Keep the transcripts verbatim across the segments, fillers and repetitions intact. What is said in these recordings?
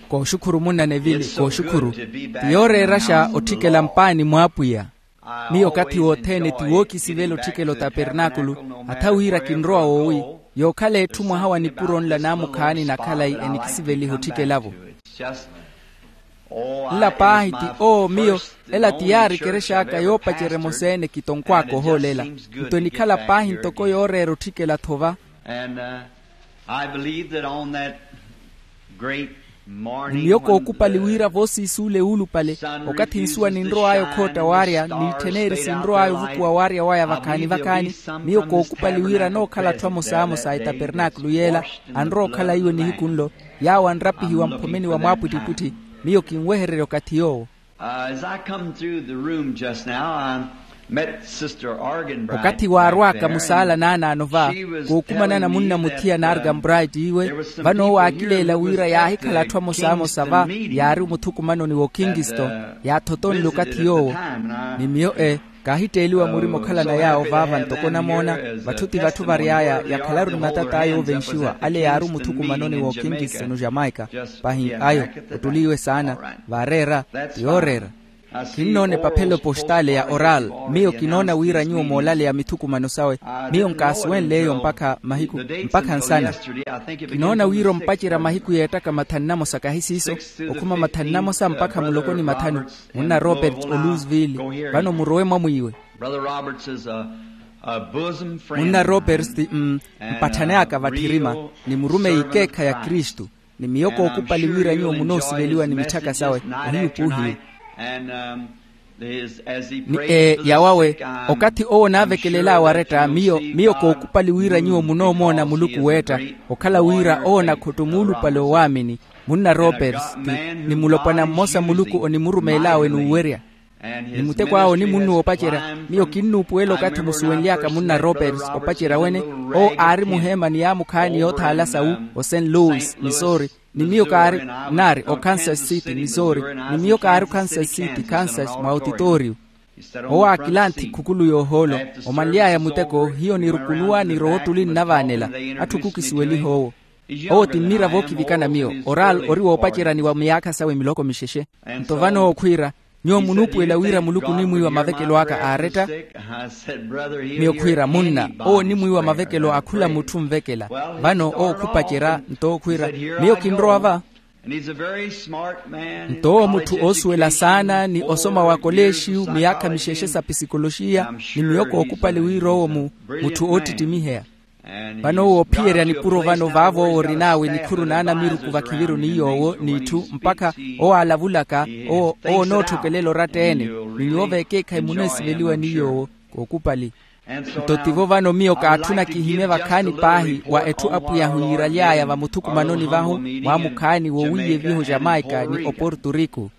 Kooxukhuru munna nevili kooxukhuru. Ti yooreeraxa otthikela mpaani mw'apwiya. Miyo okathi wothene ti wookisivela otthikela otapernaakulu. Atha wira kinrowa woowi, yookhala etthu mwaha wa nipuro nla naamukhaani na khalayi enikisiveliha otthikela-vo. Nla paahi ti oo miyo, ela ti yaari ekerex'aka yoopacerya emosa-ene kitonkw'aka ohoolela. Nto enikhala paahi ntoko yooreera otthikela-tho va. Ni miyo kookupali wira voosiisuule wuulupale, okathi nsuwa ninrow'aya okhootta waarya n'itthen'eri sinrow'aya ovukuwa waarya waya vakhaani-vakhaani. Miyo kookupali wira anookhala atthu amosamosa a etapernaakulu y'ela, anrowa okhala iwo nihiku nlo, yaawo anrapihiwa mphomeni wa mwaapwittipwitthi. Miyo kinwehererya okathi yoowo. As I come through the room just now, I met Sister Arganbright. Okathi waarw'aka musaala naanaano va, kookumanana munna muthiya na arganbright iwe. Vano owo aakileela wira yaahikhala atthu amosamosa va, yaari omuthukumanoni w'okingisto, yaathotonle okathi yoowo. Ni miyo e, kaahitteeliwa murima okhalana yaawo vaava ntoko onamoona. Vatthu ti vatthu vary'aya yakhalaru ni matat'aya oovenxiwa ale yaari omuthukumanoni w'okingisto no jamaika. Pahi ayo, ottuliiwe saana. Vaareera, ti yooreera. Kinnoona epaphelo postale ya oral. Miyo kinoona wira nyuwo moolaleya mithukumano sawe. Miyo nkaasuwenle eyo mpakha mahiku, mpakha nsana. Kinoona wira ompacerya mahiku yeettaka mathanu namosa kahi siiso, okhuma mathanu namosa mpakha muloko ni mathanu. Munna robert o louisville. Vano murowe mwamwiiwe. Munna roberts ti mm, mpatthani aka vatthirima, ni murumeyi ekeekhayi a kristu. Ni miyo kookupali wira nyuwo munoosiveliwa ni mitthaka sawe. Ohiyu puuhiyu. Ni ee yawawe, okathi owo onaavekelel'awe aretta miyo miyo kookupali wira nyuwo munoomoona muluku weetta, okhala wira owo onakhotto muulupale owaamini. Munna roberts ti, ni mulopwana mmosa muluku onimurumeel'awe n'uwerya. Ni muteko awe onimunnuwa opacerya. Miyo kinnuupuwela okathi musuwenly'aka munna roberts opacerya wene. Owo aari muheema ni yaamukhaani yoothaala sawu, o st louis missouri. Ni miyo kaari, naari o kansas city missouri. Ni miyo kaari o kansas city kansas mwa otitooriyo. Owo aakilanthi khukulu y'ohoolo. Omanly'aya muteko hiyo nirukunuwa nirowa ottuli nnavaanela. Atthu khukisuweliha owo. Owo ti mmira vookivikana miyo oral ori woopaceryani wa miyaakha sawe miloko mixexe. Nto vano owo khwiira, nyuwo munuupuwela wira muluku onimwiiwa mavekelo aka aaretta. Miyo khwiira munna, owo onimwiiwa mavekelo a khula mutthu onvekela. Vano owo khupacerya nto owo khwiira, miyo kinrowa va. Nto owo mutthu oosuwela saana ni osoma wa koleexiyu miyaakha mixexe sa pisikoloxiya. Ni miyo kookupali wira owo mu mutthu oottittimiheya. Vano owo oophiyerya nipuro vano vaavo owo orin'awe nikhuru n'anamiruku vakhiviru ni yoowo n'itthu mpakha owo aalavulaka. Owo onootthokelela oratta-ene. Ni nyuwo vekeekhayi muneesiveliwa ni yoowo. Kookupali. Nto tivo vano miyo kaatthuna kihimye vakhaani paahi wa etthu apwiyahu yiiraly'aya vamuthukumanoni vahu, mwaamukhaani wowiiyeviho jamaika ni oporto rico.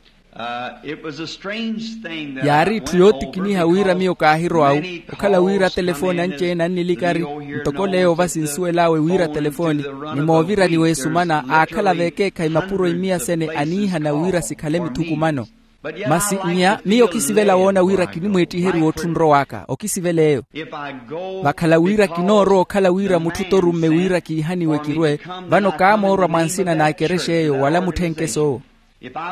Yaari itthu yootikiniha wira miyo kaahirowawu. Okhala wira atelefooni anci-ene annilikari, ntoko leyo va sinsuwel'awe wira atelefooni. Ni moovirani w'esumana aakhala vekeekhayi mapuro imiya sene aniihana wira sikhale mithukumano. Masi nnya miyo okisivela woona wira kinimweettiherya wootthu nrow'aka okisivela eyo. Vakhala wira kinoorowa okhala wira mutthu t'orumme wira kiihaniwe kirwe, vano kaamoorwa mwa nsina na ekerexa eyo wala mutthenke soowo.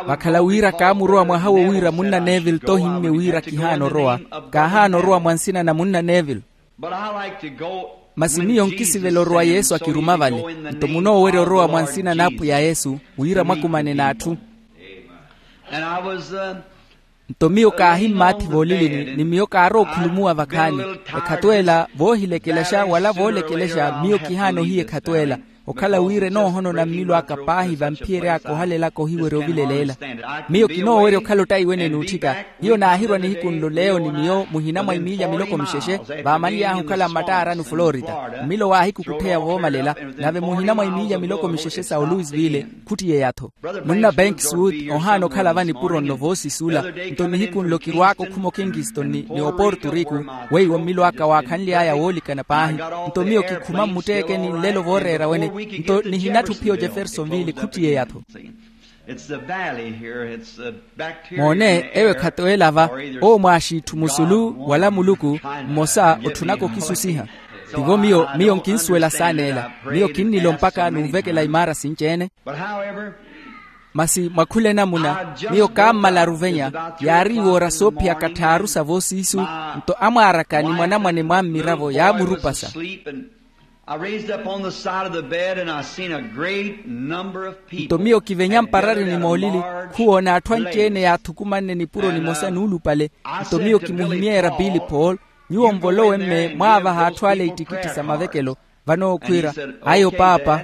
Vakhala wira kaamurowa mwaha wo wira munna neville t'ohimmye wira kihaana orowa. Kaahaana orowa mwa nsina na munna neville. Masi miyo nkisivela orowa yesu akiruma vale. Nto munoowerya orowa mwa nsina n'apwiya yesu, wira mwakumane n'atthu. Nto miyo kaahimmaathi voolilini ni miyo kaarowa okhulumuwa vakhaani. Ekhato ela voohilekelexa wala voolekelexa miyo kihaana ohiya ekhato ela. Okhala wira enoohonona mmilo aka paahi vamphiyeryaaka ohalelaka ohiwerya ovileleela. Miyo kinoowerya okhala ottayi wene n'utthika. Hiyo naahirwa nihiku nlo leyo ni miyo muhina mwa imiilya miloko mixexe. Vaamanly'ahu okhala mmattaarani oflorida. Mmilo waahikukuttheya voomalela. Nave muhina mwa imiilya miloko mixexe sa olouisville. Khuttiyeya-tho. Munna bankswood ohaana okhala va nipuro nno voosisula. Nto nihiku nlo kirwaaka okhuma okingiston ni oporto rico. Weiwo mmilo aka waakhanly'aya woolikana paahi. Nto miyo kikhuma mmutteekeni nlelo vooreera wene. Nto nihinatthi ophiya ojeffersonville khuttiyeya-tho. Moone eyo ekhato ela va. Owo mwaaxiitthu musulu wala muluku mmosa otthunaka okisusiha. Tivo miyo miyo nkinsuwela saana ela. Miyo kinnilo mpakha nunvekela imaara sinci-ene. Masi mwa khula enamuna miyo kaammalaru ovenya. Yaari iwoora soophiyaka tthaaru sa voosiisu. Nto amwaaraka ni mwanamwane mwa mmiravo yaamurupasa. Nto miyo kivenya mparari ni moolili, khuwoona atthu anci-ene yaathukumanne nipuro nimosa nuulupale. Nto miyo kimuhimyeerya pili paul, nyuwo nvolowe mme mwaavaha atthu ale ittikitti sa mavekelo. Vano owo khwiira, ayo paapa.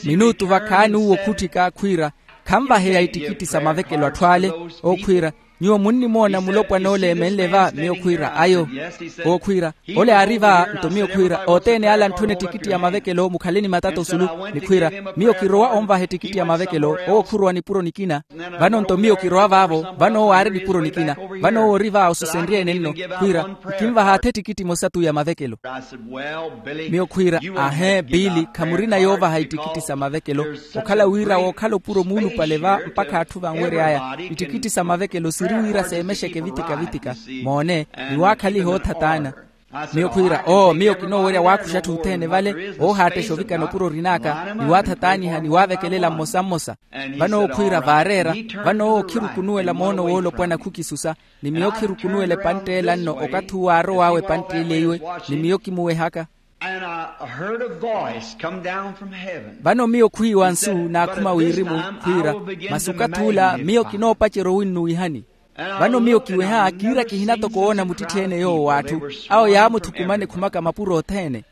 Minuutu vakhaani uwo khutthika khwiira, khanvaheya ittikitti sa mavekelo atthu ale. Owo khwiira, nyuwo munnimoona mulopwana ole emenle va? Miyo khwiira, ayo. Owo khwiira, ole aari va. Nto miyo khwiira, othene ale antthuna ettikitti ya mavekelo mukhale ni matata osulu. Ni khwiira, miyo kirowa onvaha ettikitti ya mavekelo. Owo khurowa nipuro nikina. Vano nto miyo kirowa vaavo, vano owo aari nipuro nikina. Vano owo ori va osusenrye-ene nno. Khwiira, nkinvaha atha ettikitti emosa tu ya mavekelo. Miyo khwiira, ahe pili, khamurina yoovaha ittikitti sa mavekelo. Okhala wira wookhala opuro muulupale va mpakha atthu vanwery'aya. Ittikitti sa mavekelo siri wira seemexeke vitika-vitika. Moone, ni waakhaliha oothataana. Miyo khwiira, oo miyo kinoowerya waakuxa atthu othene vale, oohaattesha ovikana opuro orin'aka ni waathataaniha ni waavekelela mmosa-mmosa. Vano owo khwiira vaareera. Vano owo khirukunuwela moono woolopwana khukisusa. Ni miyo khirukunuwela epantt'ela nno okathi uwo aarow'awe epantt'ela iwe. Ni miyo kimuwehaka. Vano miyo khwiiwa nsu naakhuma wirimu, khwiira, masi okathi ula miyo kinoopacerya owinnuwihani. Vano miyo kiweha kiira kihina toko woona muttitthi-ene yoowo w'atthu. Awo yaamuthukumana ekhumaka mapuro othene.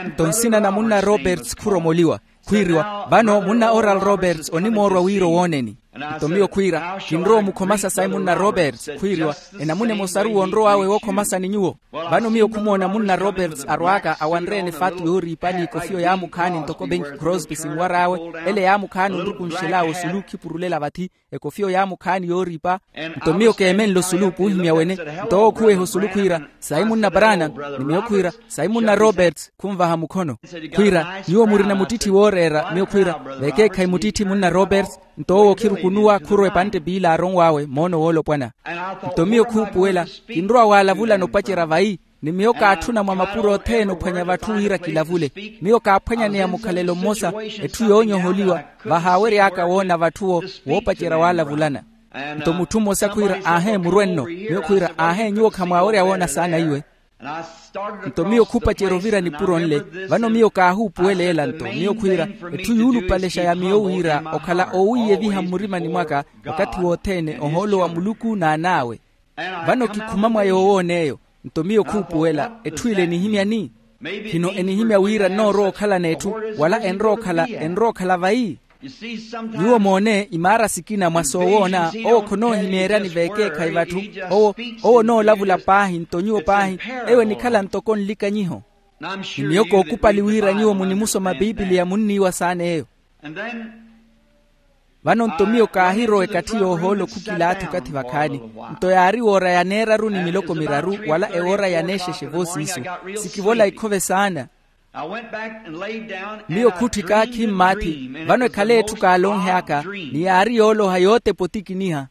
Nto nsina na munna roberts khuromoliwa, khwiiriwa, vano munna oral roberts onimoorwa wira owooneni. Nto miyo khwiira, kinrowa omukhomasa sayi munna roberts. Khwiiriwa, enamuna emosaru wonrow'awe wookhomasa ni nyuwo. Vano miyo khumoona munna roberts arw'aka awanre-ene faatu yooriipa ni ekofiyo yaamukhaani ntoko benki crosby sinwar'awe. Ele yaamukhaani onrukunxel'awe osulu khipurulela vathi. Ekofiyo yaamukhaani yooriipa. Nto miyo keemenle osulu puuhimya wene. Nto owo khuweha osulu khwiira, sayi munna branham. Ni miyo khwiira, sayi munna roberts khunvaha mukhono. Khwiira, nyuwo murina muttitthi wooreera? Miyo khwiira, vekeekhayi muttitthi munna roberts. Nto owo khirukunuwa khurowa epantte piila aaronw'awe moono woolopwana. Nto miyo khuupuwela, kinrowa waalavulana opacerya vayi. Ni miyo kaatthuna mwa mapuro othene ophwanya vatthu wira kilavule. Miyo kaaphwanyaneya mukhalelo mmosa, etthu yoonyoholiwa, vahaawery'aka woona vatthu-wo woopacerya waalavulana. Nto mutthu mmosa khwiira, aahe murwe nno. Miyo khwiira, aahe nyuwo khamwaawerya woona saana iwe. Nto miyo khupacerya ovira nipuro nle. Vano miyo kaahuupuwela ela nto miyo khwiira, etthu yuulupalexa ya miyo wira okhala owiiyeviha mmurimani mwaka wakathi wothene ohoolo wa muluku n'an'awe. Vano kikhuma mwa yoowoon'eyo. Nto miyo khuupuwela, etthu ile enihimyani? Khino enihimya wira nnoorowa okhala n'etthu, wala enrowa okhala enrowa okhala vayi? Nyuwo moone imaara sikina mwa soowoona. Owo khonoohimeeryani veekeekhayi vatthu. Owo owo onoolavula paahi nto nyuwo paahi. Eyo enikhala ntoko nlikanyiho. Ni miyo kookupali wira nyuwo munimusoma pipiliya munniiwa saana eyo. Vano nto miyo kaahirowa ekatthi yoohoolo khukilaathi okathi vakhaani. Nto yaari woora ya neeraru ni miloko miraru wala ewoora ya neexexe voosiisu. Sikivola ikhove saana. Miyo khutthika khimmaathi. Vano ekhale etthu kaalonhe aka ni yaari yooloha yootepa otikiniha.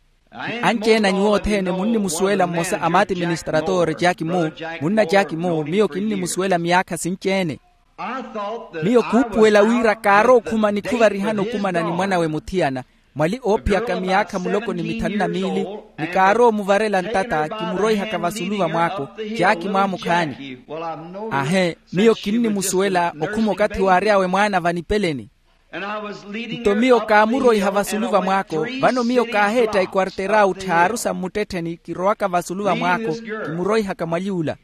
Anci-ene a nyuwo othene munnimusuwela mmosa a maati ministratore jack moo. Munna jack moo miyo kinnimusuwela myaakha sinci-ene. Miyo khuupuwela wira kaarowa okhuma nikhuvarihana okumana ni mwan'awe muthiyana, mwali oophiyaka miyaakha muloko ni mithanu na miili. Ni kaarowa omuvarela ntata kimuroihaka vasulu va mwaako. Jack mwaamukhaani. Ahe, miyo kinnimusuwela okhuma okathi waary'awe mwaana vanipeleni. Nto miyo kaamuroiha vasulu va mwaako. Vano miyo kaaheetta ekwarter'awe otthaaru sa mmuttettheni kirowaka vasulu va mwaako. Kimuroihaka mwali ula.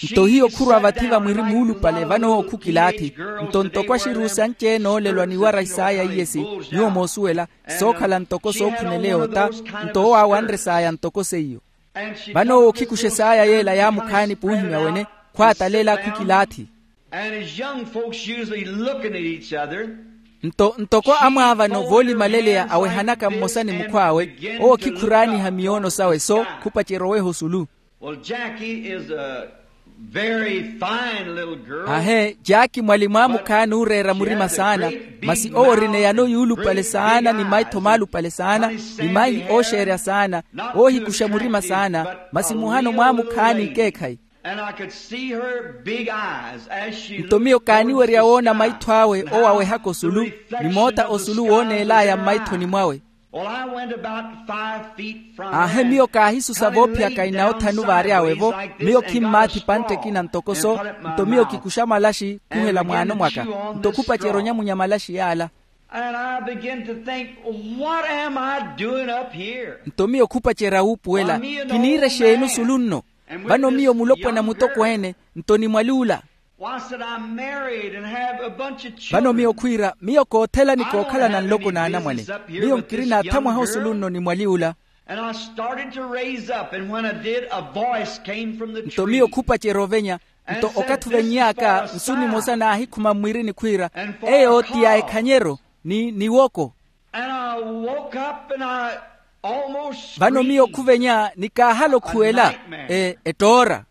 Nto hiyo khurwa vathi vamwiri muulupale vano owo khukilaathi. Nto ntoko axiruusi anci-ene oolelwa ni wara isaaya iyesi, nyuwo moosuwela, sookhala ntoko sookhunele yoota. Nto owo aawanre saaya ntoko seiyo. Vano owo okhikuxa esaaya yeela yaamukhaani puuhimya wene, khwaatalela khukilaathi. Nto ntoko amwaavano voolimaleleya awehanaka mmosa ni mukhw'awe, owo khikhuraaniha miyoono sawe so khupacerya oweha osulu. Very fine little girl. Ahe, jaaki mwalimu amukhaani ooreera murima saana. Masi owo orina eyano yuulupale saana ni maitho maalupale saana, ni maihi ooxeerya saana, oohikuxa murima saana. Masi muhano mwaamukhaani ekeekhayi. And I could see her big eyes as she looked towards the sky. Nto miyo kaaniwerya woona maitho awe owawehaka osulu, ni moota osulu wooneel'aya mmaithoni mwawe. Well, I went about five feet from her. Aahe, miyo kaahisusa voophiyaka inawo thanu vaary'awe-vo. Miyo khimmaathi pantte ekina ntoko so. Nto miyo kikuxa malaxi khuhela mwaano mwaka. Nto khupacerya onyamunya malaxi yaala. And I began to think, what am I doing up here? Nto miyo khupacerya wuupuwela, kiniira exeeni osulu nno? Vano miyo mulopwana mutokweene, nto ni mwali ula. Why, said, I'm married and have a bunch of children. Vano miyo khwiira, miyo koothela ni kookhalana nloko n'anamwane. Miyo nkirina athamwaha osulu nno ni mwali ula. And I started to raise up, and when I did, a voice came from the tree. Nto miyo khupacerya ovenya. Nto okathi oveny'aka, nsu nimosa naahikhuma mmwiirini khwiira, eyo ti ya ekhanyeryo ni niwoko. And I woke up and I almost screamed. Vano miyo khuvenya ni kaahala okhuwela, e ettoora.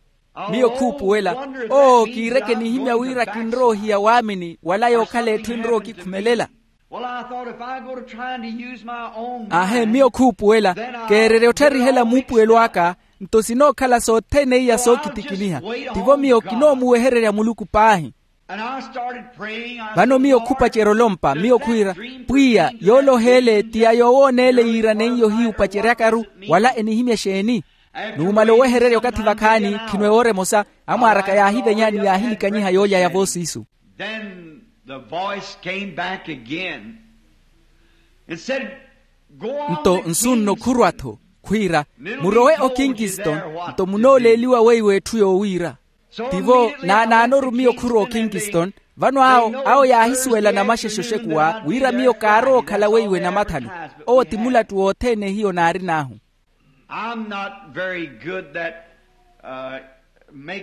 Miyo khuupuwela, oo kiireke nihimya wira kinrowa ohiya waamini wala yookhala etthu enrowa okikhumelela. Well, I thought, if I go to trying to use my own mind, aahe, miyo khuupuwela, keererya ottarihela muupuwelo aka, nto sinookhala sothene iya sookitikiniha. Tivo miyo kinoomuwehererya muluku paahi. Vano miyo khupacerya olompa, miyo khwiira, pwiya, yoole oheele ti ya yoowooneele yiiraneiye ohiyu opaceryakaru, wala enihimya exeeni? Numala owehererya okathi vakhaani, khino ewoora emosa, amwaar'aka yaahivenya ni yaahilikanyiha yoolya ya voosiisu. Then the voice came back again and said, go on. Nto nsu nno khurwa-tho, khwiira, murowe okinkiston, nto munooleeliwa weiwo etthu yoowiira. Tivo naanaanoru miyo khurwa okinkiston. Vano awo awo yaahisuwela namaxexe oxekuwa wira miyo kaarowa okhala weiwe namathanu. Owo ti mulattu wothene hiyo naarin'ahu.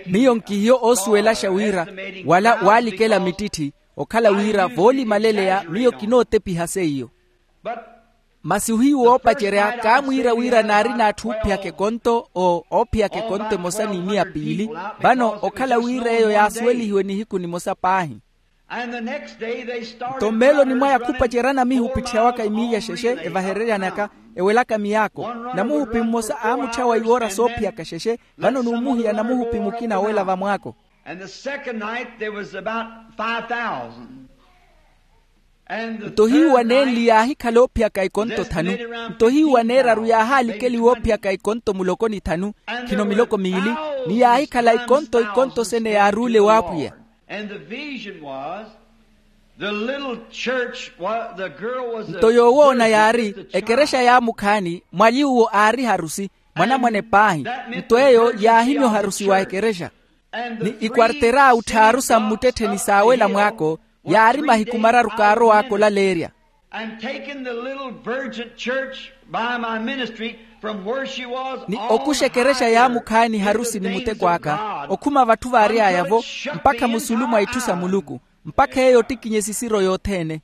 Miyo nkihiyo oosuwelaxa wira wala waalikela mittitthi, okhala wira voolimaleleya miyo kinootepiha seiyo. Masi ohiyu woopacerya kaamwiira wira naari n'atthu oophiyaka ekonto, oophiyaka ekonto emosa ni miya piili. Vano okhala wira eyo yaasuwelihiwe nihiku nimosa paahi. Nto mmeeloni mwaya khupaceryana miyo opitthiha waka imiiya xexe evahereryanaka, ewelaka miyaako. Namuhupi mmosa aamutthyawa iwoora soophiyaka xexe. Vano nuumuhiya namuhupi mukina wela vamwaako. Nto hiyu waneenli yaahikhala oophiyaka ikonto thanu. Nto hiyu waneeraru yaahaalikeliwa oophiyaka ikonto muloko ni thanu, khino miloko miili, ni yaahikhala ikonto ikonto sene yaaruule w'apwiya. Nto yoowoona yaari ekerexa yaamukhaani mwali uwo aari harusi, mwanamwane paahi. Nto eyo yaahimya oharusi wa ekerexa. Ni ikwarter'awe tthaaru sa mmuttettheni saawela mwaako yaari mahiku mararu kaarow'aka olaleerya. Ni okuxa ekerexa yaamukhaani harusi ni muteko aka okhuma vatthu vaary'aya-vo, mpakha musulu mwa itthu sa muluku, mpakha eyo ottikinye esisiro yothene.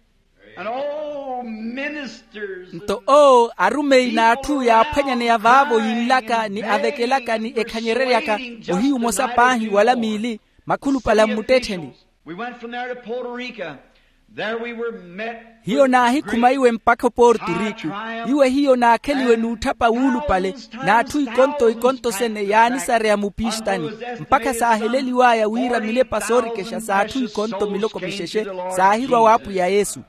Nto oo arumeyi n'atthu yaaphwanyaneya vaavo yinlaka ni avekelaka ni ekhanyereryaka ohiyu omosa paahi wala miili makhulupale a mmuttettheni. Hiyo naahikhuma iwe mpakha oporto rico. Iwe hiyo naakheliwe n'utthapa wuulupale n'atthu ikonto ikonto sene yaanisareya mupistani, mpakha saaheleliw'aya wira milepa soorikexa s'atthu ikonto miloko mixexe saahirwa w'apwiya yesu.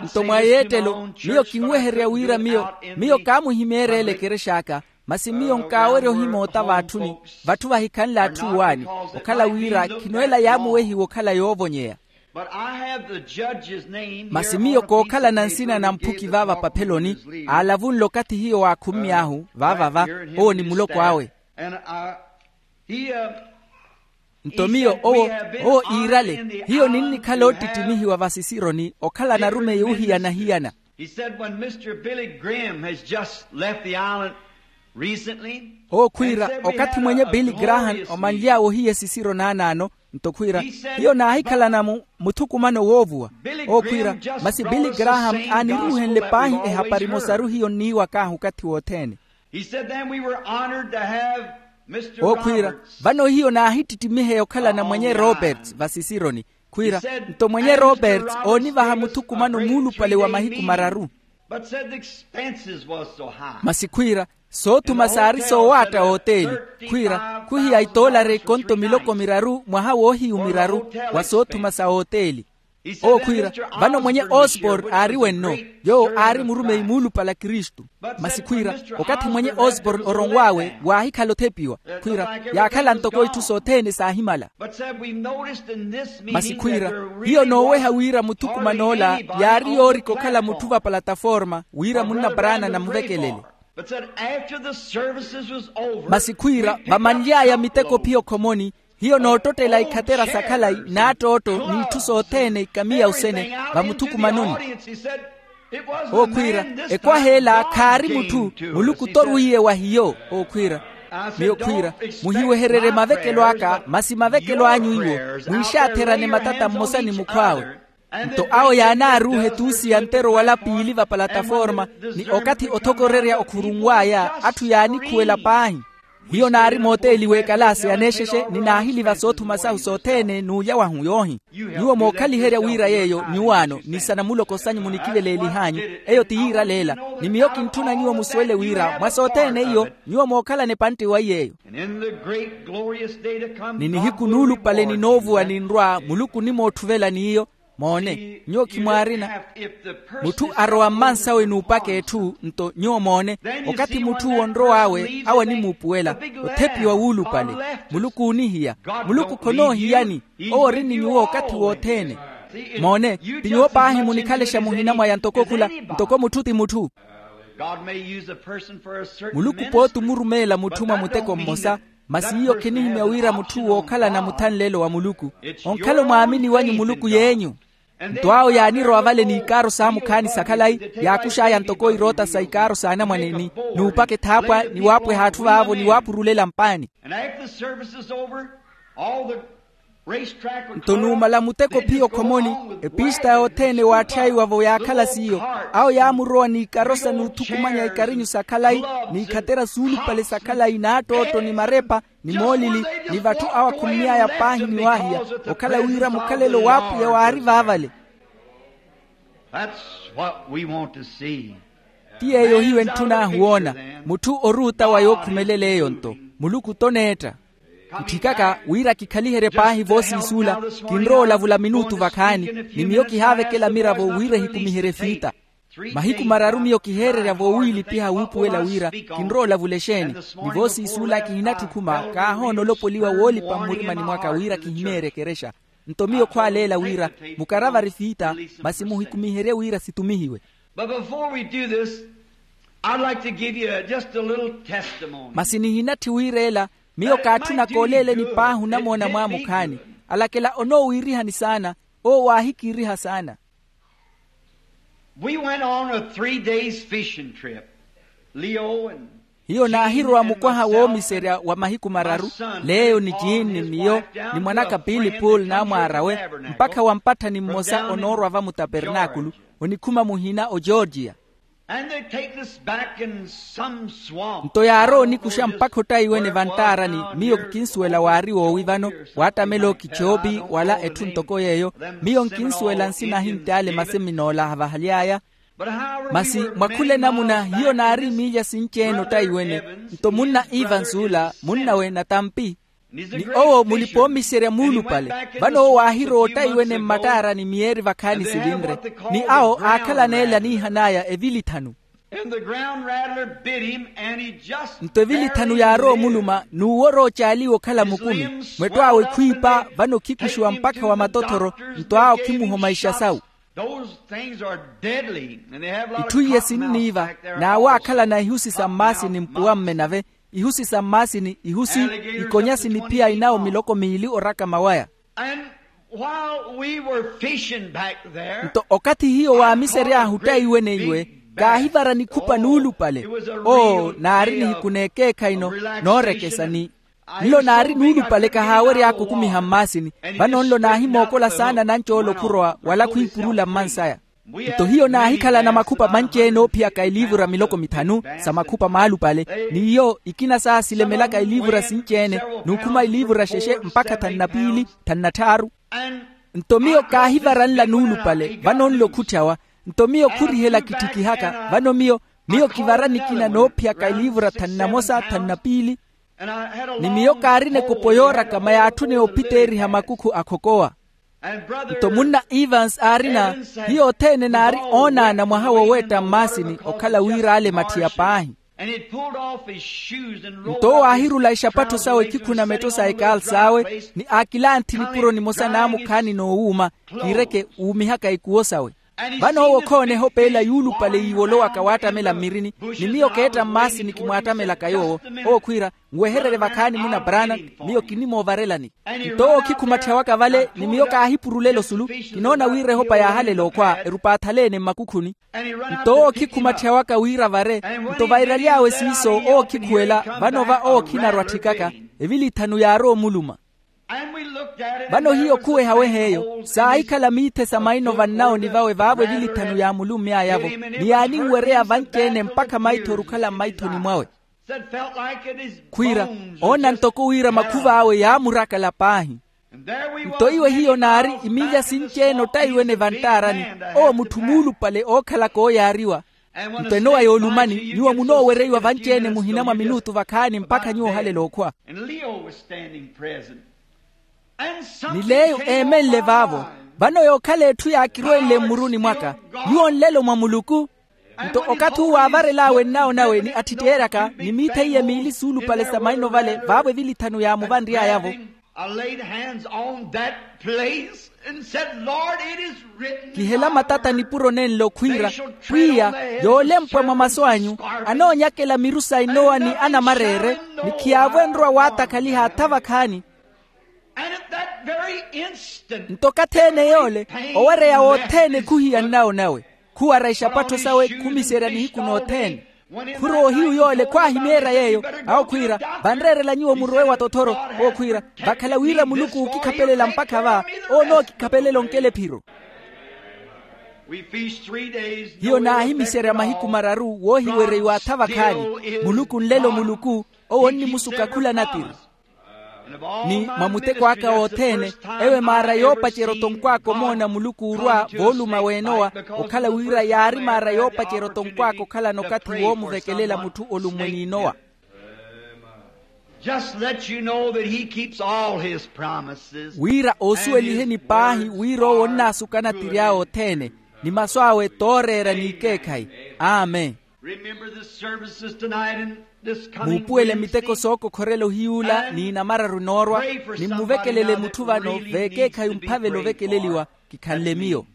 Nto mwa yeettelo miyo kinwehererya wira miyo miyo kaamuhimeereela ekerex'aka. Masi miyo nkaawerya ohimoota v'atthuni vatthu vahikhanle atthu uwaani, okhala wira khino ela yaamuwehiwa okhala yoovonyeya. Masi miyo kookhalana nsina na mphuki vaava papheloni, aalavunle okathi hiyo waakhummy'ahu vaavava. Owo ni muloko awe. Nto miyo owo owo iirale hiyo ninnikhala oottittimihiwa vasisironi okhala narumeyi ohiyana-hiyana. Owo khwiira okathi mwenye billy graham omanly'awe ohiya esisiro naanaano. Nto khwiira hiyo naahikhalana muthukumano woovuwa. Owo khwiira masi billy graham aaniruuhenle paahi ehapari emosaru hiyo nniiwak'ahu okathi wothene. He said then we were honored to have Mr. Okhwiira, Roberts. Vano hiyo naahittittimiheya okhalana mwenye Roberts vasisironi. Khwiira, nto mwenye Roberts oonivaha muthukumano muulupale wa mahiku mararu. But said the expenses was so high. Masi khwiira, soothuma saari soowaatta oteeli. Khwiira, khuhiya itoolari ekonto miloko miraru mwaha woohiyu miraru wa soothuma sa oteeli. Owo khwiira, vano mwenye Osborne aari wenno, yoowo aari murumeyi muulupale a kristu. Masi khwiira, okathi mwenye Osborne oronw'awe waahikhala othepiwa. Khwiira, yaakhala ntoko itthu sothene saahimala. Masi khwiira, hiyo nooweha wira muthukuman'ola yaari yoorika okhala mutthu va palataforma wira munna brana namuvekelele. Masi khwiira, vamanly'aya miteko phiyo khomoni, hiyo noottottela ikhatera sa khalayi n'attootto n'itthu sothene ikamiya osene vamuthukumanoni. Owo khwiira, ekwaha ela khaari mutthu, muluku t'orwiiye wa hiyo. Owo khwiira, miyo khwiira, muhiwehererye mavekelo aka masi mavekelo anyu iwo, mwiixaatherane matata mmosa ni mukhw'awe. Nto awo yaanaaruuha etuusi ya ntero wala piili va palataforma, ni okathi othokorerya okhurunw'aya atthu yaanikhuwela paahi. Hiyo naari mooteeli w'ekalaasi aneexexe ni naahiliva soothuma sahu sothene n'ulya wahu yoohi. Nyuwo mookhaliherya wira yeeyo nyuwaano ni sanamuloko sanyu munikiveleelih'anyu, eyo ti yiiraleela. Ni miyo kintthuna nyuwo musuwele wira mwa sothene iyo nyuwo mookhalana epantte wa iy'eyo. Ni nihiku nuulupale ninoovuwa ninrwa muluku onimootthuvela n'iyo. Moone, nyuwo khimwaarina. Mutthu arowa mmansawe n'upaka etthu nto nyuwo moone, okathi mutth'uwo onrow'awe awo animuupuwela, othepiwa wuulupale. Muluku oonihiya. Muluku khonoohiyani. Owo ori ni nyuwo okathi wothene. Moone, ti nyuwo paahi munikhalexa muhina mwaya ntoko khula, ntoko mutthu ti mutthu. Muluku pooti omurumeela mutthu mwa muteko mmosa. Masi iyo khinihimya wira mutthu wookhalana muthanlelo wa muluku, onkhala omwaamini wanyu muluku yeenyu. Nto awo yaanirowa vale n'ikaaro saamukhaani sa khalayi, yaakux'aya ntoko iroota sa ikaaro s'anamwane ni nuupaka ethaapwa ni waapweha atthu vaavo ni waapurulela mpaani. Nto nuumala muteko phiyo khomoni, epista yothene waatthyayiwa-vo yaakhala s'iyo. Awo yaamurowa n'ikarosa n'uthukumanya ikarinyu sa khalayi n'ikhatera suulupale sa khalayi n'attootto ni marepa ni moolili, ni vatthu awo akhummy'aya paahi ni waahiya, okhala wira mukhalelo w'apwiya waari vaavale. Ti yeeyo hiyo entthun'ahu woona. Mutthu oruuta wa yookhumelela eyo nto muluku t'oneetta. Ntthikaka wira kikhaliherye paahi voosiisuula. Kinrowa olavula minuutu vakhaani, ni miyo kihaavekela miravo wira ehikumiherye fiita. Mahiku mararu miyo kiheererya voowiilipiha wuupuwela wira kinrowa olavula exeeni. Ni voosiisuula kihinatthi okhuma kaahoona olopoliwa woolipa mmurimani mwaka wira kihimeerye ekerexa. Nto miyo khwaaleela wira mukaravari fiita, masi muhikumiherye wira situmihiwe. But before we do this, I'd like to give you a, just a little testimony. Masi nihinatthi wiireela, miyo kaatthuna kooleeleni paahi onamoona mwaamukhaani. Alakela onoowiirihani saana. Owo waahikiiriha saana. We went on a three days fishing trip. Leo and hiyo naahirowa mukwaha woomiserya wa mahiku mararu, leyo ni jean ni miyo, ni mwanaka pili pool n'amwaar'awe, mpakha wa mpatthani mmosa onoorwa va mutapernaakulu, onikhuma muhina ogeorgia. Nto yaarowa onikuxa mpakha ottayiwene vanttaarani. Miyo nkinsuwela waari woowi vano, waattamela okichoopi wala etthu ntoko yeeyo. Miyo nkinsuwela nsina ahintti ale maseminoola ahavahaly'aya. Masi mwa khula enamuna hiyo naari miilya sinci-ene ottayiwene. Nto munna ivansuula munnawe natampi, ni owo mulipa-oomiserya muulupale. Vano owo waahirowa ottayiwene mmattaarani miyeeri vakhaani sivinre, ni awo aakhalana ela niihan'aya evili thanu. Nto evili thanu yaarowa omuluma n'uwo oroocaaliwa okhala mukumi. Mwetto awe khwiipa vano khikuxiwa mpakha wa matothoro. Nto awo khimuhoma ixasawu. Itthu iye sinniiva, n'awaakhalana ihusi sa mmaasini mpuwa mme nave, ihusi sa mmaasini ihusi, ikonyasi ni phiya inawo miloko miili orakama waya. Nto okathi hiyo waamisery'ahu ottayiwene iwe, kaahivara nikhupa nuulupale. Oo naari nihiku n'ekeekhayi no noorekesa ni nlo naari nuulupale kahaawery'aka okumiha mmaasini. Vano nlo naahimookola saana nanci ole okhurowa wala khwiipurula mmansaya. Nto hiyo naahikhalana makhupa manci-ene oophiyaka iliivura miloko mithanu sa makhupa maalupale, n'iyo ikina saasilemelaka iliivura sinci-ene, n'ukhuma iliivura xexe mpakha thanu na piili, thanu na tthaaru. Nto miyo kaahivara nla nuulupale vano nla okhutthawa. Nto miyo khurihela kitthikihaka vano miyo miyo kivara nikina noophiyaka iliivura thanu na mosa thanu na piili. Ni miyo kaarina ekopo yoorakama yaatthune ophiteeriha makukhu akhokowa. Nto munna evans aarina, hiyo othene naari oonaana mwaha woweetta mmaasini okhala wira ale mathiya paahi. Nto owo aahirula ixapattho sawe ekhikhuna metto sa ekaalu sawe, ni aakilanthi nipuro nimosa naamukhaani n'owuuma, kiireke wuumihaka ikuwo sawe. Vano owo okhoona ehopeela yuulupale yiiwolowaka waattamela mmirini. Ni miyo keetta mmaasini kimwaattamelaka yoowo. Owo khwiira, nwehererye vakhaani muna branham, miyo kinimoovarelani. Nto owo okhikhumatthya waka vale ni miyo kaahipurulela osulu. Kinoona wira ehopa yaahalela okhwa erupaathalene mmakukhuni. Nto owo okhikhumatthya waka wira vare. Nto vairaly'awe siiso owo okhikhuwela, vano va owo okhinarwa atthikaka, evili ithanu yaarowa omuluma. Vano hiyo khuwehaweha eyo saahikhala miithe sa maino vannawoni vawe vaavo evili ithanu yaamulummy'ayavo, ni yaaninwereya vanci-ene mpakha maitho orukhala mmaithoni mwawe. Khwiira, oona ntoko wira makhuv'awe yaamurakala paahi. Nto iwe hiyo naari imilya sinci-ene ottaiwene vanttaarani, owo mutthu muulupale ookhalaka ooyaariwa. Nto enowa yoolumani nyuwo munoowereiwa vanci-ene muhina mwa minutu vakhaani mpakha nyuwo ohalela okhwa. Ni leyo eemenle vaavo. Vano yookhala etthu yaakirwenle mmuruni mwaka, nyuwo nlelo mwa muluku. Nto okathi uwo aavarel'awe nnawo nawe ni atthitteeryaka ni miitha iye miili suulupale sa maino vale vaavo evili ithanu yaamuvanry'ayavo. Kihela matata nipuro nenle okhwiira, pwiya, yoolempwa mwa masu anyu anoonyakela miru sa inowa ni anamareere, ni khiyaavo enrowa waatakhaliha atha vakhaani. Nto okathi-ene yoole owereya wothene khuhiya nnawo nawe, khuwara ixapattho sawe khumiserya nihiku nothene. Khurowa ohiyu yoole khwaahimeerya yeeyo. Awo khwiira, vanreerela nyuwo murowe wa tothoro. Owo khwiira, vakhala wira muluku ookikhapelela mpakha va, owo onookikhapelela onkela ephiro. Hiyo naahimiserya mahiku mararu woohiwereiwa atha vakhaani. Muluku nlelo muluku, owo onnimusuka khula natiri. Ni mwa muteko aka wothene, eyo emaara yoopacerya otonkw'aka omoona muluku orwa vooluma w'enowa, okhala wira yaari maara yoopacerya otonkw'aka okhalana okathi woomuvekelela mutthu olummwe n'inowa. Just let you know that he keeps all his promises. Wira oosuweliheni paahi wira owo onnaasuka anatiri awe othene, ni masu awe tooreera n'ikeekhayi. Amen. Remember the services tonight and this coming Week. Muupuwele miteko sookokhorela ohiyuula n'inamararu enoorwa, ni mmuvekelele mutthu vano veekeekhayi omphavela ovekeleliwa. Kikhanle miyo.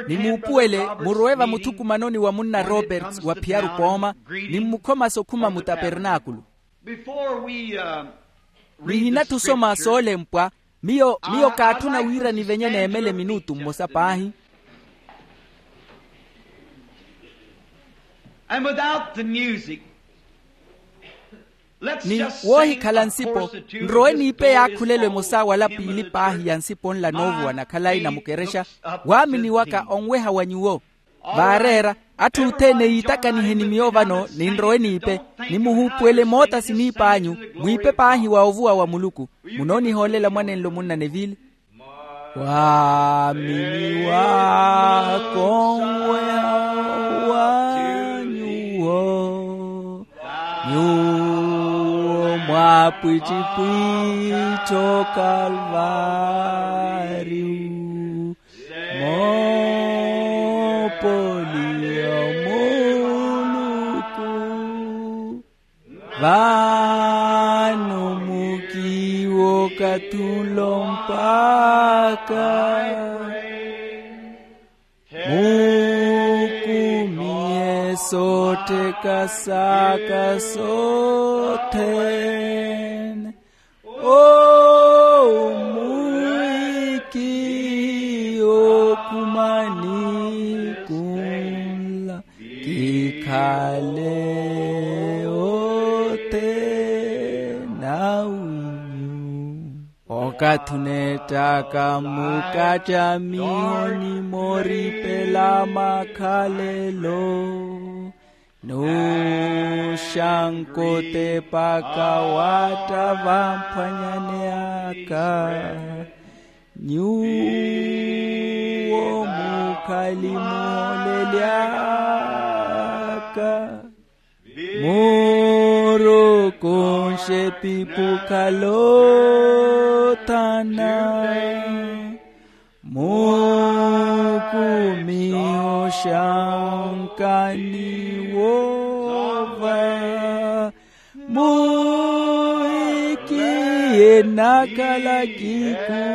Ni muupuwele murowe vamuthukumanoni wa munna roberts wa phiyaru pooma, ni mmukhomasa okhuma mutapernaakulu. Nihinathi osoma soolempwa. Miyo miyo kaatthuna wira nivenye neemele minutu mmosa paahi. And without the music, ni woohikhala nsipo, nrowe niipe yaakhulelo emosa wala piili paahi ya nsipo nla noovuwana khalayi na mukerexa. Waamini waka onweha wa nyuwo. Vaareera, atthu othene yiitakanihe ni miyo vano, ni nrowe niipe. Ni muhuupuwele moota siniip'anyu, mwiipe paahi wa ovuwa wa muluku. Munoonihoolela mwanenlo munna neville. Waamini waka onweha wa nyuwo, nyuwo mwaapwittipwitti okalvariyu. Moopoliya muluku, vano mukiiwo kathulo mpakha mukumihe sootteka saka sothene. Owo mwiiki okhumani kunla kikhale othene awinyu. Okathi oneettaka mukacamiho ni mooripela makhalelo, nuuxanka otepaka waatta vamphwanyani aka. Nyuwo mukhali muholeli aka, murokonxe epipukha loothana, mukumiho xanka ni woova. Muhikiye nakhala kikumelaka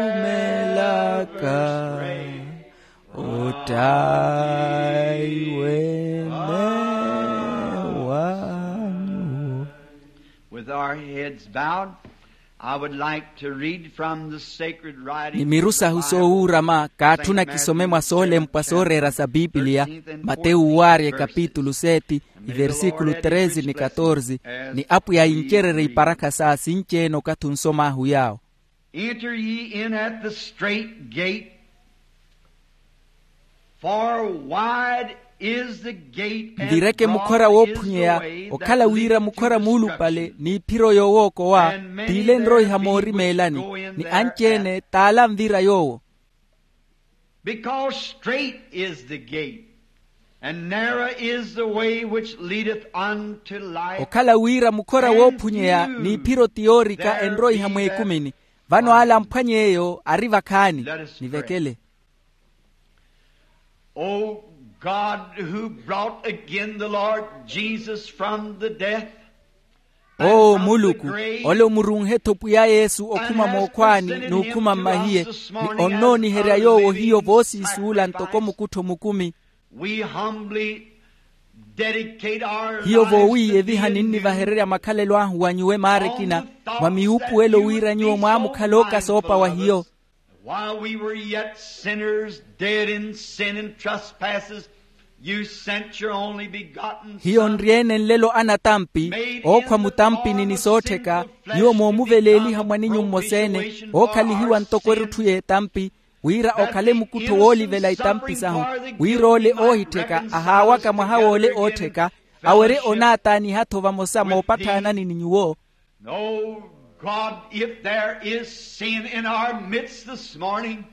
ottaiwe mewanyu. With our heads bowed, I would like to read from the sacred writings. Ni miru sahu soowuurama kaatthuna kisome mwa soolempwa sooreera sa pipiliya. Matewu waarya ekapitulu seti, iversikulu treze ni katorze. Ni apwiya yincererye iparakha saa sinci-ene okathi onsom'ahu yaawo. Enter ye in at the strait gate, for wide is the gate and broad is the way that leadeth to destruction. Nvireke mukhora woophunyeya, okhala wira mukhora muulupale n'iphiro yoowookowa, t'ile enroiha moorimeelani, ni anci-ene t'ale anvira yoowo. Because strait is the gate, and narrow is the way which leadeth unto life. Okhala wira mukhora woophunyeya n'iphiro ti yoorika enroiha mweekumini, vano ale amphwany'eyo ari vakhaani. Nivekele. O God, who brought again the Lord Jesus from the death, oo muluku, ole omurunhe-tho pwiya yesu okhuma mookhwaani n'ukhuma mmahiye, ni onnooniherya yoowo hiyo voosiisuula ntoko mukuttho mukumi. We humbly dedicate our lives to thee. Hiyo voowiiyeviha ninnivahererya makhalelo ahu wa nyuwo maara ekina, mwa miwuupuwelo wira nyuwo mwaamukhala okasoopa wa hiyo. While we were yet sinners, dead in sin and trespasses, you sent your only begotten Son. Hiyo nri-ene nlelo anatampi, ookhwa mutampini ni soottheka, nyuwo moomuveleeliha mwaninyu mmosa-ene, ookhalihiwa ntoko erutthu y'etampi, wira okhale mukuttho woolivela itampi sahu, wira ole oohittheka ahaawaka mwaha w'ole oottheka, awerye onaataaniha-tho vamosa moopatthaanani ni nyuwo. No, God, if there is sin in our midst this morning,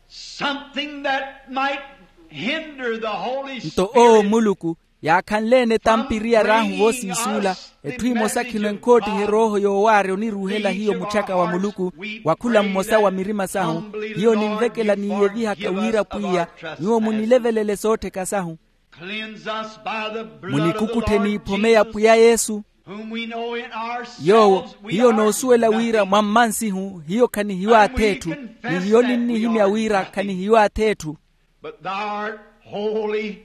something that might hinder the Holy Spirit from leading us, nto oo muluku, yaakhanle-ene tampiriya r'ahu voosiisuula, etthu emosa khino enkoottihe erooho yoowaarya oniruuhela hiyo mutthyaka wa muluku, wa khula mmosa wa mirima sahu, hiyo ninvekela niiyevihaka wira pwiya, nyuwo munilevelele soottheka sahu. Cleanse us by the blood of the Lord Jesus Christ. Munikukutthe n'iphome ya pwiya yesu. Whom we know in ourselves we are nothing. Yoowo hiyo noosuwela wira mwa mmansihu hiyo khanihiyo ath'etthu. Ni hiyo ninnihimya wira khanihiyo ath'etthu. But thou art holy,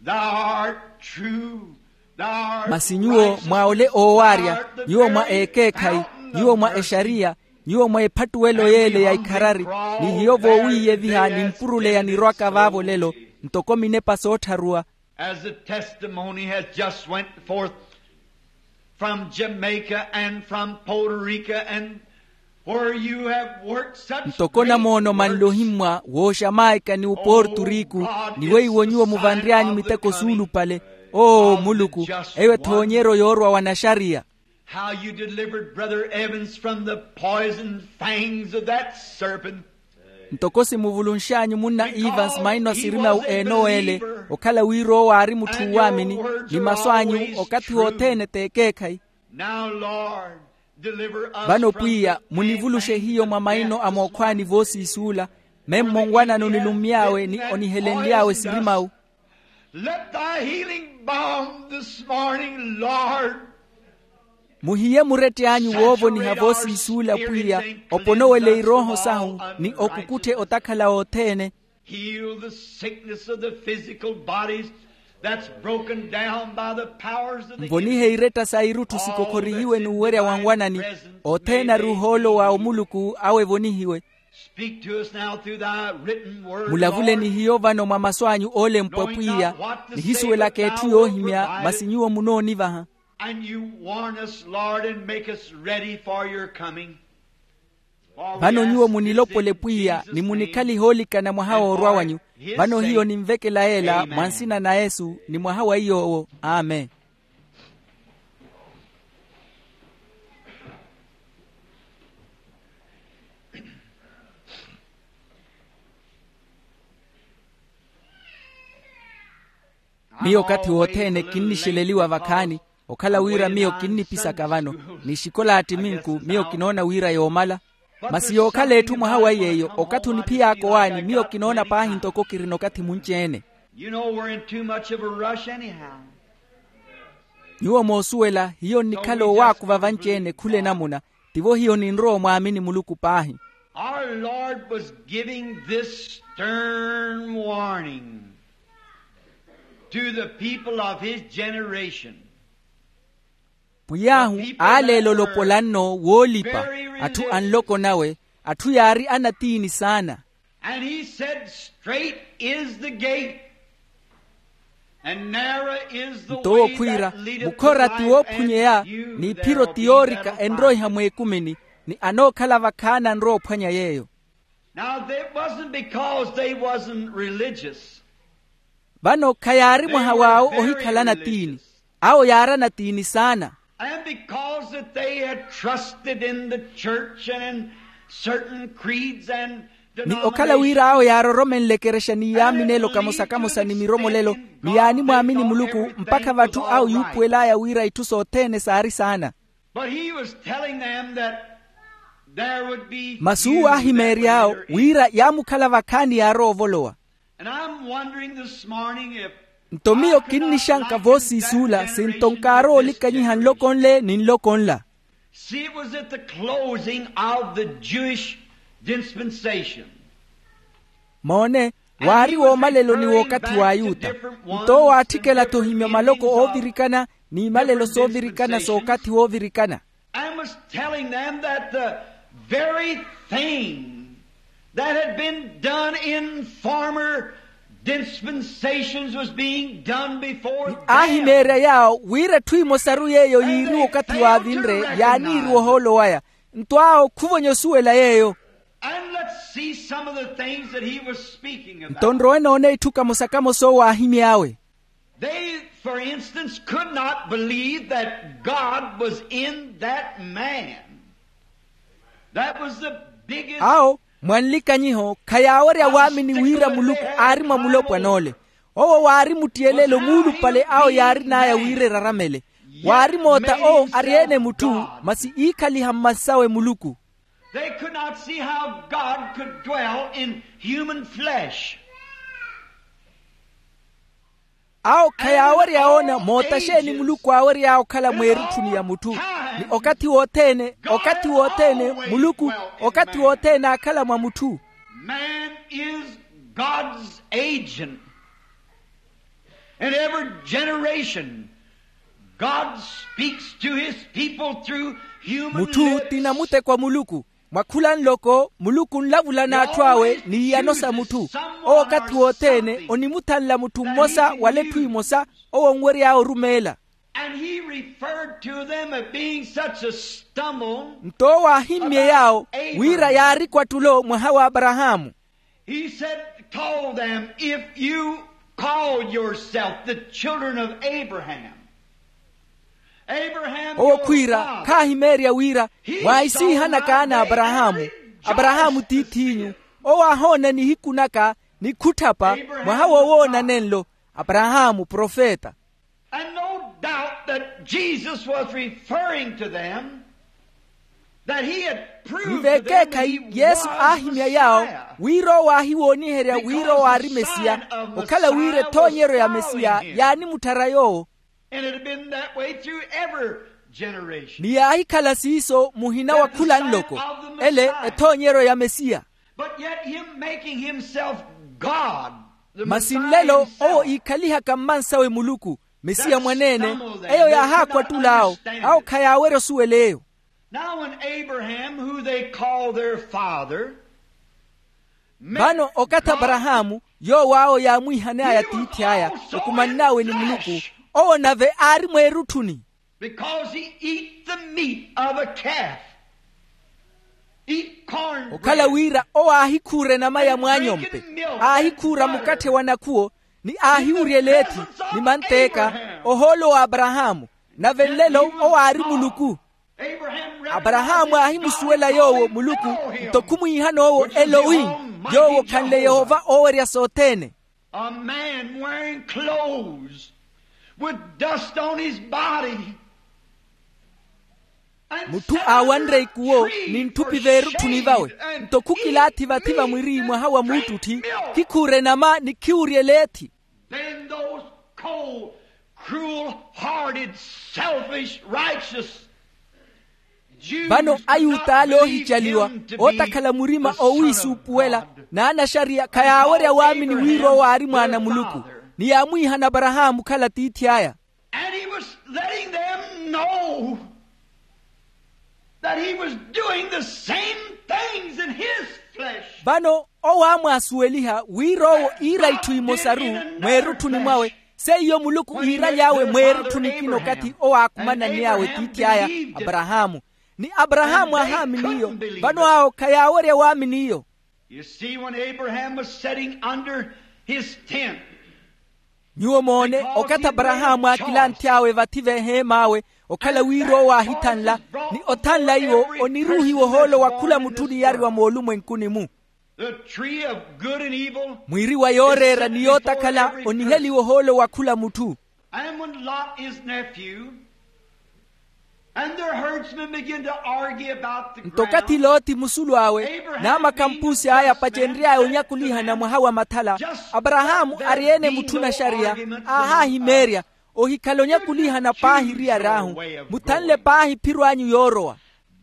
thou art true, thou art righteous, thou art the very fountain of mercy. Masi nyuwo mwa ole oowaarya, nyuwo mwa ekeekhayi, nyuwo mwa exariya, nyuwo mwa ephattuwelo y'ele ya ikharari. Ni hiyo voowiiyeviha nimpuruleya nirwaka vaavo lelo, ntoko minepa soottharuwa. As the testimony has just went forth from Jamaica and from Puerto Rico and where you have worked such great works. Ntoko namoono manli ohimmwa wooxamaika ni oporturiku, ni weiwo nyuwo muvanry'anyu miteko suulupale. Oo muluku, eyo ethoonyeryo yoorwa wa naxariya. How you delivered Brother Evans from the poison fangs of that serpent. Ntoko simuvulunx'anyu munna evans maina a sirima wu enowa ele, okhala wira owo aari mutthu uwaamini, ni masu anyu okathi wothene t'ekeekhayi. Now Lord, deliver us from the fangs of this wicked one. Vano pwiya munivulushe hiyo mwa maino a mookhwaani voosiisuula, memmo nwanano nilummy'awe ni onihelenly'awe sirimawu. Let thy healing balm this morning, Lord. Muhiye murett'anyu woovoniha voosiisuula pwiya, oponowele irooho sahu ni okukutthe otakhala othene. Heal the sickness of the physical bodies that's broken down by the powers of the enemy. Nvonihe iretta sa irutthu sikokhorihiwe n'uwerya wa nwanani, othene ari ohoolo wa omuluku awe evonihiwe. Speak to us now through thy written word, Lord. Mulavule ni hiyo vano mwa masu anyu oolempwa pwiya, nihisuwelaka etthu yoohimya, masi nyuwo munoonivaha. And you warn us, Lord, and make us ready for your coming. Vano nyuwo munilopole pwiya ni munikhalihe oolikana mwaha woorwa wanyu. Vano hiyo ninvekela yeela mwa nsina na yesu ni mwaha wa iy'owo. Amen. Miyo okathi wothene kinnixeleliwa vakhaani, okhala wira miyo kinnipisaka vano, ni xikolaati minku miyo kinoona wira yoomala. Masi yookhala etthu mwaha wa iy'eyo okathi oniphiyaka owaani miyo kinoona paahi ntoko kirina okathi munci-ene. You know we're in too much of a rush anyhow. Nyuwo moosuwela hiyo nnikhala owaakuva vanci-ene khula enamuna. Tivo hiyo ninrowa omwaamini muluku paahi. Our Lord was giving this stern warning to the people of his generation. Pwiy'ahu aaleela olopola nno woolipa atthu a nloko nawe, atthu yaari anatiini saana. And he said, straight is the gate, and narrow is the way that leadeth to life, and few there be that find it. Nto owo khwiira, mukhora ti woophunyeya, n'iphiro ti yoorika enroiha mweekumini, ni anookhala vakhaani anrowa ophwanya yeeyo. Now that wasn't because they wasn't religious. Vano khayaari mwaha w'awo ohikhala anatiini. Awo yaari anatiini saana. And because that they had trusted in the church and in certain creeds and denominations. Ni okhala wira awo yaaroromenle ekerexa ni yaaminelo kamosa-kamosa ni miromolelo, ni yaanimwaamini muluku mpakha vatthu awo yuupuwel'aya wira itthu sothene saari saana. But he was telling them that there would be few that would enter in. Masi uwo aahimeerya awo wira yaamukhala vakhaani yaarowa ovolowa. And I'm wondering this morning if nto miyo kinnixanka voosiisuula sinto nkaaroolikhanyiha nloko nle ni nloko nla. See, it was at the closing of the Jewish dispensation. Moone, waari woomaleloni w'okathi w'ayuta. Nto owo aatthikela-tho ohimya maloko oovirikana n'imalelo soovirikana sookathi woovirikana. And was telling them that the very thing that had been done in former dispensations was being done before them. Aahimeerya yaawo wira etthu emosaru yeeyo yiiriwa okathi waavinre yaaniiriwa ohoolo waya. Nto awo khuvonya osuwela yeeyo. And let's see some of the things that he was speaking about. Nto nrowe noona itthu kamosa-kamosa owo aahimy'awe. They, for instance, could not believe that God was in that man. That was the biggest. Awo mwa nlikanyiho khayaawerya waamini wira muluku aari mwa mulopwan'ole. Owo waari muttiyelelo muulupale awo yaarin'aya wira eraramele. Waari moota owo ari-ene mutthu, masi iikhaliha mmansawe muluku. They could not see how God could dwell in human flesh. Awo khayaawerya woona moota xeeni muluku aawery'awe okhala mweerutthuni ya mutthu. Ni okathi wothene, okathi wothene muluku, okathi wothene aakhala mwa mutthu. Man is God's agent. In every generation, God speaks to his people through human lips. Mutthu ti namuteko a muluku. Mwa khula nloko muluku onlavula n'atthu awe n'iyano sa mutthu. Owo okathi wothene onimuthanla mutthu mmosa wala etthu emosa owo onwery'awe orumeela. And he referred to them as being such a stumbling. Nto owo aahimmye yaawo wira yaari kwattulo mwaha w'aparahaamu. He said, told them, if you call yourself the children of Abraham, Abraham your father, owo khwiira khaahimeerya wira mwaahisiihana kaana a aparahaamu. Aparahaamu tiith'inyu. Owo aahoona nihiku naka ni khutthapa mwaha wowoona nenlo. Aparahaamu profeta. And no doubt that Jesus was referring to them, that he had proved to them that he was the Messiah. Ni vekeekhayi yesu aahimya yaawo wira owo aahiwooniherya wira owo aari mesiya. Okhala wira ethoonyeryo ya mesiya yaanimutthara yoowo. And it had been that way through every generation. Ni yaahikhala siiso muhina wa khula nloko. Ele ethoonyeryo ya mesiya. But yet him making himself God, the Messiah himself. Masi nlelo owo iikhalihaka mmansawe muluku. Mesiya mwaneene, eyo yaahaakwatula awo. Awo khayaawerya osuwela eyo. Now when Abraham, who they call their father, vano okathi aparahaamu yoowo awo yaamwiihan'aya tiithi aya, okumann'awe ni muluku, owo nave aari mweerutthuni. Because he eat the meat of a calf. Okhala wira owo aahikhuura enama ya mwaanyompe, aahikhuura mukatthe wa nakhuwo, ni aahiwuryela ethi, ni manteeka, ohoolo wa aparahaamu. Nave nlelo owo aari muluku. Aparahaamu aahimusuwela yoowo muluku, nto khumwiihan'owo elowi, yoowo okhanle yehova oowerya sothene. A man wearing clothes with dust on his body. Mutthu aawanre ikuwo ni ntthupi veerutthuni vawe, nto khukilaathi vathi vamwiri mwaha wa muuttutthi, khikhuura enama ni khiwuryela ethi. Then those cold, cruel hearted, selfish, righteous Jews. Vano ayuta ale oohicaliwa, ootakhala murima owiisuupuwela, n'anaxariya khayaawerya waamini wira owo aari mwaana a muluku, ni yaamwiihana aparahaamu okhala tiithi aya. And he was letting them know that he was doing the same things in his flesh. Vano owo aamwaasuweliha wira owo iira itthu imosaru mweerutthuni mwawe, seiyo muluku iiraly'awe mweerutthuni kina okathi owo aakumanany'awe tiithi aya aparahaamu. Ni aparahaamu aahaamini iyo. Vano awo khayaawerya waamini iyo. You see, when Abraham was sitting under his tent, nyuwo moone, okathi aparahaamu aakilanthy'awe vathi veheem'awe, okhala wira owo aahithanla, ni othanla iwo oniruuhiwa ohoolo wa khula mutthu oniyariwa moolumwenkuni-mu. The tree of good and evil. Mwiiri wa yooreera ni yootakhala oniheliwa ohoolo wa khula mutthu. And when Lot, his nephew, and their herdsmen begin to argue about the ground. Nto okathi loti musulu awe, n'amakhampusi aya apacenry'aya onyakulihana mwaha wa mathala, aparahaamu ari-ene mutthu naxariya, aahaahimeerya, ohikhala onyakulihana paahi eriyari ahu, muthanle paahi ephiro anyu yoorowa.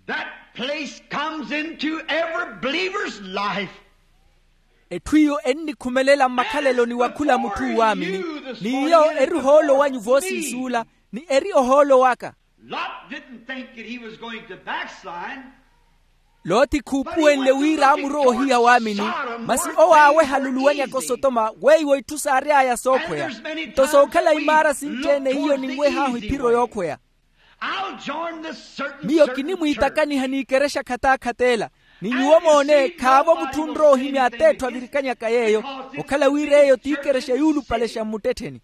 That place comes into every believer's life. Etthu iyo ennikhumelela mmakhaleloni wa khula mutthu waamini, n'iyo eri ohoolo wanyu voosiisuula, ni eri ohoolo waka. Lot didn't think that he was going to backslide. Loti khuupuwenle wira aamurowa ohiya waamini, masi owo aaweha aluluwanyaka osotoma weiwo itthu saary'aya sookhweya. Nto sookhala imaara sinci-ene hiyo ninweh'ahu ephiro yookhweya. Miyo kinimwiitakaniha n'ikerexa khatakhateela, ni nyuwo moone khaavo mutthu onrowa ohimya at'etthu avirikanyaka yeeyo, okhala wira eyo t'ikerexa yuulupalexa mmuttettheni.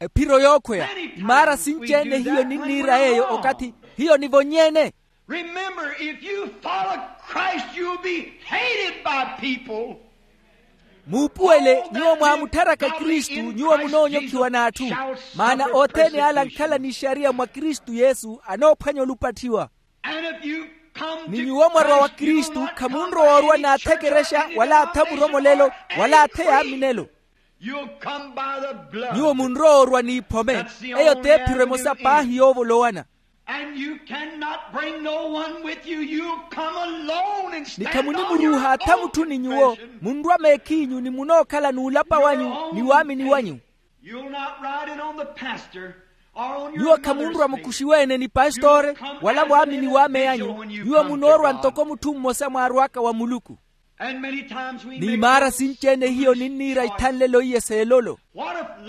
Ephiro yookhweya, imaara sinci-ene hiyo ninniira yeeyo okathi hiyo nivonny'ene. Remember, if you follow Christ, you'll be hated by people. Muupuwele, nyuwo mwaamuttaraka kristu nyuwo munoonyokhiwa n'atthu. Maana othene ale ankhala n'ixariya mwa kristu yesu anoophwanya olupatthiwa. Ni nyuwo mwarwa wa kristu khamunrowa orwa n'atha ekerexa wala atha muromolelo wala atha eyaaminelo. Nyuwo munrowa orwa n'iphome. Eyo t'ephiro emosa paahi yoovolowana. Ni khamunimuruuha atha mutthu ni nyuwo. Munrwa meekhiinyu ni munookhala n'ulapa wanyu ni waamini wanyu. Nyuwo khamunrwa mukuxiwe-ene ni pastore wala mwaamini w'ameyanyu. Nyuwo munoorwa ntoko mutthu mmosa mwaarw'aka wa muluku. N'imaara sinci-ene hiyo ninniira ithanlelo iye s'elolo.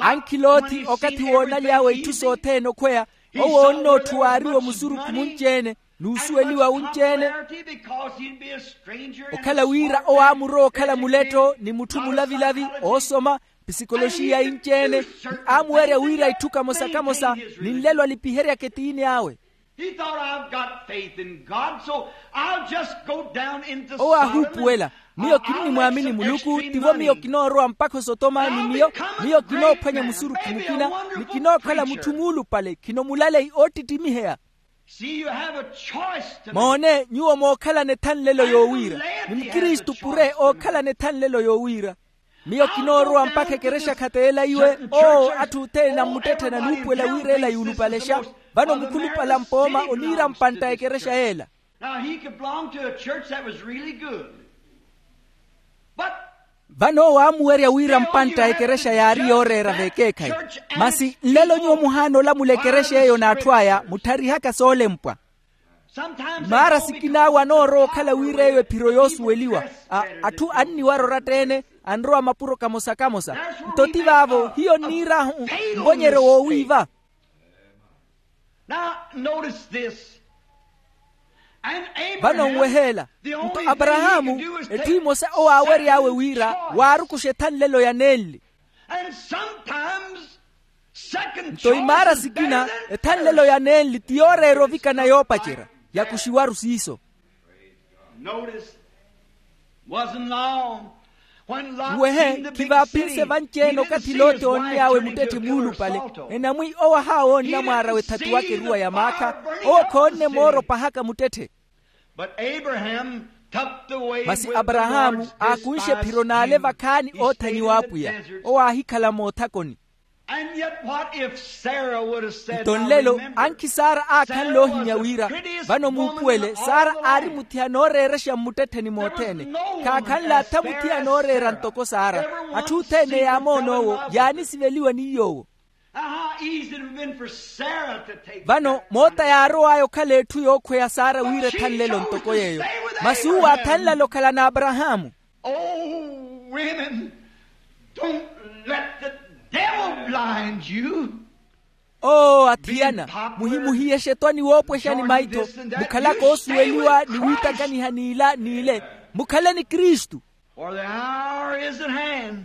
Ankhiloothi okathi woonaly'awe itthu sothene okhweya owo onnootthuwa aariwo musurukhu munci-ene n'usuweliwa wunci-ene. Okhala wira owo aamurowa okhala muletto ni mutthu mulavilavi oosoma pisikoloxiya inci-ene, ni aamuwerya wira itthu kamosa-kamosa ni nlelo alipiheryaka etiini awe. Owo aahuupuwela, miyo kinnimwaamini muluku tivo miyo kinoorowa mpakha osotoma ni miyo. Miyo kinoophwanya musurukhu mukina ni kinookhala mutthu muulupale khino mulaleyi oottittimiheya. Moone nyuwo mookhalana ethanlelo yoowiira. Ni mukristu pure ookhalana ethanlelo yoowiira. Miyo kinoorowa mpakha ekerexa khateela iwe. Oo atthu othene nammuttetthena nuupuwela wira ela yuulupalexa. Vano mukhulupale a mpooma oniira mpantta a ekerexa yeela. Now he could belong to a church that was really good. But vano owo aamuwerya wira mpantta a ekerexa yaari yooreera v'ekeekhayi. Masi nlelo nyuwo muhaana olamula ekerexa eyo n'atthu aya mutharihaka soolempwa. Maara sikina awo anoorowa okhala wira eyo ephiro yoosuweliwa. Atthu anniwara oratta-ene anrowa mapuro kamosa-kamosa. Nto ti vaavo hiyo nniir'ahu mvonyeryo woowiiva. Now notice this. Vano nweheela. Nto aparahaamu, etthu emosa owo aawery'awe wira waarukuxa ethanlelo ya nenli. Nto imaara sikina, ethanlelo ya nenli ti yooreera ovikana yoopacerya, yakuxiwaru siiso. Nwehe, khivaaphinse vanci-ene okathi lote oonn'awe muttetthe muulupale. Enamwi owo ahaawoonna mwaara w'ethatu waka eruwa ya maakha. Owo khoonne mooro pahaka muttetthe. Masi aparahaamu aakunxe ephiro n'ale vakhaani oothanyiwa apwiya. Owo aahikhala moothakoni. Nto nlelo, ankhi sara aakhanle ohimya wira, vano muupuwele sara aari muthiya nooreerexa mmuttettheni mothene. Khaakhanle atha muthiya nooreera ntoko sara. Atthu othene yaamoon'owo, yaanisiveliwa ni yoowo. Vano moota yaarow'aya okhala etthu yookhweya sara wira ethanlelo ntoko yeeyo. Masi uwo aathanlale okhala n'aparahaamu. Oh, women, don't let the devil blind you. Oo athiyana, muhimuhiyexe etwani woopwexani maitho, mukhalaka oosuweliwa ni wiitakaniha n'ila n'ile. Mukhaleni kristu. For the hour is at hand.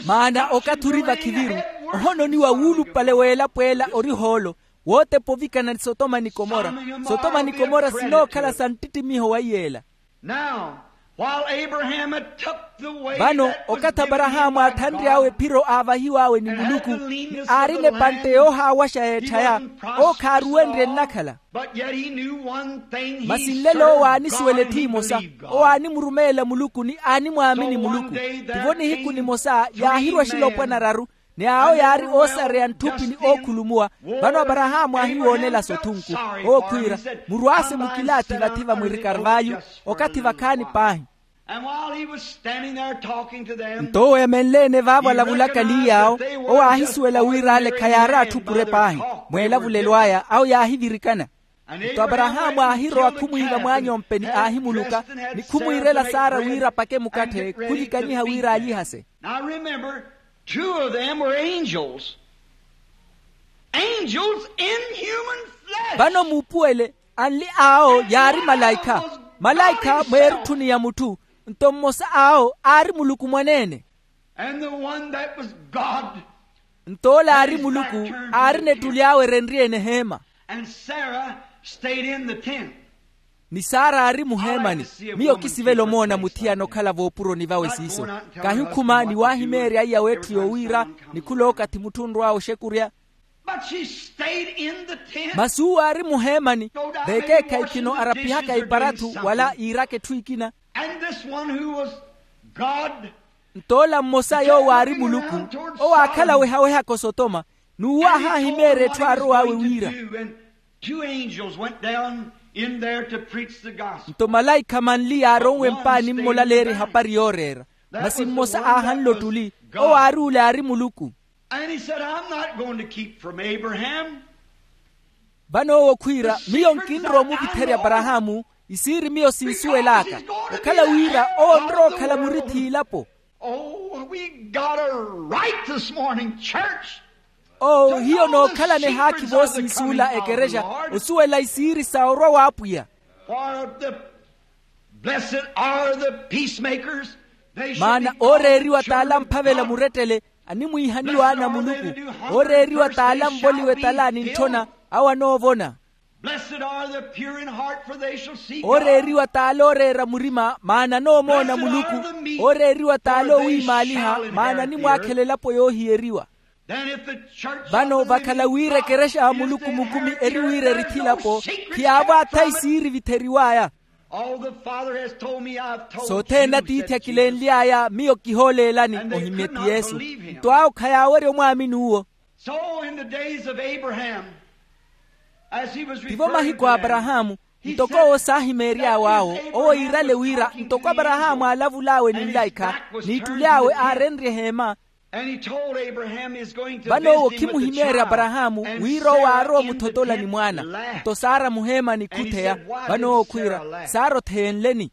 Maana okathi ori vakhiviru. Ohononiwa wuulupale w'elapo ela ori ohoolo, wootepa ovikana ni sotoma ni komora. Sotoma ni komora sinookhala sa nttittimiho wa iy'ela. Now, while Abraham had took the way, vano that was okathi aparahaamu aathanry'awe ephiro aavahiw'awe ni muluku, ni aarina epantte yoohaawaxa y'etthaya, owo khaaruwenrye nnakhala. But yet he knew one thing. Masi nlelo owo aanisuwela etthi emosa. Owo aanimurumeela muluku ni aanimwaamini muluku. Tivo nihiku nimosa yaahirwa axilopwana araru, ni awo yaari oosareya ntthupi ni ookhulumuwa. Vano aparahaamu aahiwoonela-so thunku. Owo khwiira, murwaase mukilaathi vathi vamwiri karvayu. Okathi vakhaani paahi. Nto owo emenle-ene vaavo alavulaka ni yaawo, owo aahisuwela wira ale khayaari atthu pure paahi. Mweelavulelo aya awo yaahivirikana. Nto aparahaamu aahirowa khumwiiva mwaanyompe ni aahimuluka, ni khumwiirela sara wira apake mukatthe khulikanyiha wira aalihase. Now remember, two of them were angels. Angels in human flesh. Vano muupuwele, anli awo yaari malaikha. Malaikha mweerutthuni ya mutthu. Nto mmosa awo aari muluku mwaneene. And the one that was God. Nto ole aari muluku aarina ettuli awe erenrye-ene eheema. And Sarah stayed in the tent. Ni sara aari muheemani. Miyo kisivela omoona muthiyana okhala voopuroni vawe siiso. Kahi okhuma ni waahimeerya aiya w'etthu yoowiira, ni khula okathi mutthu onrw'awe oxekurya. But she stayed in the tent. Masi uwo aari muheemani. Vekeekhayi khino arapihaka iparathu wala iiraka etthu ekina. And this one who was God. Nto ola mmosa yoowo aari muluku, owo aakhala owehawehaka osotoma, n'uwo aahaahimeerya etthu aarow'awe wiira. Two angels went down in there to preach the gospel. Nto malaikha manli yaaronwe mpaani mmolaleerya ehapari yooreera. Masi mmosa aahanle ottuli, owo aari ole aari muluku. And he said, I'm not going to keep from Abraham. Vano owo khwiira, miyo nkinrowa omuvitherya aparahaamu, isiiri miyo sinsuwel'aka. Okhala wira owo onrowa okhala murithi a ilapo. Oh, we got a right this morning, church. Oo hiyo nookhalana ehaakhi voosinsuula ekerexa, osuwela isiiri sa orwa w'apwiya. For the blessed are the peacemakers. Maana ooreeriwa t'ala amphavela murettele, animwiihaniwa ana a muluku. Ooreeriwa t'ala anvoliwa etala ni ntthona, awo anoovona. Blessed are the pure in heart, for they shall see God. Ooreeriwa t'ala ooreera murima, maana anoomoona muluku. Ooreeriwa t'ala oowiimaaliha, maana animwakhela elapo yoohiyeriwa. Vano vakhala wira ekerexa ya muluku mukumi eri wira erithi elapo, khiyaavo atha isiiri evitheriw'aya. Sothene atiithi akilenly'aya miyo kihooleelani, ohimye ti yesu. Nto awo khayaawerya omwaamini uwo. Tivo mahiku a aparahaamu, ntoko owo saahimeery'awe awo owo iirale wira ntoko aparahaamu aalavul'awe ni nlaikha, n'ittuli awe aarenrye eheema. Vano owo khimuhimeerya aparahaamu wira owo aarowa omuthotolani mwaana. Nto sara muheemani khutheya. Vano owo khwiira, sara otheenleni.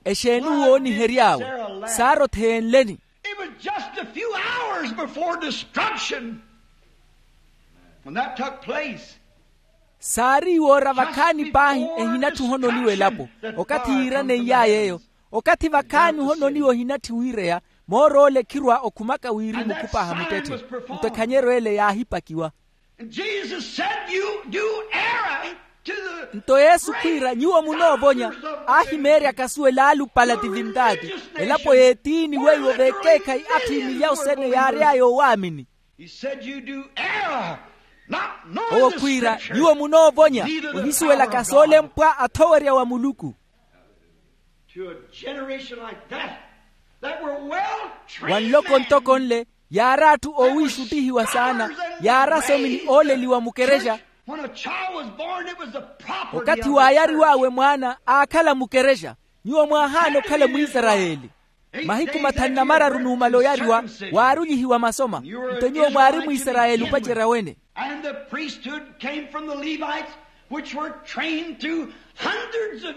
Exeeni uwo oonihery'awe? Sara otheenleni. It was just a few hours before destruction when that took place. Saari iwoora vakhaani paahi, ehinatthu ohononiwa elapo. Okathi yiiraneiyaaya eyo, okathi vakhaani ohononiwa ohinatthi wiireya, moor'ole khirwa okhumaka wirimu okhupaha muttetthe. Nto ekhanyeryo ele yaahipakiwa. Nto yesu khwiira nyuwo munoovonya. Aahimeeryaka suwela alupala tivintaati, elapo y'etiini weiwo veekeekhayi atthu imilyawu sene yaary'aya owaamini. Owo khwiira nyuwo munoovonya, ohisuwelaka soolempwa athowerya wa muluku. Wa nloko ntoko nle, yaari atthu oowiixuttihiwa saana, yaari asomini ooleliwa mukerexa. Okathi waayariw'awe mwaana aakhala mukerexa, nyuwo mwaahaana okhala mwisarayeli. Mahiku mathanu na mararu numala oyariwa, waarulyihiwa masoma. Nto nyuwo mwaari mwisarayeli opacerya wene.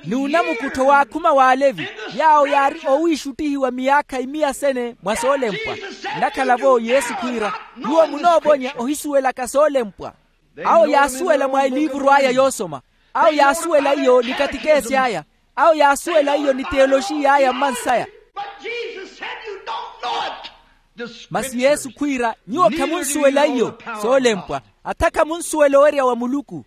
Ni unamukuttho waakhuma w'alevi, yaawo yaari oowiixuttihiwa miyaakha imiya sene mwa soolempwa. Nnakhala-vo yesu khwiira, nyuwo munoovonya ohisuwelaka soolempwa. Awo yaasuwela mwa eliivuru aya yoosoma. Awo yaasuwela iyo ni katikeesi aya. Awo yaasuwela iyo ni teyoloxiya aya mmansaya. Masi yesu khwiira, nyuwo khamunsuwela iyo. Soolempwa, atha khamunsuwela owerya wa muluku.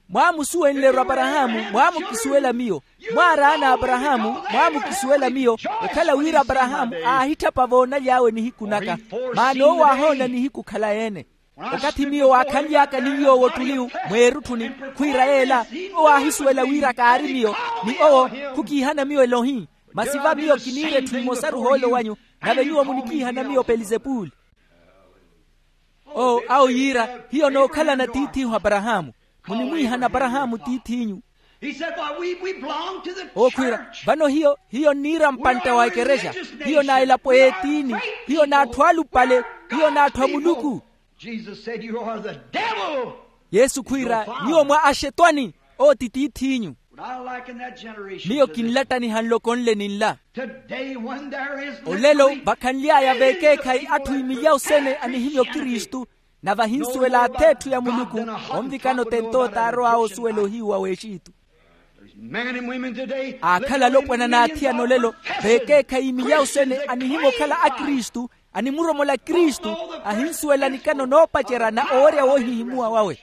Mwaamusuwenle-ru aparahaamu, mwaamukisuwela miyo. Mwaaraana aparahaamu, mwaamukisuwela miyo. Okhala wira aparahaamu aahitthapa voonaly'awe nihiku naka, maana owo aahoona nihiku khala-ene. Okathi miyo waakhanly'aka ni nyuwo wottuliwu, mweerutthuni, khwiira yeela, owo aahisuwela wira kaari miyo, ni owo khukiihana miyo elohi. Masi va miyo kiniira etthu emosaru ohoolo wanyu, nave nyuwo munikiihana miyo pelizepuli. Owo awo yiira, hiyo nookhalana tiith'ihu aparahaamu. Munimwiihana aparahaamu tiith'inyu. Owo khwiira, vano hiyo hiyo nniira mpantta wa ekerexa. Hiyo na elapo y'etiini. Hiyo n'atthu alupale. Hiyo n'atthu a muluku. Yesu khwiira, nyuwo mwa axetwani. Owo ti tiith'inyu. Miyo kinlattaniha nloko nle ni nla. Olelo vakhanly'aya veekeekhayi atthu imilyawu sene anihimya okristu, nave ahinsuwela ath'etthu ya muluku. Onvikana otentooto aarow'awe osuwela ohiyu wa w'exitu. Aakhala alopwana n'athiyana olelo, veekeekhayi imilyawu sene anihimya okhala akristu, animuromola kristu, ahinsuwela nikano noopacerya na owerya woohihimuwa wawe.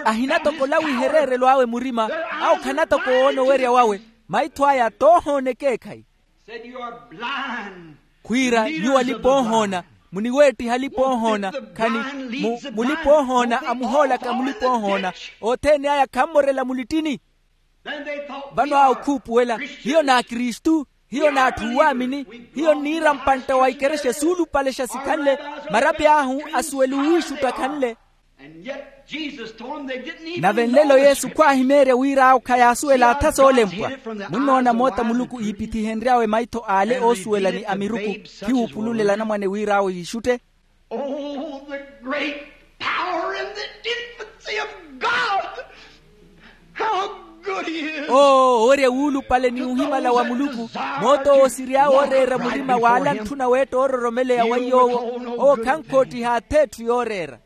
Ahinatokola wihereerelo awe murima. Awo khanatokowoona owerya wawe. Maitho aya toohoona ekeekhayi. Khwiira nyuwo alipa-oohoona, muniweettiha alipa-oohoona. Khani mulipa-oohoona amuhoolaka mulipa-oohoona, othene aya khammorela mulittini. Vano awo khuupuwela, hiyo n'akristu. Hiyo n'atthu oowaamini. Hiyo nniira mpantta wa ikerexa suulupalexa sikhanle. Marapi ahu asuwela owiixutta khanle. Nave nlelo yesu khwaahimeerya wira awo khayaasuwela atha soolempwa. Munnoona moota muluku iipithihenry'awe maitho ale oosuwela ni amiruku, khiwuupululela anamwane wira awo yiixutte. Oh, the great power and the infancy of God! How good he is! Oo owerya wuulupale ni uhimala wa muluku. Moot'owo osiry'awe ooreera murima w'ala antthuna weetta oororomeleya wa iy'owo. Owo khankoottiha ath'etthu yooreera.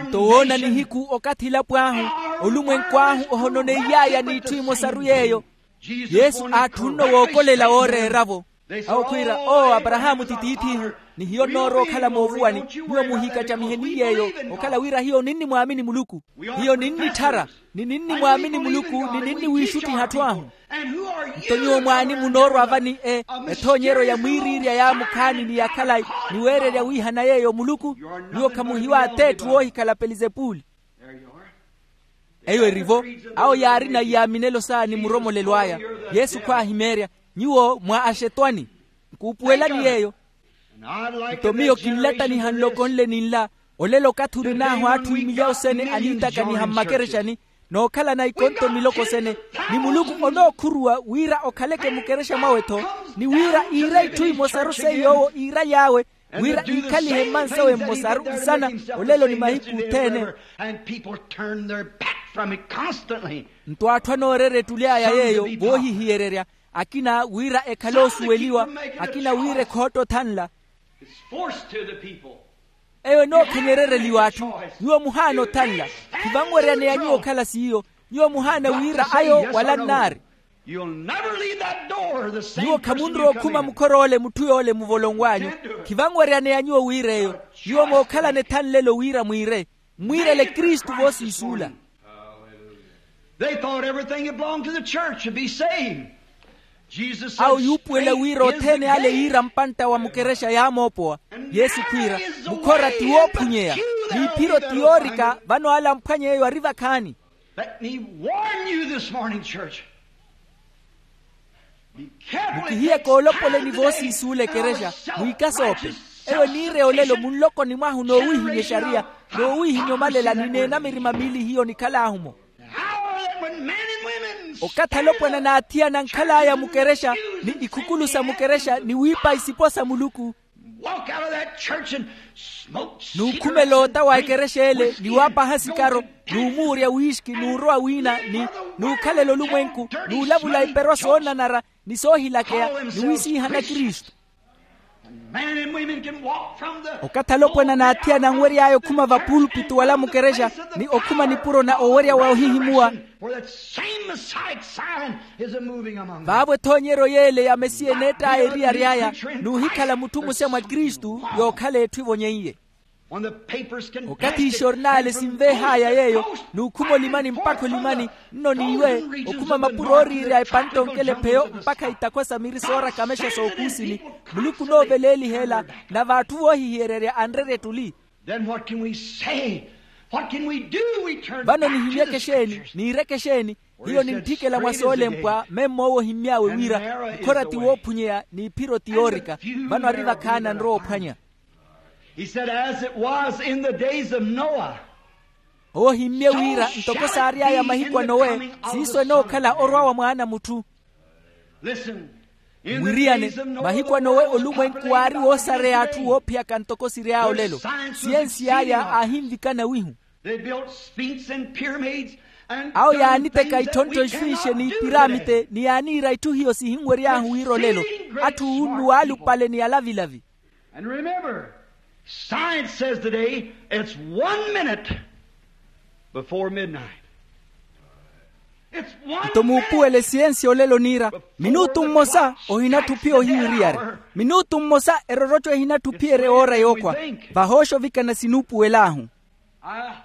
Nto woona nihiku okathi elapo ahu, olumwenku ahu ohononeiy'aya n'itthu imosaru y'eyo. Yesu aatthunno wookolela wooreera-vo. Awo khwiira, oo aparahaamu ti tiith'ihu, ni hiyo nnoorowa okhala moovuwani. Nyuwo muhiikacamiheni yeeyo, okhala wira hiyo ninnimwaamini muluku. Hiyo ninnitthara, ni ninnimwaamini muluku ni ninniwiixuttiha atthu ahu. Nto nyuwo mwaani munoorwa vani e ethoonyeryo ya mwiiriirya ya mukhaani ni ya khalayi, ni weererya wiihana yeeyo muluku? Nyuwo khamuhiwa ath'etthu woohikhala pelizepuli. Eyo eri-vo. Awo yaarina iyaaminelo saani muromolelo aya. Yesu khwaahimeerya, nyuwo mwa axetwani. Nkuupuwelani yeeyo. Nto miyo kinlattaniha nloko nle ni nla. Olelo okathi orin'ahu atthu imilyawu sene aniitakaniha mmakerexani, nookhalana ikonto miloko sene, ni muluku onookhuruwa wira okhaleke mukerexa mwawe-tho, ni wira iira itthu imosaru seiyo owo iiraly'awe, wira iikhalihe mmansawe mmosaru nsana, olelo ni mahiku othene. Nto atthu anooreera ettuly'aya yeeyo, voohihiyererya. Akina wira ekhale osuweliwa, akina wira ekhootta othanla. It's forced to the people. Eyo enookhenyerereliwa atthu. Nyuwo muhaana othanla. Khivanweryaneya nyuwo okhala siiyo. Nyuwo muhaana wira ayo wala nnaari. You'll never leave that door the same person you come in. Nyuwo khamunrowa okhuma mukhor'ole mutthu yoole muvolonw'anyu. Khivanweryaneya nyuwo wira eyo. Nyuwo mookhalana ethanlelo wira mwiire, mmwiirele kristu voosiisuula. They thought everything that belonged to the church should be saved. Jesus said, awo yuupuwela wira othene ale yiira mpantta wa mukerexa yaamoopowa. Yesu khwiira, mukhora ti woophunyeya, n'iphiro ti yoorika. Vano ale amphwanye eyo ari vakhaani. Let me warn you this morning, church. Mukihiyeke olopoleni voosiisuula ekerexa, mwiikasoope. Eyo eniireya olelo munlokoni mwahu noowiihimya exariya, noowiihimya omalela ni neenamirima miili hiyo nikhalaahu-mo. Okathi alopwana n'athiyana ankhal'aya mukerexa, ni ikhukulu sa mukerexa ni wiipa isipo sa muluku, n'ukhumela otta wa ekerexa ele ni waapaha sikaro, n'umuurya wiixki n'urowa wiina, ni n'ukhalela olumwenku, n'ulavula iperwa soonanara ni soohilakeya, ni wisiihana kristu. Okathi alopwana n'athiyana anwery'aya okhuma vapuulpitu wala mukerexa, ni okhuma nipuro na owerya wa ohihimuwa. Vaavo ethoonyeryo yeele ya mesiya eneett'aya eriyari aya, n'uhikhala mutthu muxe mwa kristu, yookhala etthu evonyeiye. Okathi ixornaale sinveeh'aya yeeyo, n'ukhuma olimani mpakha olimani, nno n'iwe, okhuma mapuro ooriirya epantte onkela epheyo mpakha itakho sa miri soorakamexa sookuusini, muluku onooveleeliha ela, nave atthu voohihiyererya anrerya ettuli. Vano nihimyeke exeeni? Niireke exeeni? Hiyo nintthikela mwa soolempwa memmo owo ohimmy'awe wira, mukhora ti woophunyeya n'iphiro ti yoorika. Vano ari vakhaani anrowa ophwanya. He said, as it was in the days of Noah. Owo ohimmye wira ntoko saary'aya mahiku a nowe, siiso enookhala orwa wa mwaana a mutthu. Mwiriyane, mahiku a nowe olumwenku waari woosareya atthu woophiyaka ntoko siry'aya olelo. Siyensi y'aya aahinvikana wihu. Awo yaaniteka itthontto esfinxe n'ipiraamite ni yaaniira itthu hiyo sihinwery'ahu wira olelo, atthu uunnu waalupale ni alavilavi. And remember, science says today it's one minute before midnight. Nto muupuwele siyensi olelo niira, minutu mmosa ohinatthu ophiya ohiyu eriyari. Minutu mmosa eroroco ehinatthu ophiyerya oora yookhwa. Vahooxa ovikana sinuupuwel'ahu.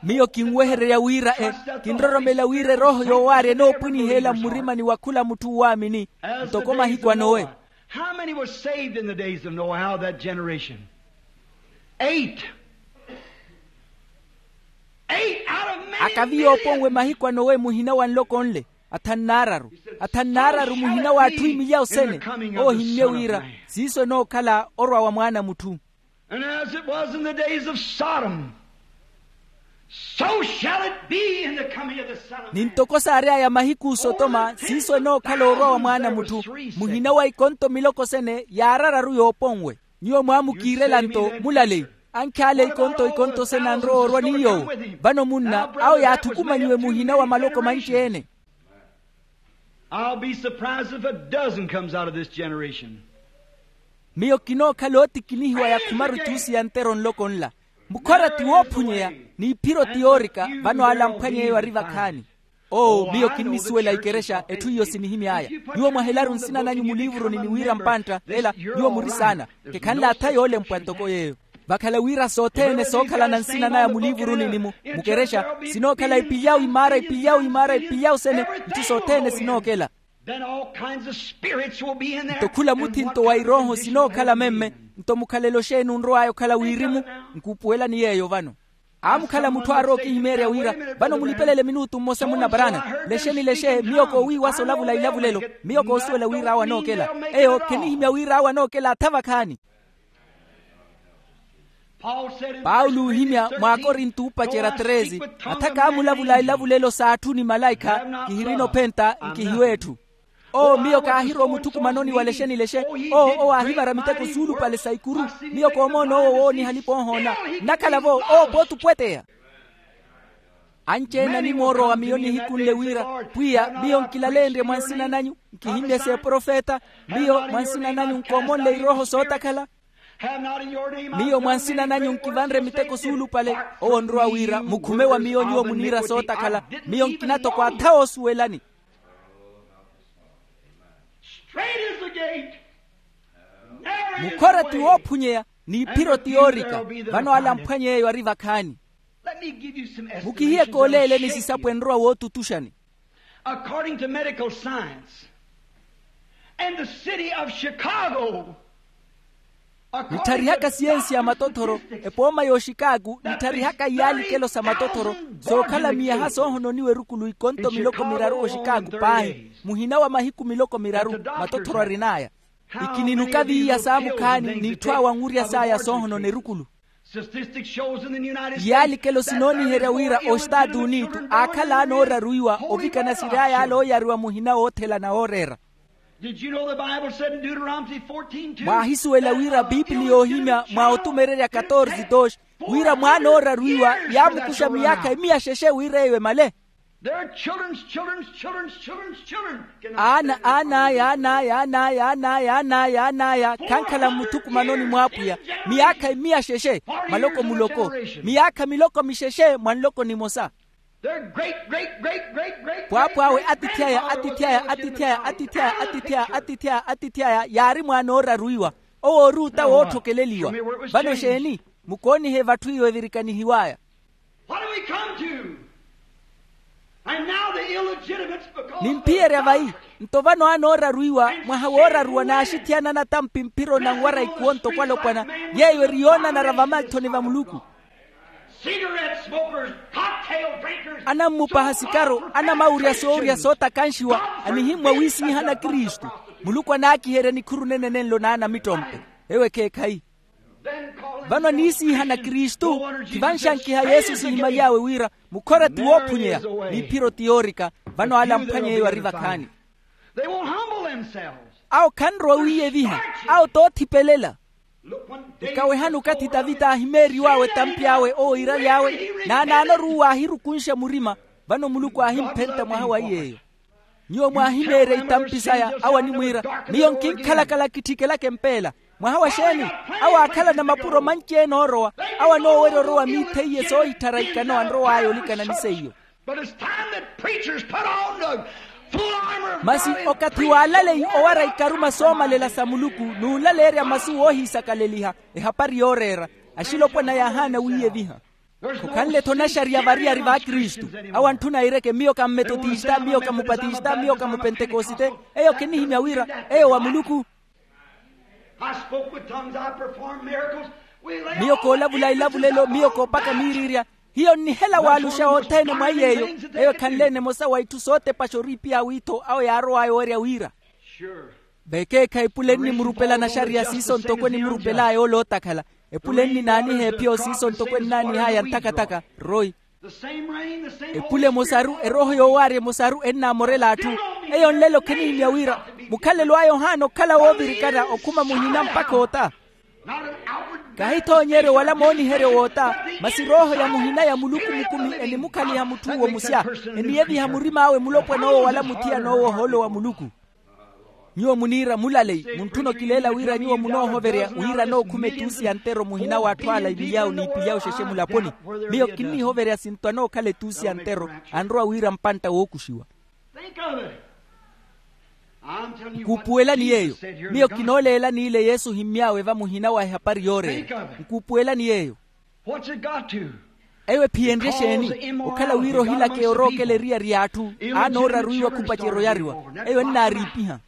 Miyo kinwehererya wira e, kinroromela wira erooho yoowaarya enoopwiniheela mmurimani wa khula mutthu uwaamini, ntoko mahiku a nowe. How many were saved in the days of Noah, out of that generation? Eight. Eight out of many millions. Akavi yooponwe mahiku a nowe muhina wa nloko nle, athanu n'araru. Athanu n'araru muhina w'atthu imilyawu sene. Owo ohimmye wira siiso enookhala orwa wa mwaana a mutthu. And as it was in the days of Sodom, so shall it be in the coming of the Son of Man. Ni ntoko saary'aya mahiku osotoma siiso enookhala orwa wa mwaana a mutthu. Muhina wa ikonto miloko sene yaarararu yooponwe. Nyuwo mwaamukiirela nto mulaleyi, ankhyaale ikonto ikonto sene anrowa orwa ni yoowo. Vano munna awo yaathukumanyiwe muhina wa maloko manci-ene. I'll be surprised if a dozen comes out of this generation. Miyo kinookhala ootikinihiwa ya khumaru itthuusi ya ntero nloko nla. Mukhora ti woophunyeya, n'iphiro ti yoorika. Vano ale amphwanya eyo ari vakhaani. Oo miyo kinnisuwela ikerexa etthu iyo sinihimy'aya. Nyuwo mwahelaru nsina nanyu muliivuruni ni wira mpantta ela nyuwo muri saana. Kekhanle atha yoolempwa ntoko yeeyo. Vakhala wira sothene sookhalana nsina naya muliivuruni ni mu mukerexa, sinookhala ipilyawu imaara ipilyawu imaara ipilyawu sene. Itthu sothene sinookela. Nto khula muthinto wa irooho sinookhala memme. Nto mukhalelo xeeni onrow'aya okhala wirimu? Nkuupuwelani yeeyo vano. Aamukhala mutthu aarowa okihimeerya wira, vano mulipelele minutu mmosa munna parana. Lexeni lexe miyo koowiiwasa olavula ilavulelo. Miyo koosuwela wira awo anookela. Eyo khinihimya wira awo anookela atha vakhaani. Paulo oohimya mw'akorinto oopacerya treze, atha kaamulavula ilavulelo s'atthu ni malaikha, kihirina ophenta nkihiwa etthu. Oo miyo kaahirowa omuthukumanoni wa lexeni lexe. Oo owo aahivara miteko suulupale sa ikuru. Miyo koomoona owo wooniha alipa oohoona. Nnakhala-vo owo pooti opweteya. Anci-ene animoorowa miyo nihikunle wira, pwiya, miyo nkilaleenrye mwa nsina nanyu, nkihimyese eprofeta, miyo mwa nsina nanyu nkoomonle irooho sootakhala. Miyo mwa nsina nanyu nkivanre miteko suulupale. Owo onrowa wira mukhume wa miyo nyuwo muniira sootakhala. Miyo nkina toko atha oosuwelani. Mukhora ti woophunyeya, n'iphiro ti yoorika. Vano ale amphwanye eyo ari vakhaani. Mukihiyeke oleeleni sisapo enrowa wootutuxani. According to medical science, and the city of Chicago, nitharihaka siyensi ya matothoro, epooma y'oxikaaku nitharihaka iyaalikelo sa matothoro, sookhala miyaha soohononiwa erukulu ikonto miloko miraru oxikaaku paahi, muhina wa mahiku miloko miraru matothoro arin'aya. Ikininuka viiya saamukhaani n'itthu awe anwurya saya soohonona erukulu. Iyaalikelo sinooniherya wira ostaatu unitu aakhala anooraruiwa ovikana siri aya ale ooyariwa muhina woothela na wooreera. Mwahisuwela wira biipili yoohimya mwa otumererya katorze doxi, wira mwaanooraruiwa yaamukuxa miyaakha emiya xexe wira eyo emale. Aana aan'aya aan'aya aan'aya aan'aya aan'aya aan'aya khankhala mmuthukumanoni mw'apwiya, miyaakha emiya xexe, maloko muloko, miyaakha miloko mixexe mwa nloko nimosa. Pwaapw'awe atithi aya atithi aya atithi aya atithi aya atithi aya atithi aya atithi aya yaari mwaanooraruiwa. Owo ori ota wootthokeleliwa. Vano exeeni? Mukoonihe vatthu iyo evirikanihiw'aya. What do we come to? And now the illegitimate, because of the nimpiyerya vayi, nto vano anooraruiwa mwaha wooraruwa n'axithiyana anatampi mphiro na nwara ikuwo nto kwalopwana, yeeyo eri yoonanara vamalthoni va muluku. Cigarette smokers, cocktail drinkers, anammupaha sikaro, anamawurya soowurya sootakanxiwa, anihimmwa wiisiihana kristu. Muluku anaakiherya nikhuru nene nenlo n'anamittompe. Ewo ekheekhayi. Vano aniisiihana kristu, khivanxankiha yesu sihimaly'awe wira mukhora ti woophunyeya, n'iphiro ti yoorika. Vano ale amphwanye eyo ari vakhaani. Awo khanrowa wiiyeviha. Awo toothipelela. Nkawehani okathi tavita aahimeeriw'awe etampi awe owo iiraly'awe, n'anaanoruuwa aahirukunxa murima. Vano muluku aahimphenta mwaha wa iy'eyo. Nyuwo mwaahimeerya itampi saya, awo animwiira, miyo nkinkhalakala kitthikelaka empeela. Mwaha wa xeeni? Awo aakhalana mapuro manci-ene oorowa. Awo anoowerya orowa miitha iye soohitthara ikano anrow'aya olikana ni seiyo. Masi okathi w'alaleyi owara ikaruma soomalela sa muluku, n'ulaleerya masu woohiisakaleliha, ehapari yooreera, axilopwana yaahaana wiiyeviha. Khukhanle-tho naxariya variyari v'akristu. Awo antthuna aireke miyo ka mmetotista miyo ka mupatista miyo ka mupentekosite. Eyo khinihimya wira eyo wa muluku. Miyo koolavula ilavulelo miyo koopaka miiriirya. Hiyo nnihela waaluxa othene mwa iy'eyo. Eyo ekhanle-ene emosa wa itthu sootepaxa oriipiha w'ittho awo yaarow'aya owerya wira. Vekeekhayi epule ennimurupela naxariya siiso ntoko enimurupel'aya ole ootakhala. Epule enninaaniha ephiyo siiso ntoko ennaanih'aya nthakathaka. Royi. Epule emosaru erooho yoowaarya emosaru ennaamorela atthu. Eyo nlelo khinihimya wira mukhalelo aya ohaana okhala woovirikana okhuma muhina mpakha ota. Kahi thoonyeryo wala mooniheryo woota. Masi rooho ya muhina ya muluku mukumi enimukhaliha mutth'uwo musya, eniyeviha murim'awe mulopwan'owo wala muthiyan'owo ohoolo wa muluku. Nyuwo muniira mulaleyi muntthuna okileela wira nyuwo munoohoverya wira anookhuma etuusi ya ntero muhina w'atthu ala iviy'awo n'iipilyawe xexe mulaponi. Miyo kinnihoverya sinto anookhala etuusi ya ntero anrowa wira mpantta wookuxiwa. Nkuupuwelani yeeyo. Miyo kinooleela n'ile yesu ohimmy'awe va muhina wa ehapari yooreera. Nkuupuwelani yeeyo. Eyo ephiyenrye exeeni? Okhala wira ohilakeya orookela eriyari y'atthu anooraruwiwa khupacerya oyariwa. Eyo ennaariipiha.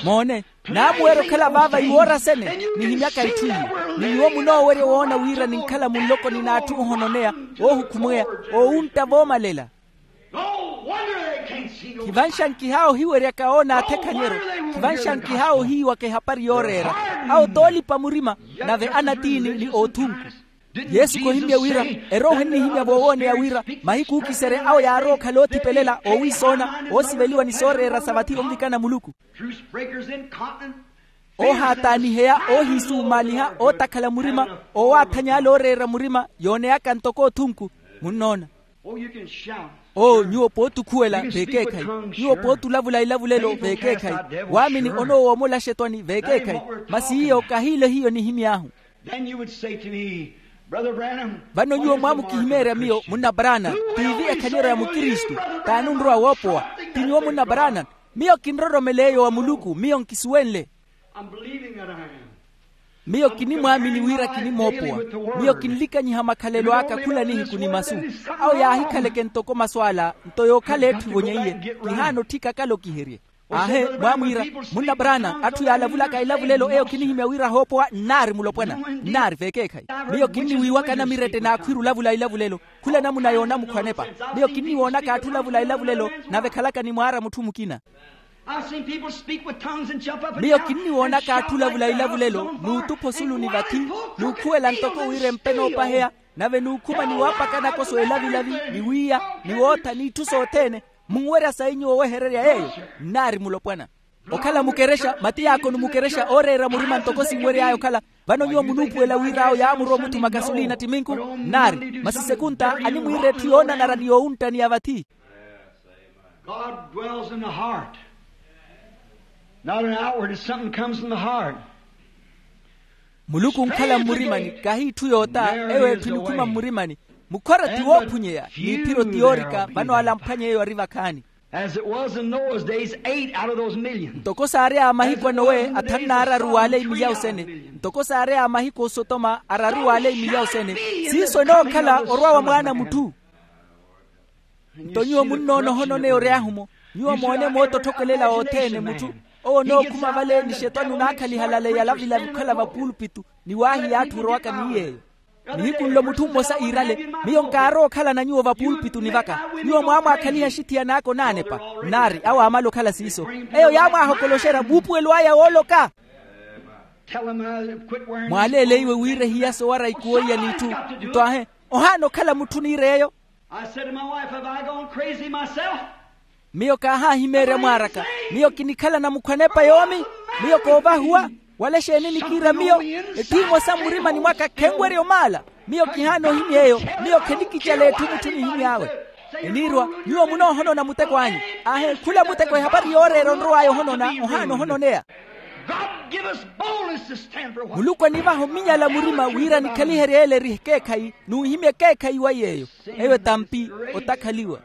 Moone, naamuwerya okhala vaava iwoora sene. Nihimyaka itthu iyo. Ni nyuwo munoowerya woona wira ninkhala munlokoni n'atthu ohononeya, oohukhumweya, oowuntta voomalela. Khivanxankih'awe ohiweryaka oona athekhanyeryo. Khivanxankih'awe ohiiwaka ehapari yooreera. Awo t'olipa murima, nave anatiini ni oothunku. Yesu khohimmye wira erooho ennihimya voowooneya wira mahiku ookiserya awo yaarowa okhala oothipelela oowiisoona, oosiveliwa ni sooreera sa vathi onvikana muluku. Oohaataaniheya, oohiisumaaliha, ootakhala murima, oowaathanya ale ooreera murima, yooneyaka ntoko othunku. Munnoona? Oo nyuwo pootukhuwela veekeekhayi. Nyuwo pootulavula ilavulelo veekeekhayi. Waamini onoowomola axetwani veekeekhayi. Masi iyo kahiilo hiyo nihimy'ahu. Vano nyuwo mwaamukihimeerya miyo munna brana, tiivi ekhaliyeryo ya mukristu? T'ani onrowa woopowa? Ti nyuwo munna brana? Miyo kinroromela eyo wa muluku, miyo nkisuwenle. Miyo kinimwaamini wira kinimoopowa. Miyo kinlikanyiha makhalelo aka khula nihiku ni masu. Awo yaahikhaleke ntoko masu ala nto yookhala etthu evonyeiye. Kihaana otthika kala okiherye. Aahe, mwaamwiira, munna brana, atthu yaalavulaka elavulelo eyo kinihimya wira ahoopowa nnaari mulopwana. Nnaari veekeekhayi. Miyo kinniwiiwaka namirette n'akhwiira olavula elavulelo. Khula namuna yoonamukhwa anepa. Miyo kinniwoonaka atthu olavula elavulelo nave ekhalaka ni mwaara mutthu mukina. Miyo kinniwoonaka atthu olavula ilavulelo n'utupha osulu ni vathi, n'ukhuwela ntoko wira empe noopaheya, nave n'ukhuma ni waapakanaka oso elavilavi, ni wiiya, ni wootha n'itthu sothene. Munwerya sayi nyuwo owehererya yeeyo? Nnaari mulopwana. Okhala mukerexa mati yaakoni mukerexa ooreera murima ntoko sinwery'aya okhala. Vano nyuwo munuupuwela wira awo yaamurowa omuthuma kasolina ttiminku? Nnaari. Masi sekunta animwiira etthu yoonanara ni yoowuntta ni ya vathi. God dwells in the heart. Not an outward, it's something comes from the heart. Muluku onkhala mmurimani kahi itthu yoota. Eyo etthu enikhuma mmurimani. Mukhora ti woophunyeya n'iphiro ti yoorika. Vano ala amphwanye eyo ari vakhaani. As it was in Noah's days, eight out of those million. Ntoko saari a mahiku a nowe athanu n'araru waale imilyawu sene. Ntoko saari a mahiku osotoma araru waale imilyawu sene. Siiso enookhala orwa wa mwaana a mutthu. Nto nyuwo munnoona ohononeya oryaahu-mo. Nyuwo moone moottotthokelela othene mutthu owo onookhuma vale ni xetwani onaakhaliha lale yalavilavi okhala vapuulupitu ni waahiya atthu orowaka ni yeeyo. Nihiku nlo mutthu mmosa iirale, miyo nkaarowa okhalana nyuwo vapuulupitu ni vaka. Nyuwo mwaamwaakhaliha axithiyana aka onaanepa. Nnaari awo aamala okhala siiso. Eyo yaamwaahokoloxerya muupuwelo aya wooloka. Mwaaleeleiwe wira ehiya sowara ikuwo iya n'itthu. Nto ahe, ohaana okhala mutthu oniira eyo. I said to my wife, have I gone crazy myself? Miyo kaahaahimeerya mwaaraka. Miyo kinikhala namukhwa anepa yoomi. Miyo koovahuwa. Wala exeeni nikiira miyo? Etthu emosa mmurimani mwaka khenwerya omaala. Miyo kihaana ohimya eyo. Miyo khenikicela etthu mutthu nihimy'awe. Eniirwa, nyuwo munoohonona muteko anyu. Aahe khula muteko ehapari yooreera onrow'aya ohonona ohaana ohononeya. God give us boldness to stand for what. Muluku anivaha ominyala murima wira nikhaliherye ele eri ekeekhayi n'uhimya ekeekhayi wa yeeyo. Eyo etampi otakhaliwa.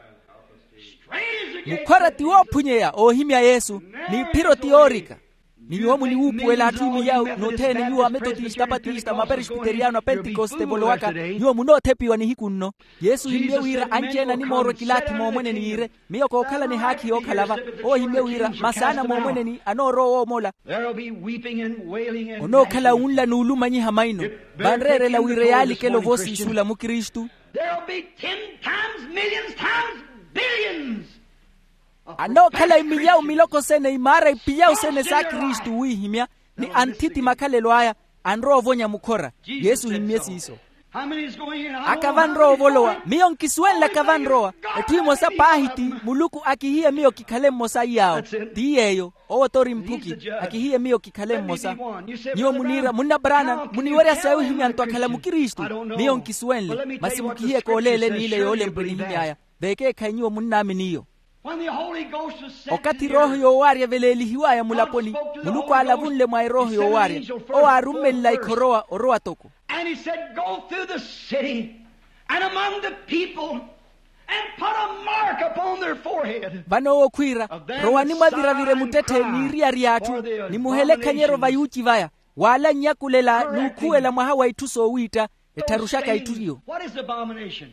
Mukhora ti woophunyeya oohimya yesu. N'iphiro ti yoorika. Ni nyuwo muniwuupuwela atthu imiyawu n'othene nyuwo ametotista apatista maperesbiteriyano apentekoste evolowaka. Nyuwo munoothepiwa nihiku nno. Yesu ohimye wira anci-ene animoorwa ekilaathi moomweneni yiire, miyo kookhala ni haakhi yookhala-va. Owo ohimye wira masaana moomweneni anoorowa owoomola. Onookhala wunla n'ulumanyiha maino. Vanreerela wira yaalikela ovoosiisula mukristu. Anookhala imiyawu miloko sene imaara ipiyawu sene sa kristu wiihimya ni anthiti makhalelo aya. Anrowa ovonya mukhora. Yesu ohimmye siiso. Aka vanrowa ovolowa? Miyo nkisuwenle aka vanrowa. Etthu emosa paahi ti muluku akihiye miyo kikhale mmosa iy'awo. Ti yeeyo. Owo t'ori mphuki. Akihiye miyo kikhale mmosa. Nyuwo muniira munna brana muniwerya sayi ohimya nto akhala mukristu? Miyo nkisuwenle masi mukihiye kooleele n'ile yoolempwe nihimy'aya. Veekeekhayi nyuwo munnaamini iyo. Okathi erooho yoowaarya eveleelihiw'aya mulaponi, muluku aalavunle mwa erooho yoowaarya. Owo aarummelela ikhorowa orowa toko. And he said, go through the city and among the people and put a mark upon their forehead. Vano owo khwiira, rowani mwaviravire muttetthe n'iriyari y'atthu, ni muhelekhanyeryo vayuuci vaya, waalanyakulela n'ukhuwela mwaha wa itthu soowiitta. Ettharuxaka itthu iyo. What is abomination?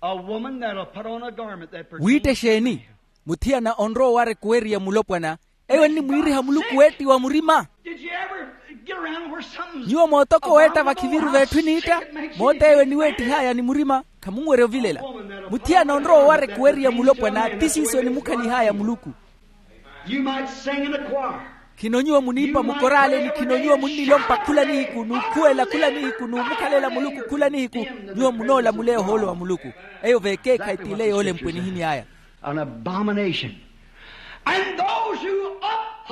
A woman that'll put on a garment that pertains to wiitta exeeni? Muthiyana onrowa owara ekuweriya mulopwana. Eyo ennimwiiriha muluku weettiwa murima. Did you ever get around where something's nyuwo mootokowa eetta vakhiviru veetthu eniitta? Moota eyo eniweettih'aya ni murima khamunwerya ovilela. Muthiyana onrowa owara ekuweriya mulopwana ti siiso enimukhalih'aya muluku. You might sing in the choir. Khino nyuwo muniipa mukorale ni khino nyuwo munnilompa khula nihiku n'ukhuwela khula nihiku n'umukhalela muluku khula nihiku. Nyuwo munoolamuleya ohoolo wa muluku. Eyo veekeekhayi t'ile yoolempwe nihimy'aya. An abomination. And those who up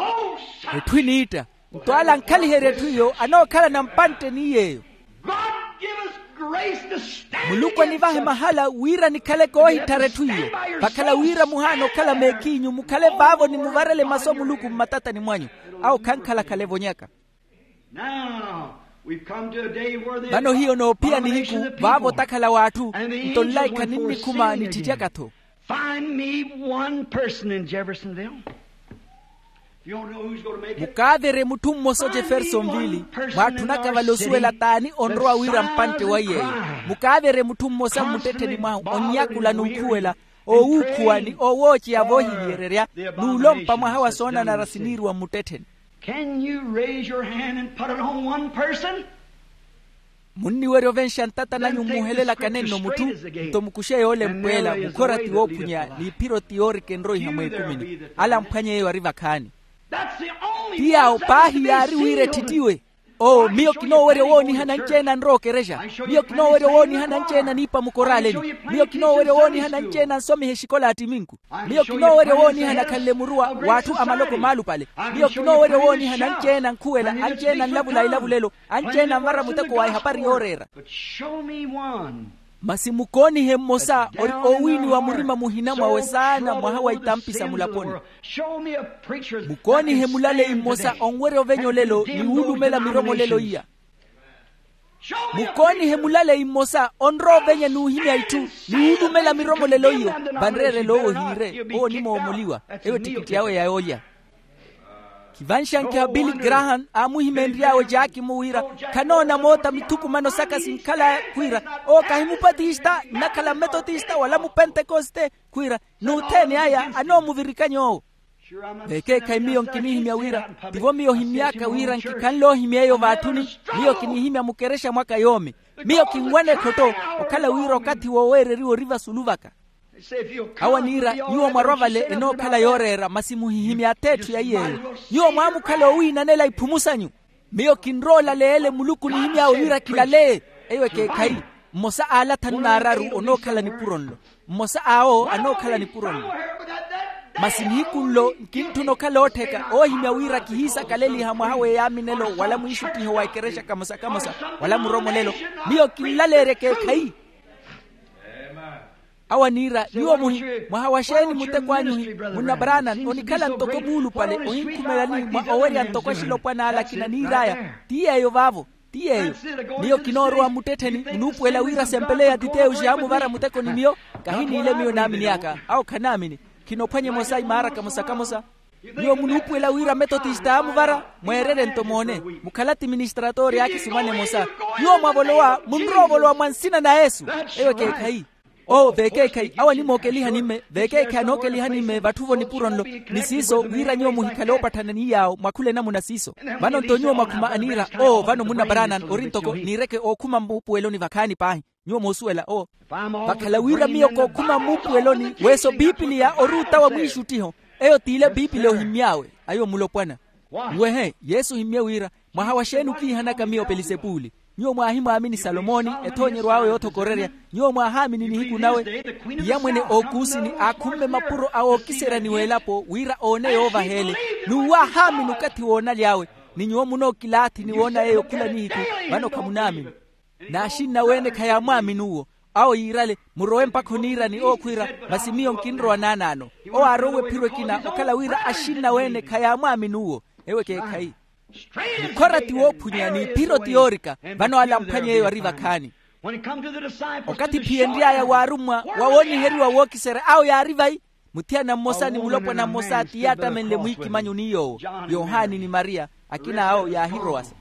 Etthu eniitta. Nto ale ankhaliherya etthu iyo anookhalana mpantte ni yeeyo. Muluku anivahe mahala wira nikhale koohitthara etthu iyo. Vakhala wira muhaana okhala meekiinyu mukhale vaavo ni muvarele masu a muluku mmatatani mwanyu. Awo khankhalakhala evonyaka. Vano hiyo noophiya nihiku vaavo otakhala w'atthu. Nto nlaikha ninnikhuma nitthittyaka-tho. Find me one person in Jeffersonville. Mukaaverye mutthu mmosa ojefersonville. Mwaatthunaka vale osuwela t'ani onrowa wira mpantte wa yeeyo. Mukaaverye mutthu mmosa mmuttettheni mwahu onnyakula n'ukhuwela, oowuukhuwa ni oowooceya voohiviyererya n'ulompa mwaha wa soonanara siniiriwa mmuttettheni. Can you raise your hand and put it on one person? Munniwerya ovenxa ntata nanyu mmuhelelaka nenno mutthu. Nto mukuxe yoole mpweela mukhora ti woophunya n'iphiro ti yoorika enroiha mweekumini. Ala amphwanye yeeyo ari vakhaani. Ti yaawo paahi yaari wira etthittiwe. Oo miyo kinoowerya owoonihana anci-ene anrowa okerexa. Miyo kinoowerya owoonihana anci-ene aniipa mukoraaleni. Miyo kinoowerya owoonihana anci-ene ansomiha exikola a ttiminku. Miyo kinoowerya owoonihana akhanle muruwa w'atthu a maloko maalupale. Miyo kinoowerya owoonihana anci-ene ankhuwela, anci-ene anlavula ilavulelo, anci-ene anvara muteko wa ehapari yooreera. Masi mukoonihe mmosa ori oowiiniwa murima muhina mwawe saana mwaha wa itampi sa mulaponi. Mukoonihe mulaleyi mmosa onwerya ovenya olelo ni wuulumela miromolelo iya. Mukoonihe mulaleyi mmosa onrowa ovenya n'uhimya itthu ni wuulumela miromolelo iyo. Vanreerela owo ohiire owo onimoomoliwa. Eyo ettikitti awe ya yoolya. Khivanxankiha billy graham aamuhimeenry'awe jaaki-mu wira khanoona moota mithukumano saka sinkhalaya khwiira owo kahi mupatista nnakhala mmetotista wala mupentekoste. Khwiira n'uthene aya anoomuvirikanya owo. Vekeekhayi miyo nkinihimya wira tivo miyo ohimy'aka wira nkikhanle ohimya eyo vaatthuni. Miyo kinihimya mukerexa mwaka yoomi. Miyo kinwana ekhotto okhala wira okathi wooweereriwa ori vasulu vaka. Awo aniira nyuwo mwarwa vale enookhala yooreera masi muhihimya atheetthu ya iy'eyo. Nyuwo mwaamukhala oowiinanela iphumu sanyu. Miyo kinrowa olaleya ele muluku onihimy'awe wira kilaleye. Eyo ekeekhayi. Mmosa a ala athanu n'araru onookhala nipuro nlo. Mmosa awo anookhala nipuro nlo. Masi nihiku nlo nkintthuna okhala oottheka oohimya wira kihiisakaleliha mwaha w'eyaaminelo wala mwiixuttiho wa ekerexa kamosa-kamosa wala muromolelo. Miyo kinlaleerya ekeekhayi. Awo aniira nyuwo muhi mwaha wa xeeni muteko anyu hi? Munna branan onikhala ntoko muulupale ohinkhumelani mwa owerya ntoko axilopwana ale akina niir'aya. Ti yeeyo vaavo. Ti yeeyo. Miyo kinoorowa mmuttettheni munuupuwela wira sempeleya titeyo xaamuvara muteko ni miyo. Kahiniile miyo naamini aka awo khanaamini. Khinophwanya emosa imaara kamosa-kamosa. Nyuwo munuupuwela wira metotista aamuvara mweererye nto moone. Mukhala atiministratoori aakisumana emosa. Nyuwo mwavolowa munrowa ovolowa mwa nsina na yesu. Eyo ekeekhayi. Oo veekeekhayi awo animookelihani-me veekeekhayi anookelihani-me vatthu-vo nipuro nlo. Ni siiso wira nyuwo muhikhale oopatthanani yaawo mwakhula enamuna siiso. Vano nto nyuwo mwakhuma aniira oo vano munna branan ori ntoko niireke ookhuma mmuupuweloni vakhaani paahi. Nyuwo moosuwela oo. Vakhala wira miyo kookhuma mmuupuweloni weso pipiliya ori utawa mwiixuttiho. Eyo t'ile pipiliya ohimmy'awe. Ayo mulopwana. Nwehe yesu ohimmye wira mwaha wa xeeni okiihanaka miyo pelisepuli? Nyuwo mwaahimwaamini salomoni ethoonyeryo awe yoothokorerya. Nyuwo mwaahaamini nihiku nawe. Piyamwene ookuusini aakhumme mapuro a wookiserya ni w'elapo wira oone yoovaha ele. N'uwo aahaamini okathi woonaly'awe. Ni nyuwo munookilaathi ni woona yeeyo khula nihiku. Vano khamunaamini. N'axinna weene khayaamwaamini uwo. Awo yiirale murowe mpakha oniirani ookhwiira. Masi miyo nkinrowa naanaano. Owo aarowe ephiro ekina okhala wira axinna weene khayaamwaamini uwo. Ewo ekeekhayi. Mukhora ti woophunya n'iphiro ti yoorika. Vano ale amphwanya eyo ari vakhaani. Okathi ephiyenry'aya waarummwa wa wooniheriwa wookiserya awo yaari vayi. Muthiyana mmosa ni mulopwana mmosa ti yaattamenle mwiikimanyo ni yoowo. Yohani ni mariya akina awo yaahirowasa.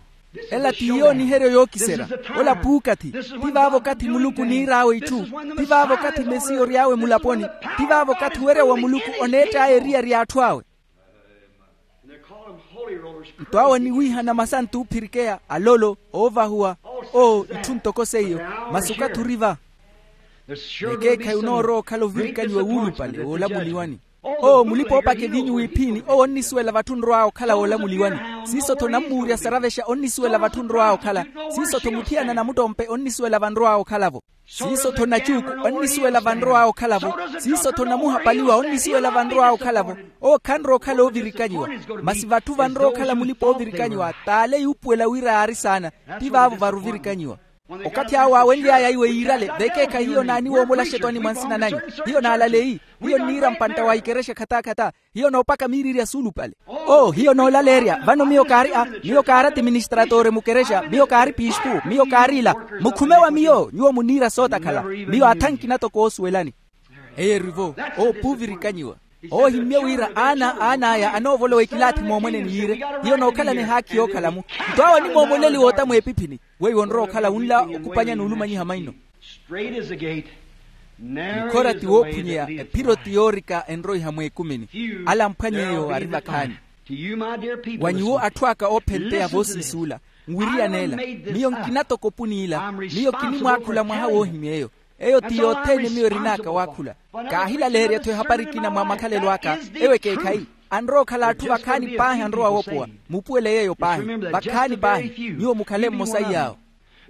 Ela ti yooniheryo yookiserya. Ola puukathi. Ti vaavo okathi muluku oniir'awe itthu. Ti vaavo okathi mesiya ory'awe mulaponi. Ti vaavo okathi owerya wa muluku oneett'aya eriyari y'atthu awe. Nto awo aniwiihana masantu oophirikeya alolo oovahuwa. Oo itthu ntoko seiyo. Masi okathi ori va. Ekeekhayi onoorowa okhala ovirikanyiwa wuulupale woolamuliwani. Owo mulipa-oopaka eviinyu wiiphiini owo onnisuwela vatthu onrow'awe okhala woolamuliwani. Siiso-tho nammuurya saravexa onnisuwela vatthu onrow'awe okhala. Siiso-tho muthiyana namuttompe onnisuwela vanrow'awe okhala-vo. Siiso-tho nacuuku onnisuwela vanrow'awe okhala-vo. Siiso-tho namuhapaliwa onnisuwela vanrow'awe okhala-vo. Owo khanrowa okhala oovirikanyiwa. Masi vatthu vanrowa okhala mulipa-oovirikanyiwa t'ale yuupuwela wira yaari saana. Ti vaavo varuvirikanyiwa. Okathi awo waawenly'aya iwe yiirale vekeekhayi hiyo naaniwoomola axetwani mwa nsina nanyu. Hiyo naalaleyi. Hiyo nniira mpantta wa ikerexa khattaakhata. Hiyo noopaka miiriiri ya suulupale. Oo hiyo noolaleerya vano miyo kaari a miyo kaari atiministratore mukerexa miyo kaari piispu miyo kaari ila. Mukhume wa miyo nyuwo muniira sootakhala. Miyo athankina toko oosuwelani. Eyo eri-vo. Owo puuvirikanyiwa. Owo ohimmye wira aana aan'aya anoovolowa ekilaathi moomweneni yiire. Hiyo nookhalana ehaakhi yookhalamu. Nto awo onimoomoleliwa ota mweepiphini. Weiwo onrowa okhala wunla okupanya n'ulumanyiha maino. Mukhora ti woophunyeya. Ephiro ti yoorika enroiha mweekumini. Ala amphwany'eyo ari vakhaani. Wa nyuwo atthu aka oophenteya voosiisuula, nwiriyan'ela. Miyo nkina toko opuni ila. Miyo kinimwaakhula mwaha woohimy'eyo. Eyo ti yothene miyo erin'aka waakhula. Kaahilaleerya-tho ehapari ekina mwa makhalelo aka. Ewo ekeekhayi. Anrowa okhala atthu vakhaani paahi anrowa woopowa. Muupuwele yeeyo paahi. Vakhaani paahi. Nyuwo mukhale mmosa iy'awo.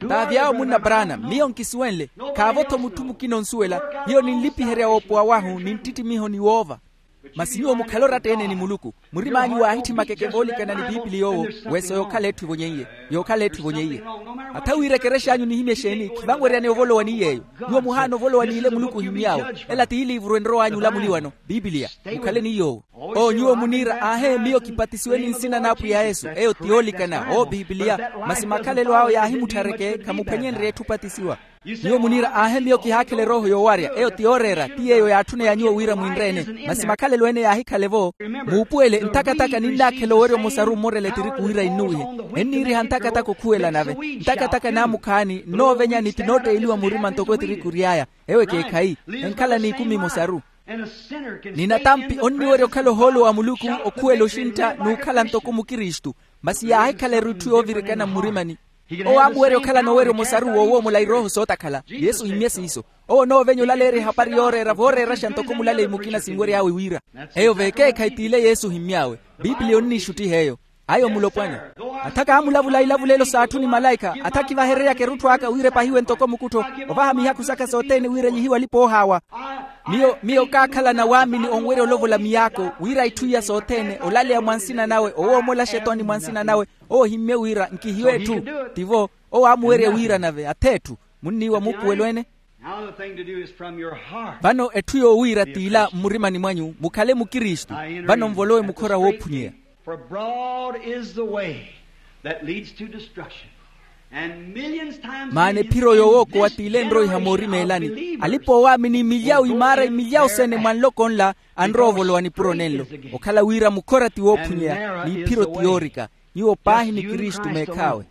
Taavy'awo munna brana miyo nkisuwenle. Khaavo-tho mutthu mukina onsuwela. Hiyo ninlipiherya woopowa wahu ninttittimiho ni woova. Masi nyuwo mukhale oratta-ene ni muluku. Murim'anyu waahitthi makeke voolikana ni piipili yoowo. Weso yookhala etthu evonyeiye. Yookhala etthu evonyeiye. Atha wira ekerex'anyu nihimye exeeni khivanweryaneya ovolowa ni yeeyo. Nyuwo muhaana ovolowa n'ile muluku ohimmy'awe. Ela ti iliivuru enrow'anyu olamuliwano. Piipiliya. Mukhale ni yoowo. Oo nyuwo muniira aahe miyo kipatisiwe ni nsina n'apwiya yesu eyo ti yoolikana oo piipiliya. Masi makhalelo awe yaahimutthareke khamuphwenyenrye etthu opatisiwa. Nyuwo muniira aahe miyo kihaakhela erooho yoowarya eyo ti yooreera ti yeeyo yaatthuneya nyuwo wira mwinre-ene. Masi makhalelo ene yaahikhala-vo. Muupuwele ntakataka ninnaakhela owerya omosaru ommorela etiriku wira innuwihe. Enniiriha ntakataka okhuwela nave. Ntakataka naamukhaani nnoovenyani ti nootteeliwa murima ntoko etiriku ory'aya. Ewo ekeekhayi. Enkhala n'ikumi emosaru. Ni natampi onniwerya okhala ohoolo wa muluku okhuwela oxintta n'ukhala ntoko mukristu. Masi yaahikhala eri itthu yoovirikana mmurimani. Owo aamuwerya okhalana owerya omosaru woowoomola irooho sootakhala yesu ohimmye siiso. Owo onoovenya olaleerya ehapari yooreera vooreeraxa ntoko mulaleyi mukina sinwery'awe wira. Eyo vekeekhayi t'ile yesu ohimmy'awe. Piipiliya onniixuttiha eyo. Ayo mulopwana. Atha kaamulavula ilavulelo s'atthu ni malaikha atha kivahereryaka erutthu aka wira epahiwe ntoko mukuttho. Ovaha mihakhu saka sothene wira elyihiwe alipa-oohaawa. Miyo miyo kaakhalana waamini onwerya olovola miyaako wira itthu iya sothene olaleya mwa nsina nawe owoomola axetwani mwa nsina nawe. Owo ohimmye wira nkihiwe etthu. Tivo. Owo aamuwerya wira nave ath'etthu. Munniiwa muupuwelo-ene. Vano etthu yoowiira t'ila mmurimani mwanyu mukhale mukristu. Vano nvolowe mukhora woophunyeya. Maana ephiro yoowookowa t'ile enroiha moorimeelani alipa oowaamini milyawu imaara imilyawu sene mwa nloko nla. Anrowa ovolowa nipuro nenlo okhala wira mukhora ti woophunyeya n'iphiro ti yoorika. Nyuwo paahi ni kristu meekh'awe.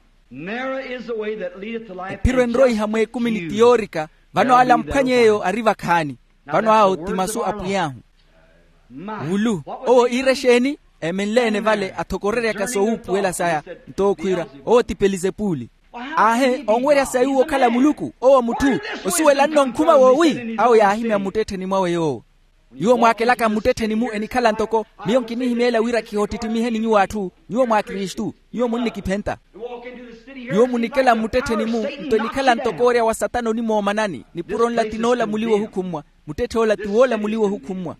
Ephiro enroiha mweekumini ti yoorika. Vano ala amphwany'eyo ari vakhaani. Vano awo ti masu a pwiy'ahu. Wulu owo iira exeeni? Emenle-ene vale athokoreryaka soowuupuwela saya. Nto okhwiira owo ti pelizepuli. Aahe onwerya sayi uwo okhala muluku owo mutthu osuwela nno nkhuma woowi awo yaahimya mmuttettheni mwawe yoowo. Nyuwo mwaakelaka mmuttettheni-mu enikhala ntoko miyo nkinihimeela wira kihottittimihe ni nyuwo atthu. Nyuwo mwa kristu. Nyuwo munnikiphenta. Nyuwo munikela mmuttettheni-mu nto enikhala ntoko oorya wa satana onimoomanani nipuro nla ti noolamuliwa ohukhummwa. Muttetthe ola ti woolamuliwa ohukhummwa.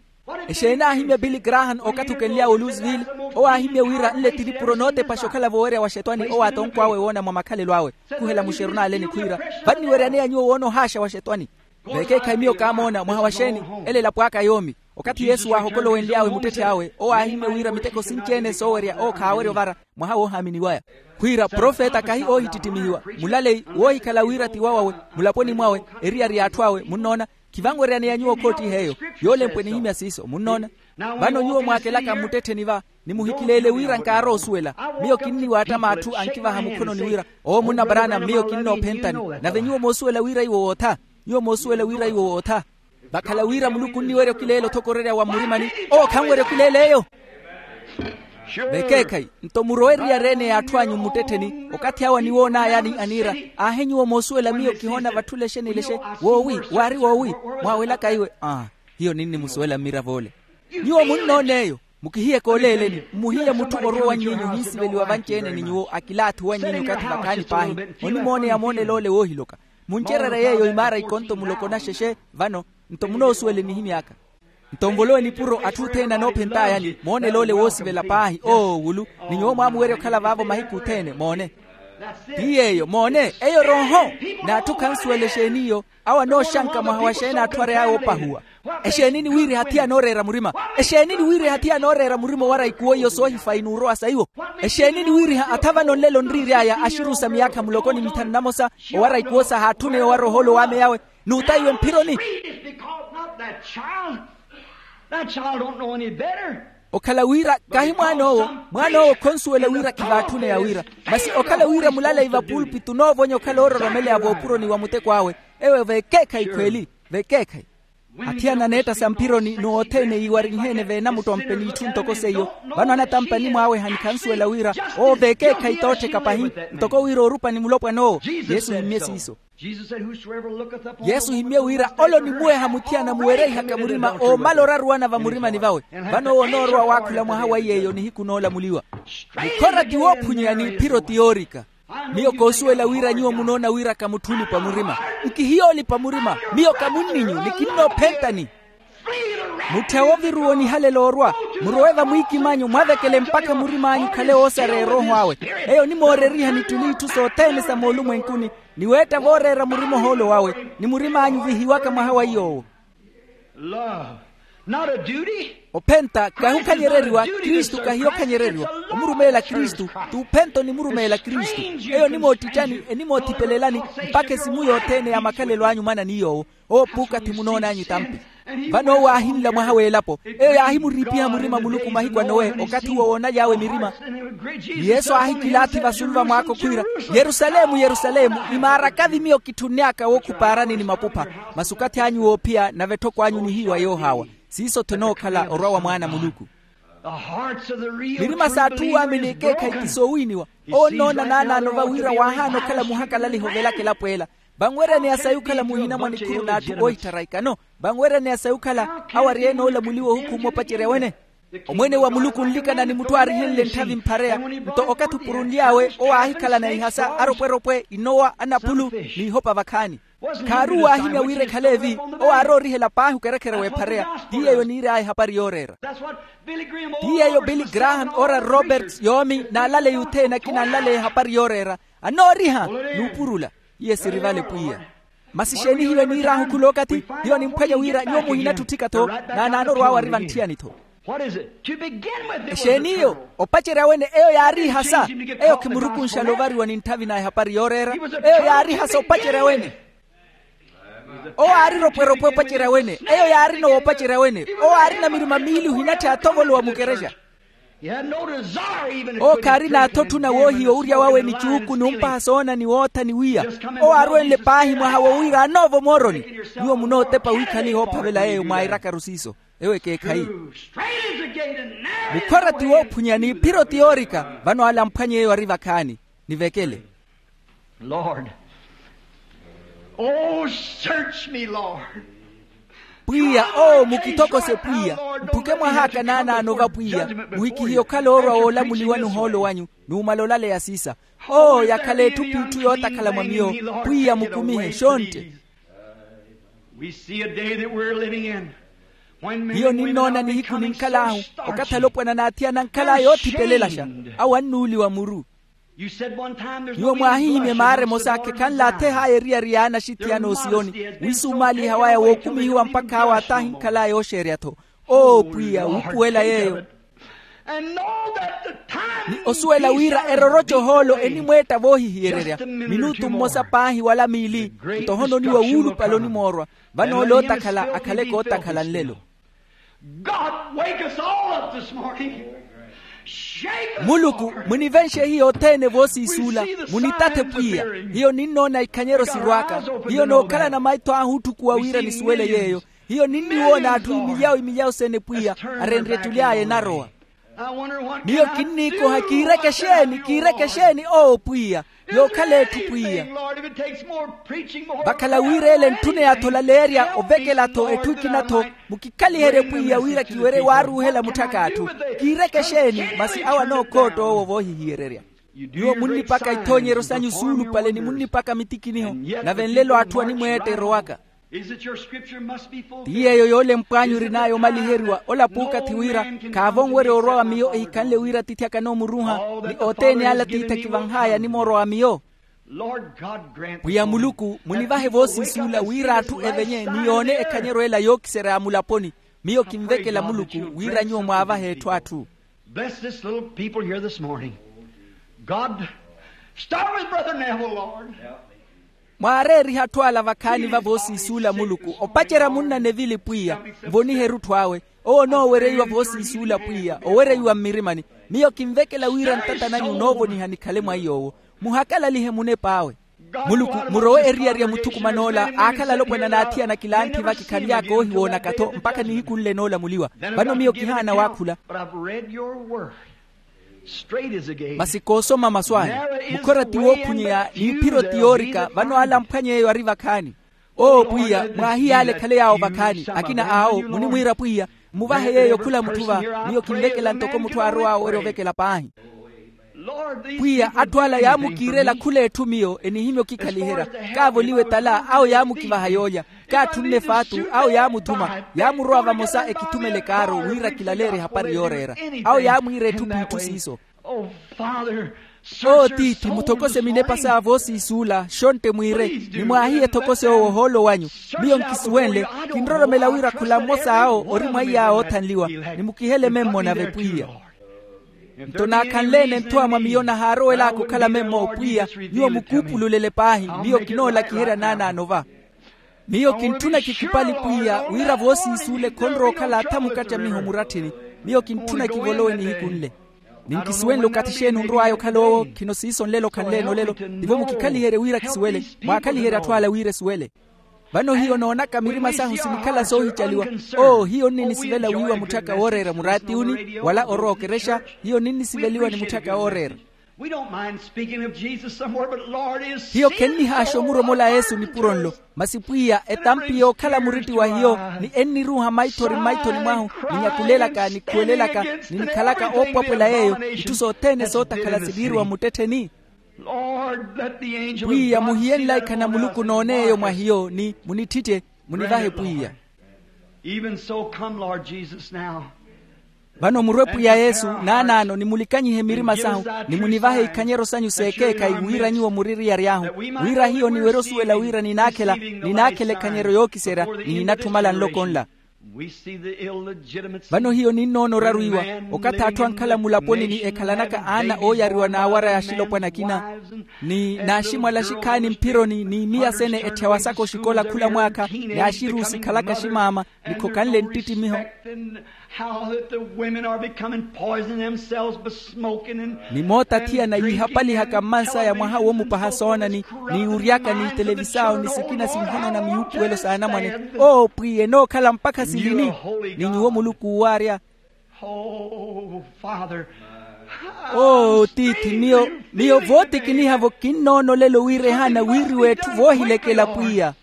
Exeeni aahimya billy graham okathi okenly'awe oluisville. Owo aahimya wira nle ti nipuro nootepaxa okhala voowerya wa xetwani owo atonko awe woona mwa makhalelo awe. Khuhela muxeru n'ale nikhwiira vanniweryaneya nyuwo woona ohaaxa wa xetwani. Vekeekhayi miyo kaamoona mwaha wa xeeni. Ela elapo aka yoomi. Okathi yesu waahokolowenly'awe muttetthe awe owo aahimya wira miteko sinci-ene soowerya owo khaawerya ovara. Mwaha woohaamini waya khwiira profeta kahi oohittittimihiwa. Mulaleyi woohikhala wira ti wawawe mulaponi mwawe. Eriyari y'atthu awe munnoona. Khivanweryaneya nyuwo khoottiha eyo. Yoolempwe nihimya siiso munnoona. Vano nyuwo mwaakelaka mmuttettheni va nimuhikileele wira nkaarowa osuwela. Miyo kinniwaatta m'atthu ankivaha mukhononi wira owo munna brana miyo kinnoophentani. Nave nyuwo moosuwela wira iwo wootha. Nyuwo moosuwela wira iwo wootha. Vakhala wira muluku onniwerya okileela othokorerya wa mmurimani. Owo khanwerya okileela eyo. Vekeekhayi nto murowe eriyari-ene y'atthu anyu mmuttettheni okathi awo aniwoon'ayani aniira. Aahe nyuwo moosuwela miyo kihoona vatthu lexe ni lexe. Woowi waari woowi. Mwaawelaka iwe aa. Hiyo ninnimusuwela mmiravo ole. Nyuwo munnoon'eyo, mukihiye kooleeleni, mmuhiye mutthu orwa owanny'inyu ohinsiveliwa vanci-ene ni nyuwo akilaathi owanny'inyu okathi vakhaani paahi. Onimooneya moonel'ole woohiloka. Muncererye yeeyo imaara ikonto muloko na xexe. Vano nto munoosuwele nihimy'aka. Nto nvolowe nipuro atthu othene anoophent'ayani moonel'ole woosivela paahi oowulu. Ni nyuwo mwaamuwerya okhala vaavo mahiku othene moone. Ti yeeyo moone eyo rooho. N'atthu khansuwela exeeni iyo. Awo anooxanka mwaha wa xeeni atthu ary'aya oopahuwa. Exeeni niwiiriha thiya anooreera murima? Exeeni niwiiriha thiya anooreera murima owara ikuwo iyo soohifayi n'urowa sa iwo? Exeeni niwiiriha atha vano nlelo nriiry'aya axirusa miyaakha muloko ni mithanu namosa owara ikuwo sahaatthuneya owara ohoolo w'ame yawe n'utaiwe mphironi? Okhala wira kahi mwaan'owo. Mwaan'owo khonsuwela wira khivaatthuneya wira. Masi okhala wira mulaleyi vapulpitu onoovonya okhala oororomeleya voopuroni wa muteko awe. Eyo vekeekhayi khweeli. Vekeekhayi. Athiyana aneetta sa mphironi n'othene yiiwarinheene veenamuttompe n'itthu ntoko seiyo. Vano anatampa animwaawe hanikhansuwela wira owo vekeekhayi toottheka pahi. Ntoko wira oorupani mulopwan'owo. Yesu ohimmye siiso. Yesu ohimmye wira ole onimuweha muthiyana muwereihaka murima oomala oraruwana vamurimani vawe. Vano owo onoorowa waakhula mwaha wa iy'eyo nihiku noolamuliwa. Mukhora ti woophunyeyani phiro ti yoorika. Miyo koosuwela wira nyuwo munoona wira ka mutthu olipa murima. Nkihiya olipa murima. Miyo ka munninyu ni kinnoophentani. Mutthe awoviruwa onihalela orwa. Murowe vamwiikimanyu mwavekele mpakha murim'anyu okhale woosareya erooho awe. Eyo onimooreriha nittuni itthu sothene sa moolumwenkuni. Ni weetta vooreera murima ohoolo wawe. Ni murim'anyu vihiwaka mwaha wa iy'owo. Ophenta kahi okhanyereriwa. Kristu kahi okhanyereriwa. Omurumeela kristu t'uphenta onimurumeela kristu. Eyo onimoottittani enimoothipelelani mpakha esimu yothene ya makhalelo anyu mwanani yoowo. Owo puukathi munoon'anyu etampi. Vano owo aahinla mwaha w'elapo. Eyo yaahimuriipiha murima muluku mahiku a nowe okathi uwo woonaly'awe mirima. Ni yesu aahikilaathi vasulu vamwaakho khwiira, yerusalemu yerusalemu, imaarakavi miyo kitthunny'aka wookhupaarani ni mapupha. Masi okathi anyu woophiya nave etthoko anyu nihiiwa yoohaawa. Siiso-tho enookhala orwa wa mwaana a muluku. Mirima s'atthu waamini ekeekhayi ti soowiiniwa. Owo onnoona naanaano va wira waahaana okhala muhakalaliha ovelaka elapo ela. Vanweryaneya sayi okhala muhina mwa nikhuru n'atthu oohitthara ikano. Vanweryaneya sayi okhala awo ari-ene oolamuliwa ohukhumwa opacerya wene. Omwene wa muluku onlikana ni mutthu aarihenle ntthavi mphareya. Nto okathi opurunly'awe owo aahikhalana ihasa aropweropwe inowa anaphulu, n'ihopa vakhaani. Khaaruwo aahimya wira ekhale evi. Owo aaroorihela paahi okerekhere w'ephareya. Ti yeeyo oniiry'aya ehapari yooreera. Ti yeeyo billy graham ora roberts yoomi n'alaleya othene akina anlaleya ehapari yooreera. Anooriha n'upurula. Iye siri vale pwiya. Masi exeeni hiyo eniir'ahu khulookathi? Hiyo nimphwanya wira nyuwo muhinatthi otthika-tho. Naanaano orw'awe ari vantthiyani-tho. Exeeni iyo? Opacerya wene eyo yaari ihasa. Eyo khimurukunxala ovariwa ni ntthavi na ehapari yooreera. Eyo yaari ihasa opacerya wene. Owo aari ropweropwe opacerya wene. Eyo yaarina owo opacerya wene. Owo aarina mirima miili ohinatthi aathovolowa mukerexa. Owo khaarina athotthuna woohiya owurya wawe ni cuuku n'umpaha soona ni wootha ni wiya. Owo aarwenle paahi mwaha wo wira anoova omooroni. Nyuwo munootepa wiikhaliha oophavela yeeyo mwairakaru siiso. Ewo ekeekhayi. Mukhora ti woophunyani phiro ti yoorika. Vano ale amphwanye eyo ari vakhaani. Nivekele. Lord. Oh, search me, Lord. Pwiya oo mukithokose pwiya. Mphuke mwah'aka naanaano va pwiya. Muhikihiye okhala oorwa woolamuliwa n'uhoolo wanyu. N'umala olaleya siisa. Oo yakhala etthu p'itthu yootakhala mwa miyo. Pwiya mukumihe xontte. Hiyo ninnoona nihiku ninkhal'ahu. Okathi alopwana n'athiyana ankhal'aya oothipelelaxa. Awo annuuliwa muru. Nyuwo mwaahihimya emaara emosa khekhanle atheh'aya eriyari y'anaxitthi ya n'osiyoni. Wisumaaliha waya wookumihiwa mpakha awo ataahinkhal'aya ooxeerya-tho. Oo pwiya wuupuwela yeeyo. Ni osuwela wira eroroca ohoolo enimweetta voohihiyererya. Minutu mmosa paahi wala miili. Nto ohononiwa wuulupale onimoorwa. Vano ole ootakhala akhaleke ootakhala nlelo. God, wake us all up this morning. Muluku, munivenxe hiyo othene voosiisuula. Munitathe pwiya. Hiyo ninnoona ikhanyeryo sirw'aka. Hiyo nookhalana maitho ahu otthukuwa wira nisuwele yeeyo. Hiyo ninniwoona atthu imilyawo imilyawo sene pwiya arenrye ettuli aya enarowa. Miyo kinniikoha kiireke exeeni kiireke exeeni oo pwiya, yookhala etthu pwiya. Vakhala wira ele ntthuna eyathola leerya ovekela-tho etthu ekina-tho. Mukikhaliherye pwiya wira kiwerye waaruuhela mutthak'atthu. Kiireke exeeni masi awo anookhootta owo voohihiyererya. Nyuwo munnipaka ithoonyeryo sanyu suulupale ni munnipaka mitikiniho. Nave nlelo atthu animweetta erowaka. Ti yeeyo yoolempw'anyu orin'aya omaliheriwa ola puukathi wira, khaavonwerya orwa wa miyo ehikhanle wira atiithi akanoomurunha, ni othene ale atiithi akivanh'aya animoorwa wa miyo. Pwiya muluku munivahe voosiisuula wira atthu evenye ni yoone ekhanyeryo ela yookiserya ya mulaponi. Miyo kinvekela muluku wira nyuwo mwaavahe etthu atthu. Bless this little people here this morning. God, start with Brother Neville, Lord. Mwaareerihe atthu ala vakhaani va voosiisuula muluku opacerya munna nevili pwiya. Nvonihe erutthu awe. Owo onoowereiwa voosiisuula pwiya owereiwa mmirimani. Miyo kinvekela wira ntata nanyu noovoniha nikhale mwa iy'owo. Muhakalalihe munep'awe. Muluku, murowe eriyari ya muthukuman'ola aakhala alopwana n'athiyana kilanthi vakikhanly'aka oohiwoonaka-tho mpakha nihiku nle noolamuliwa. Vano miyo kihaana waakhula. Masi koosoma masu anyu. Mukhora ti wookhunyeya n'iphiro ti yoorika vano ale amphwany'eyo ari vakhaani. Oo pwiya, mwaahiy'ale ekhale yaawo vakhaani. Akina awo munimwiira pwiya, mmuvahe yeeyo khula mutthu va. Miyo kinvekela ntoko mutthu aarow'awe owerya ovekela paahi. Pwiya, atthu ala yaamukiirela khula etthu miyo enihimya okikhaliherya. Kaavoliwe tala awo yaamukivaha yoolya. Kaatthunne faatu awo yaamuthuma. Yaamurowa vamosa ekithumele kaaro wira kilaleerye ehapari yooreera. Awo yaamwiira etthu p'itthu siiso. Oo tiithi, muthokose minepa sa voosiisuula xontte mwiire. Ni mwaahiye ethokose owo ohoolo wanyu. Miyo nkisuwenle. Kinroromela wira khula mmosa awo ori mwa iy'awo oothanliwa. Ni mukihele memmo nave pwiya. Nto naakhanle-ene nthowa mwa miyo nahaarowel'aka okhala memmo pwiya. Nyuwo mukuupululele paahi. Miyo kinoolakiherya naanaano va. Miyo kintthuna kikupali pwiya wira voosiisuule khonrowa okhala atha mukattamiho muratthini. Miyo kintthuna kivolowe nihiku nle. Ninkisuwenle okathi xeeni onrow'aya okhala owo khino siiso nlelo khanle-ene olelo. Tivo mukikhaliherye wira kisuwele. Mwaakhaliherye atthu ala wira esuwele. Vano hiyo noonaka mirima sahu sinikhala soohicaliwa. Oo hiyo onninisivela wiiwa mutthaka wooreera muraatiuni wala orowa okerexa. Hiyo ninnisiveliwa ni mutthaka wooreera. Hiyo khennihaaxa omuromola yesu nipuro nlo. Masi pwiya etampi yookhala muritti wa hiyo ni enniruuha maithori mmaithoni mwahu, ninyakulelaka nikhuwelelaka, ni nikhalaka oopwapwela yeeyo. Itthu sothene sootakhala siniiriwa mmuttettheni. Pwiya muhiye nlaikha na muluku noone eyo mwa hiyo ni munittitte. Munivahe pwiya. Even so come lord jesus now. Vano murwe pwiya yesu naanaano nimulikanyihe mirima sahu, ni munivahe ikhanyeryo sanyu s'ekeekhayi wira nyuwo muririyary'ahu, wira hiyo niwerye osuwela wira ninaakhela ninaakhela ekhanyeryo yookiserya, ni ninatthu mala nloko nla. Vano hiyo ninnoona oraru iwa okathi atthu ankhala mulaponi ni ekhalanaka aana ooyariwa n'awara y'axilopwana akina, ni n'aximwala axikhaani mphironi ni miya sene etthyawa saka oxikola khula mwaakha, ni axiruusi khalaka aximaama ni khokanle nttittimiho. Ni mootathiyana yiihapalihaka mmansaya mwaha woomupaha soona ni wuuryaka ni televisao ni sikina sinhono na miyuupuwelo s'anamwane. Oo pwiya enookhala mpakha silini? Ni nyuwo muluku uwaarya. Oo tiithi, miyo miyo vootikiniha-vo kinnoona olelo wira ehaana wiiriwa etthu voohilekela pwiya.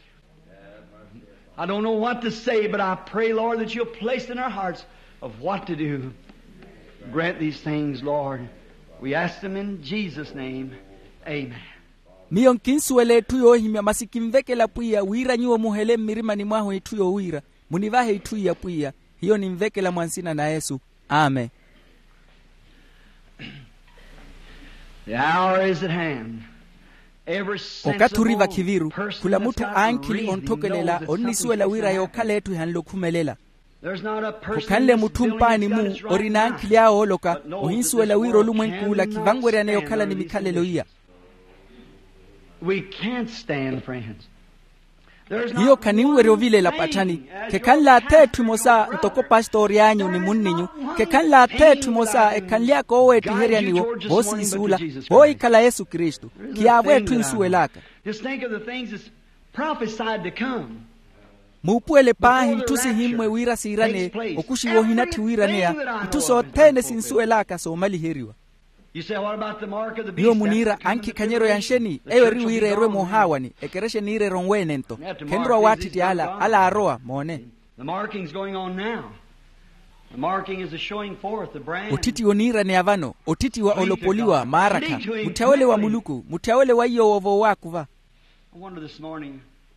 I don't know what to say but i pray lord that you'll place in our hearts of what to do. Grant these things lord. We ask them in jesus' name. Amen. Miyo nkinsuwela etthu yoohimya masi kinvekela pwiya wira nyuwo muhele mmirimani mwahu etthu yowiira. Munivahe itthu iya pwiya. Hiyo ninvekela mwa nsina na yesu. Amen. The hour is at hand. Okathi ori vakhiviru. Khula mutthu ankhili ontthokelela onnisuwela wira yookhala etthu ehanle okhumelela. Khukhanle mutthu mpaani-mu ori n'ankhili awe ooloka. Ohinsuwela wira olumwenk'ula khivanweryaneya okhala ni mikhalelo iya. We can't stand friends. Hiyo khaninwerya ovilela patthani. Khekhanle atha etthu emosa ntoko pastori anyu ni munninyu. Khekhanle atha etthu emosa ekhanly'aka ooweettiheryaniwo voosiisuula. Voohikhala yesu kristu. Khiyaavo etthu ensuwel'aka. Just think of the things that's prophesied to come. Muupuwele paahi itthu sihimmwe wira siiraneya. Okuxiwa ohinatthi wiiraneya. Itthu sothene sinsuwel'aka soomaliheriwa. Nyuwo muniira ankhikhanyereya nxeni? Eyo eri wira erwe moohaawani. Ekerexa eniira eronweene-nto. Khenrowa waattitti ala ala aarowa moone. Otthitti oniiraneya vano, otthitti wa olopoliwa maarakha. Mutthya ole wa muluku, mutthya ole wa iyoowo voowaakuva.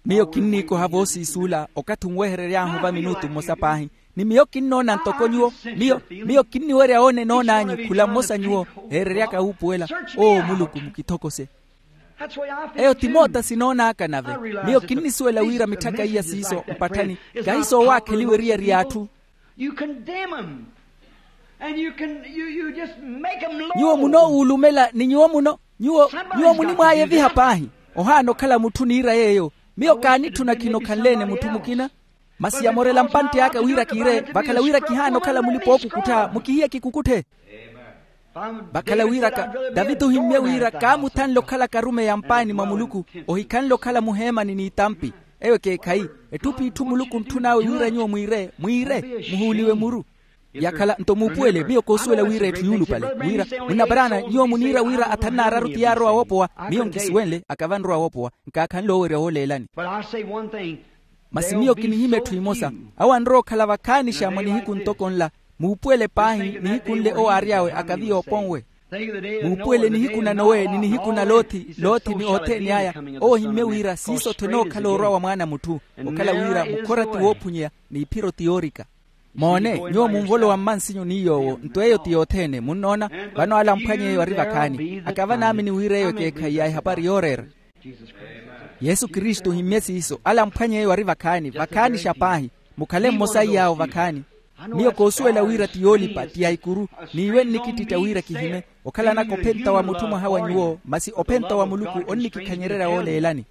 Miyo kinniikoha voosiisuula okathi onweherery'ahu va minutu mmosa paahi. Ni miyo kinnoona ntoko nyuwo. Miyo miyo kinniwerya oona enoon'anyu khula mmosa nyuwo, eereryaka wuupuwela. Oo muluku mukithokose. Eyo ti moota sinoonaaka nave. Miyo kinnisuwela wira mitthaka iya siiso mpatthani, kahi soowaakheliwa eriyari y'atthu. Nyuwo munoowuulumela ni nyuwo muno nyuwo nyuwo munimwaayeviha paahi. Ohaana okhala mutthu niira yeeyo. Miyo kaanitthuna khino khanleene mutthu mukina. Masi yamorela mpantti aka wira kiire vakhala wira kihaana okhala mulipa ookukuttha mukihiye kikukutthe. Vakhala wiraka daviti ohimmye wira kaamuthanle okhalaka arumeyi ampaani mwa muluku. Ohikhanle okhala muheemani n'itampi. Eyo ekeekhayi. Etthu p'itthu muluku ontthun'awe wira nyuwo mwiire mwiire muhuuliwe muru. Yakhala nto muupuwele miyo koosuwela wira etthu yuulupale wira munnaparaana nyuwo muniira wira athannaararu ti yaarowa woopowa. Miyo nkisuwenle akava nrowa woopowa nkaakhanle oowerya wooleelani. Masi miyo kinihimya etthu emosa. Awo anrowa okhala vakhaanixa mwa nihiku ntoko nla. Muupuwele paahi nihiku nle owo aary'awe akaviya oponwe. Muupuwele nihiku na nowe ni nihiku na lothi lothi ni othene aya. Owo ohimmye wira siiso-tho enookhala orwa wa mwaana a mutthu. Okhala wira mukhora ti woophunyeya n'iphiro ti yoorika. Moone nyuwo munvolowa mmansinyu ni yoowo nto eyo ti yothene munnoona. Vano ala amphwany'eyo ari vakhaani akava naamini wira eyo ekeekhayi ya ehapari yooreera. Yesu kristu ohimmye siiso ala amphwany'eyo ari vakhaani vakhaanixa paahi. Mukhale mmosa iy'awo vakhaani. Miyo koosuwela wira ti yoolipa ti ya ikuru. N'iwe nnikittitta wira kihime okhalanaka ophenta wa mutthu mwaha wa nyuwo masi ophenta wa muluku onnikikhanyererya wooleelani.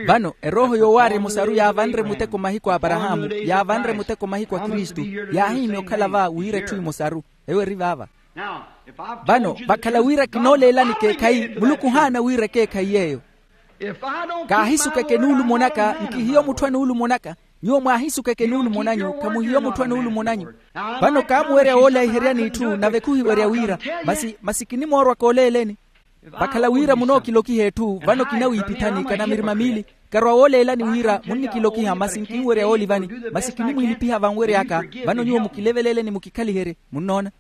Vano erooho yoowaarya emosaru yaavanre muteko mahiku a aparahaamu yaavanre muteko mahiku a kristu. Yaahihimya okhala va wira etthu emosaru. Ewo eri vaava. Vano vakhala wira kinooleelani ekeekhayi muluku ohaana wira ekeekhayi yeeyo. Kaahisukeke nuulumo naka nkihiyo mutthu anuulumo naka. Nyuwo mwaahisukeke nuulumo nanyu khamuhiyo mutthu anuulumo nanyu. Vano kaamuwerya woolaiheryani itthu nave khuhiwerya wira masi masi kinimoorwa kooleeleni. Vakhala wira munookilokiha etthu vano kinawiipithani kana mirima miili. Karwa wooleelani wira munnikilokiha masi nkinwerya woolivani masi kinimwiilipiha vanwery'aka. Vano nyuwo mukileveleeleni mukikhaliherye. Munnoona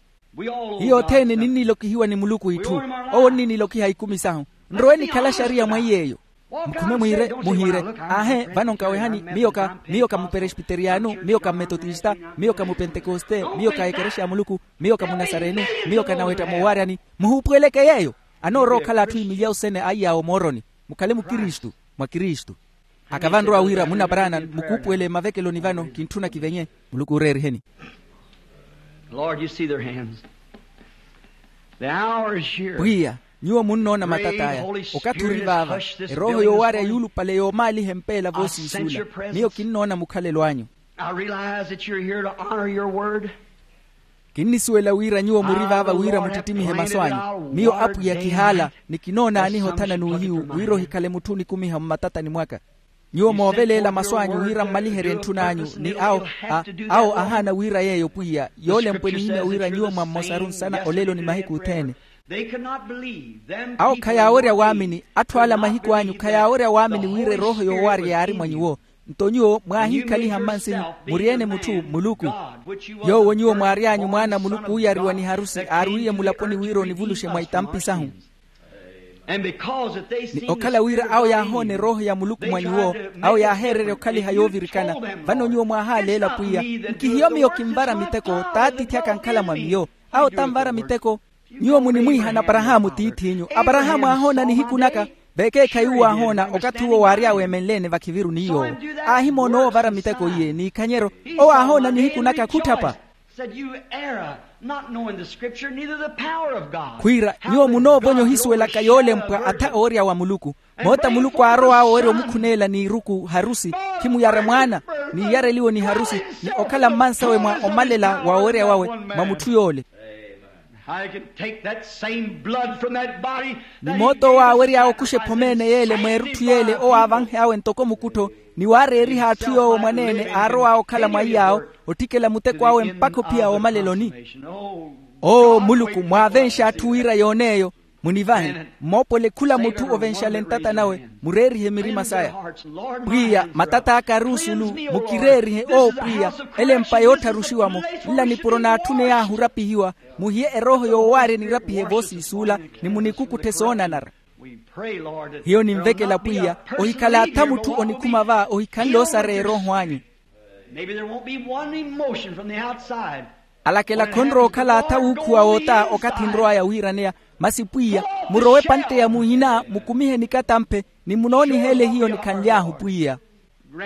hiyo othene ninnilokihiwa ni muluku itthu. Owo onninilokiha ikumi sahu. Nrowe nikhala xariya mwa iy'eyo. Mukhume mwiire muhiire. Aahe vano nkawehani miyo ka miyo ka muperespiteriyanu miyo ka mmetotista miyo ka mupentekoste miyo ka ekerexa ya muluku miyo ka munasarenu miyo ka nawetta moowaryani. Muhuupuweleke yeeyo. Anoorowa okhala atthu imilyawu sene a iy'awo mooroni. Mukhale mukristu mwa kristu. Akavanrowa wira munaparaana mukuupuwele mavekeloni vano kintthuna kivenye. Muluku ooreeriheni. Lord, you see their hands. The hour is here. Pwiya, nyuwo munnoona matata aya. Okathi ori vaava. Erooho yoowaarya yuulupale yoomaaliha empeela voosiisuula. Miyo kinnoona mukhalelo anyu. I realize that you're here to honor your word. Kinnisuwela wira nyuwo muri vaava wira muttittimihe masu anyu. Miyo apwiya kihaala ni kinoonaaniha othana n'uhiyu wira ohikhale mutthu onikumiha mmatatani mwaka. Nyuwo mooveleela masu anyu wira mmaliherye ntthuna anyu ni awo awo ahaana wira yeeyo pwiya yoolempwe nihimya wira nyuwo mwa mmosaru nsana olelo ni mahiku othene. Awo khayaawerya waamini atthu ala mahiku anyu khayaawerya waamini wira erooho yoowaarya yaari mwa nyuwo. Nto nyuwo mwaahiikhaliha mmansinyu muri-ene mutthu muluku yoowo nyuwo mwaary'anyu mwaana a muluku uuyariwa ni harusi aarwiiye mulaponi wira onivuluxe mwa itampi sahu. Ni okhala wira awo yaahoona erooho ya muluku mwa nyuwo awo yaaheererya okhaliha yoovirikana. Vano nyuwo mwahaaleela pwiya nkihiyo miyo kinvara miteko t'atiithi aka ankhala mwa miyo. Awo tanvara miteko. Nyuwo munimwiihana aparahaamu tiith'inyu. Aparahaamu aahoona nihiku naka vekeekhayi uwo aahoona okathi uwo waary'awe emenleene vakhiviru ni yoowo. Aahimoona owo ovara miteko iye n'ikhanyeryo. Owo aahoona nihiku naka khutthapa. Khwiira nyuwo munoovonya ohisuwelaka yoolempwa atha owerya wa muluku. Moota muluku aarow'awe owerya omukhuneela n'iruku harusi khimuyara mwaana n'iiyareliwe ni harusi ni okhala mmansawe mwa omalela wa owerya wawe mwa mutthu yoole. I can take that same blood from that body. Ni mooto owo aawery'awe okuxa ephomeene y'ele mweerutthu y'ele owo aavanhey'awe ntoko mukuttho, ni waareeriha atthu yoowo mwaneene aarow'awe okhala mwa iy'awo, ottikela muteko awe mpakha ophiya woomaleloni. Oo muluku, mwaavenxe atthu wira yoon'eyo. Munivahe, mmoopole khula mutthu ovenxale ntata nawe, mureerihe mirima saya. Pwiya, matat'aka ari osulu, mukireerihe oo pwiya. Ele empa yoottharuxiwa-mo, nla nipuro naatthuney'ahu orapihiwa. Muhiye erooho yoowaarya nirapihe voosiisuula, ni munikukutthe soonanara. Hiyo ninvekela pwiya, ohikhala atha mutthu onikhuma va ohikhanle osareya erooho anyu. Alakela khonrowa okhala atha wuukhuwa woota okathi nrow'aya wiiraneya. Masi pwiya, murowe epantte ya muhina mukumihe nikatamphe, ni munooniheele hiyo nikhanly'ahu pwiya.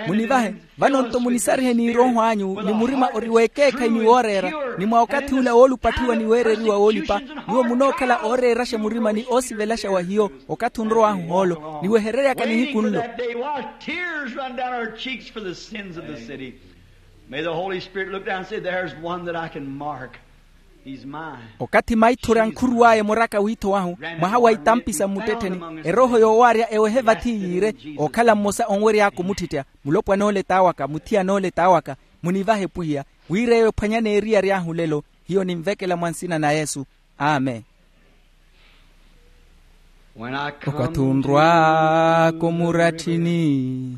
Munivahe, vano-nto munisarihe n'irooho anyu ni murima ori w'ekeekhayi ni wooreera, ni mwa okathi ula woolupatthiwa ni weereriwa woolipa. Nyuwo munookhala ooreeraxa murima ni oosivelaxa wa hiyo okathi onrow'ahu hoolo ni wehereryaka nihiku nlo. May the Holy Spirit look down and say, "There's one that I can mark. He's mine." Okathi maithori ankhuruw'aya emoraka wiitho wahu, mwaha wa itampi sa mmuttettheni, erooho yoowaarya ewehe vathi yiire, ookhala mmosa onwery'aka omuttittya. Mulopwan'ole t'awaka, muthiyan'ole t'awaka. Munivahe pwiya, wira eyo ephwanyaneeriyari ahu lelo. Hiyo ninvekela mwa nsina na yesu. Amen. Okathi onrwaaka omuratthini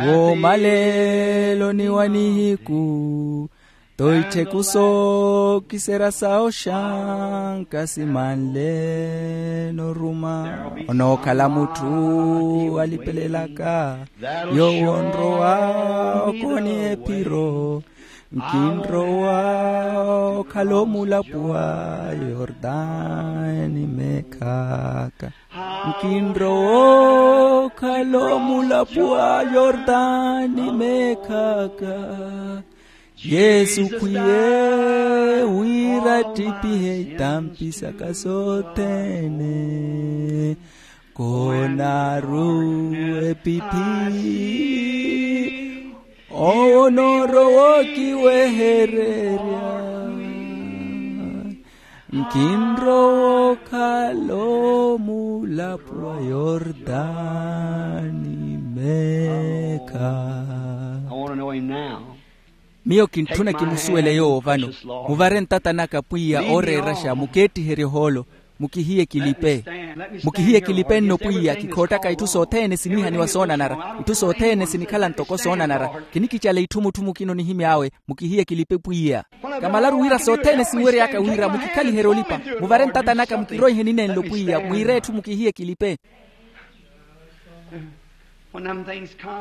woomaleloni wa nihiku, to ittheku sookiserya sa oxanka simanle noruma. Onookhala mutthu alipelelaka yoowo onrowa okooni ephiro. Nkinrowa okhala omulapo wa yordani meekhaka. Nkinrowa okhala omulapo wa yordani meekhaka. Yesu khwiye wira attipihe itampi saka sothene. Konaru epiphi owo onoorowa okiwehererya. Nkinrowa okhala omulapo wa yordani meekha. Miyo kintthuna kimusuwele yoowo vano. Muvare ntata naka pwiya ooreeraxa mukeettiherye ohoolo. Mukihiye kilipe. Mukihiye kilipe nno pwiya kikhoottaka itthu sothene sinihaniwa soonanara. Itthu sothene sinikhala ntoko soonanara. Kinikicala itthu mutthu mukina onihimy'awe. Mukihiye kilipe pwiya. Kamalaru wira sothene sinwery'aka wira mukikhaliherye olipa. Muvare ntata naka mukiroihe ninenlo pwiya mwiire etthu mukihiye kilipe.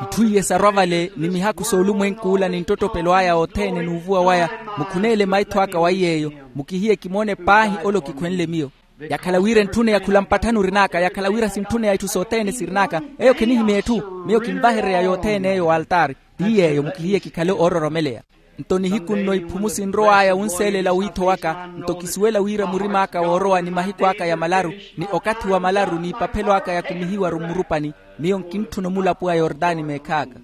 Itthu iye sarwa vale ni mihaku soolumwenk'ula ni nttottopelo aya othene n'uvuwa waya. Mukhuneele maitho aka wa iy'eyo. Mukihiye kimoone paahi ole okikhwenle miyo. Yakhala wira entthuneya khula mpatthani orin'aka yakhala wira sintthuneya itthu sothene sirin'aka. Eyo khinihimya etthu. Miyo kinvaherereya yothene eyo w'altaari. Ti yeeyo mukihiye kikhale oororomeleya. Nto nihiku nno iphumu sinrow'aya wunseelela wiitho waka. Nto kisuwela wira murim'aka woorowa ni mahiku aka ya malaru ni okathi wa malaru n'ipaphelo aka yakumihiwaru mmurupani. Miyo nkintthuna omulapo wa yordani meekh'aka.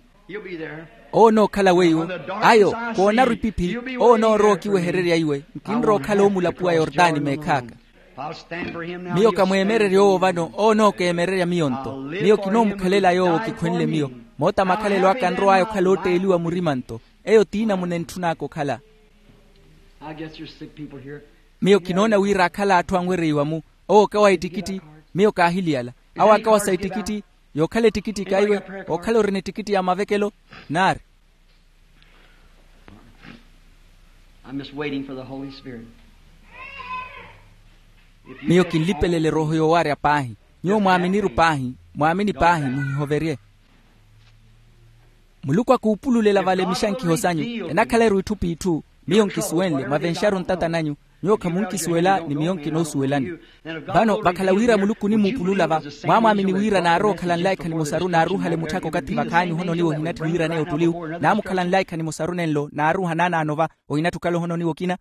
Owo onookhala weiwo. Ayo koonaru epiphi. Owo onoorowa okiwehererya iwe. Nkinrowa okhala omulapo wa yordani meekh'aka. Miyo kamweemererya owo vano owo onookeemererya miyo nto. Miyo kinoomukhalela yoowo kikhwenle miyo. Moota makhalelo aka anrow'aya okhala ootteeliwa murima nto. Eyo tiina munentthun'aka okhala. Miyo kinoona wira akhala atthu anwereiwa-mu. Owo okawa ettikitti. Miyo kaahiliyala. Awo akawa sa ettikitti. Yookhala ettikitti kaiwe. Ookhala orina ettikitti ya mavekelo. Naari. Miyo kinlipelele erooho yoowaarya paahi. Nyuwo mwaaminiru paahi. Mwaamini paahi muhihoverye. Muluku akuupululela vale mixankiho sanyu. Enakhaleru itthu p'itthu. Miyo nkisuwenle mwavenxaru ntata nanyu. Nyuwo khamunkisuwela ni miyo nkinoosuwelani. Vano vakhala wira muluku onimuupulula va, mwaamwaamini wira naarowa okhala nlaikha nimosaru naaruhale mutthaka okathi vakhaanyu ohononiwa ohinatthi wiiraneya ottuliwu. Naamukhala nlaikha nimosaru nenlo naaruha naanaano va. Ohinatthi okhala ohononiwa okina.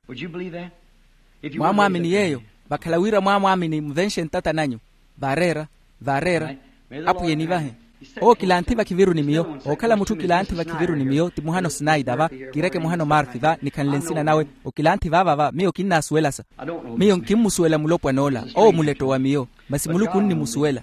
Mwaamwaamini yeeyo. Vakhala wira mwaamwaamini muvenxe ntata nanyu. Vaareera. Vaareera. Apwiya enivahe. Owo kilanthi vakhiviru ni miyo. Ookhala mutthu kilanthi vakhiviru ni miyo ti muhano sinaita va. Kireke muhano marki va nikhanle nsina nawe. Okilanthi vaava va miyo kinnaasuwelasa. Miyo nkimmusuwela mulopwan'ola owo muletto wa miyo. Masi muluku onnimusuwela.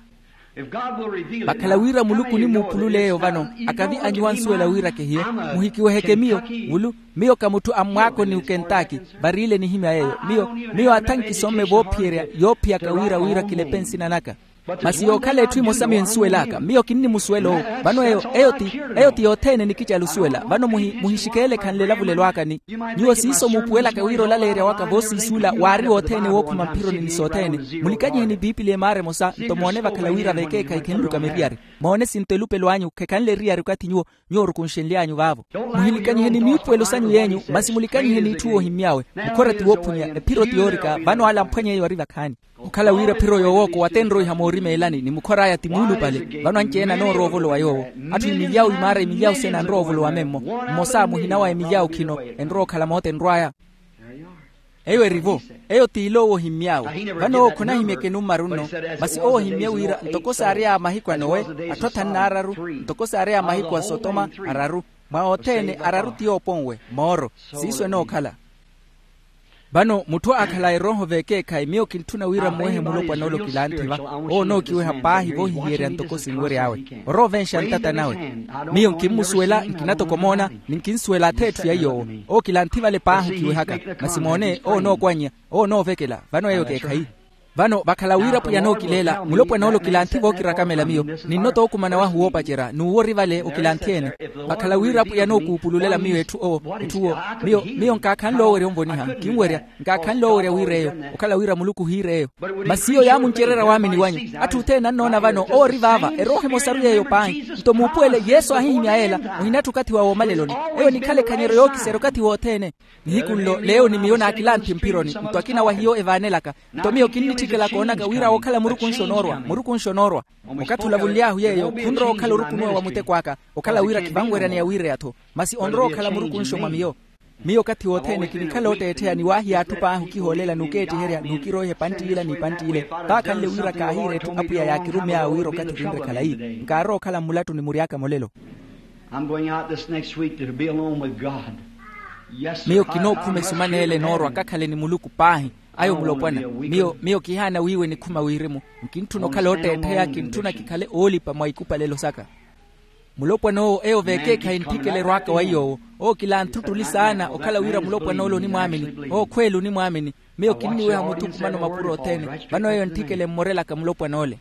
Vakhala wira muluku onimuupulula eyo vano, akavi anyuwa ansuwela wira kehiyo. Muhikiweheke miyo. Vulu miyo ka mutthu a mmwaakoni okentaki. Variile nihimya yeeyo. Miyo miyo atha nkisomme voophiyerya yoophiyaka wira wira kilepe nsina naka. Masi yookhala etthu emosa miyo ensuwel'aka miyo kinnimusuwela owo. Vano eyo eyo ti eyo ti yothene nikicala osuwela vano muhixikeele khanle elavulelo aka ni nyuwo siiso muupuwelaka wira olaleerya waka voosiisuula waari wothene wookhuma mphironi ni sothene. Mulikanyiheni piipili emaara emosa nto moone vakhala wira vekeekhayi khinluka miriyari. Moone sinto elupelo anyu khekhanle eriyari okathi nyuwo nyuwo orukunxenly'anyu vaavo. Muhilikanyihe ni miipuwelo sanyu y'enyu masi mulikanyihe n'itthu woohimmy'awe. Mukhora ti woophunya ephiro ti yoorika vano ale amphwany'eyo ari vakhaani. Okhala wira ephiro yoowookowa tenroiha moorimeelani ni mukhor'aya ti muulupale. Vano anci-ene anoorowa ovolowa yoowo. Atthu imilyawu imaara imilyawu sena anrowa ovolowa memmo. Mmosa muhina wa emilyawu khino enrowa okhala moote enrw'aya. Eyo eri-vo. Eyo t'ile owo ohimmy'awe. Vano owo khonahimyeke nummaru nno. Masi owo ohimmye wira ntoko saary'aya mahiku a nowe atthu athanu n'araru ntoko saary'aya mahiku a sotoma araru. Mwa othene araru ti yooponwe mooro. Siiso enookhala. Vano mutthu aakhala erooho vekeekhayi miyo kintthuna wira mmuwehe mulopwana ole okilanthi va. Owo onookiweha paahi voohihiyerya ntoko sinwery'awe. Orowa ovenxa ntata nawe. Miyo nkimmusuwela nkina toko omoona. Ni nkinsuwela atha etthu ya iy'owo. Owo kilanthi vale paahi okiwehaka. Masi moone owo onookwanya. Owo onoovekela vano eyo ekeekhayi. Vano vakhala wira pwiya anookileela mulopwana ole okilanthi vookirakamela miyo. Ninno tookumana wahu woopacerya n'uwo ori vale okilanthi-ene. Vakhala wira pwiya anookuupululela miyo etthu owo etthu owo. Miyo miyo nkaakhanle owerya onvoniha nkinwerya. Nkaakhanle owerya wira eyo okhala wira muluku ohiira eyo. Masi iyo yaamuncererya waamini wanyu. Atthu othene annoona vano owo ori vaava erooho emosaru yeeyo paahi. Nto muupuwele yesu aahihimya yeela. Ohinatthi okathi wa woomaleloni. Eyo enikhale ekhanyeryo yookiserya okathi wothene. Nihiku nlo leeyo ni miyo naakilanthi mphironi nto akina wa hiyo evaanelaka. Nto miyo kinnitthikela koonaka wira wookhala murukunxo onoorwa murukunxo onoorwa. Okathi olavunly'ahu yeeyo khunrowa okhala orukunuwa wa muteko aka. Okhala wira khivanweryaneya wiireya-tho. Masi onrowa okhala murukunxo mwa miyo. Miyo okathi wothene kinikhala ootteettheya ni waahiya atthu paahi okihoolela n'ukeettiherya n'ukiroiha epantti ila n'ipantti ile. Vaakhanle wira kaahiira etthu apwiya yaakirumy'awe wira okathi kinre khalayi. Nkaarowa okhala mmulattuni mury'aka molelo. Miyo kinookhuma esumaneele enoorwa kakhale ni muluku paahi. Ayo mulopwana. Miyo miyo kihaana wiiwe nikhuma wirimu. Nkintthuna okhala ootteettheya kintthuna kikhale oolipa mwa ikupalelo saka. Mulopwana owo eyo vekeekhayi ntthikela erwaaka wa iy'owo. Owo kilanthi ottuli saana okhala wira mulopwana ole onimwaamini. Owo khweela onimwaamini. Miyo kinniweha muthukumano mapuro othene. Vano eyo ntthikela emmorelaka mulopwana ole.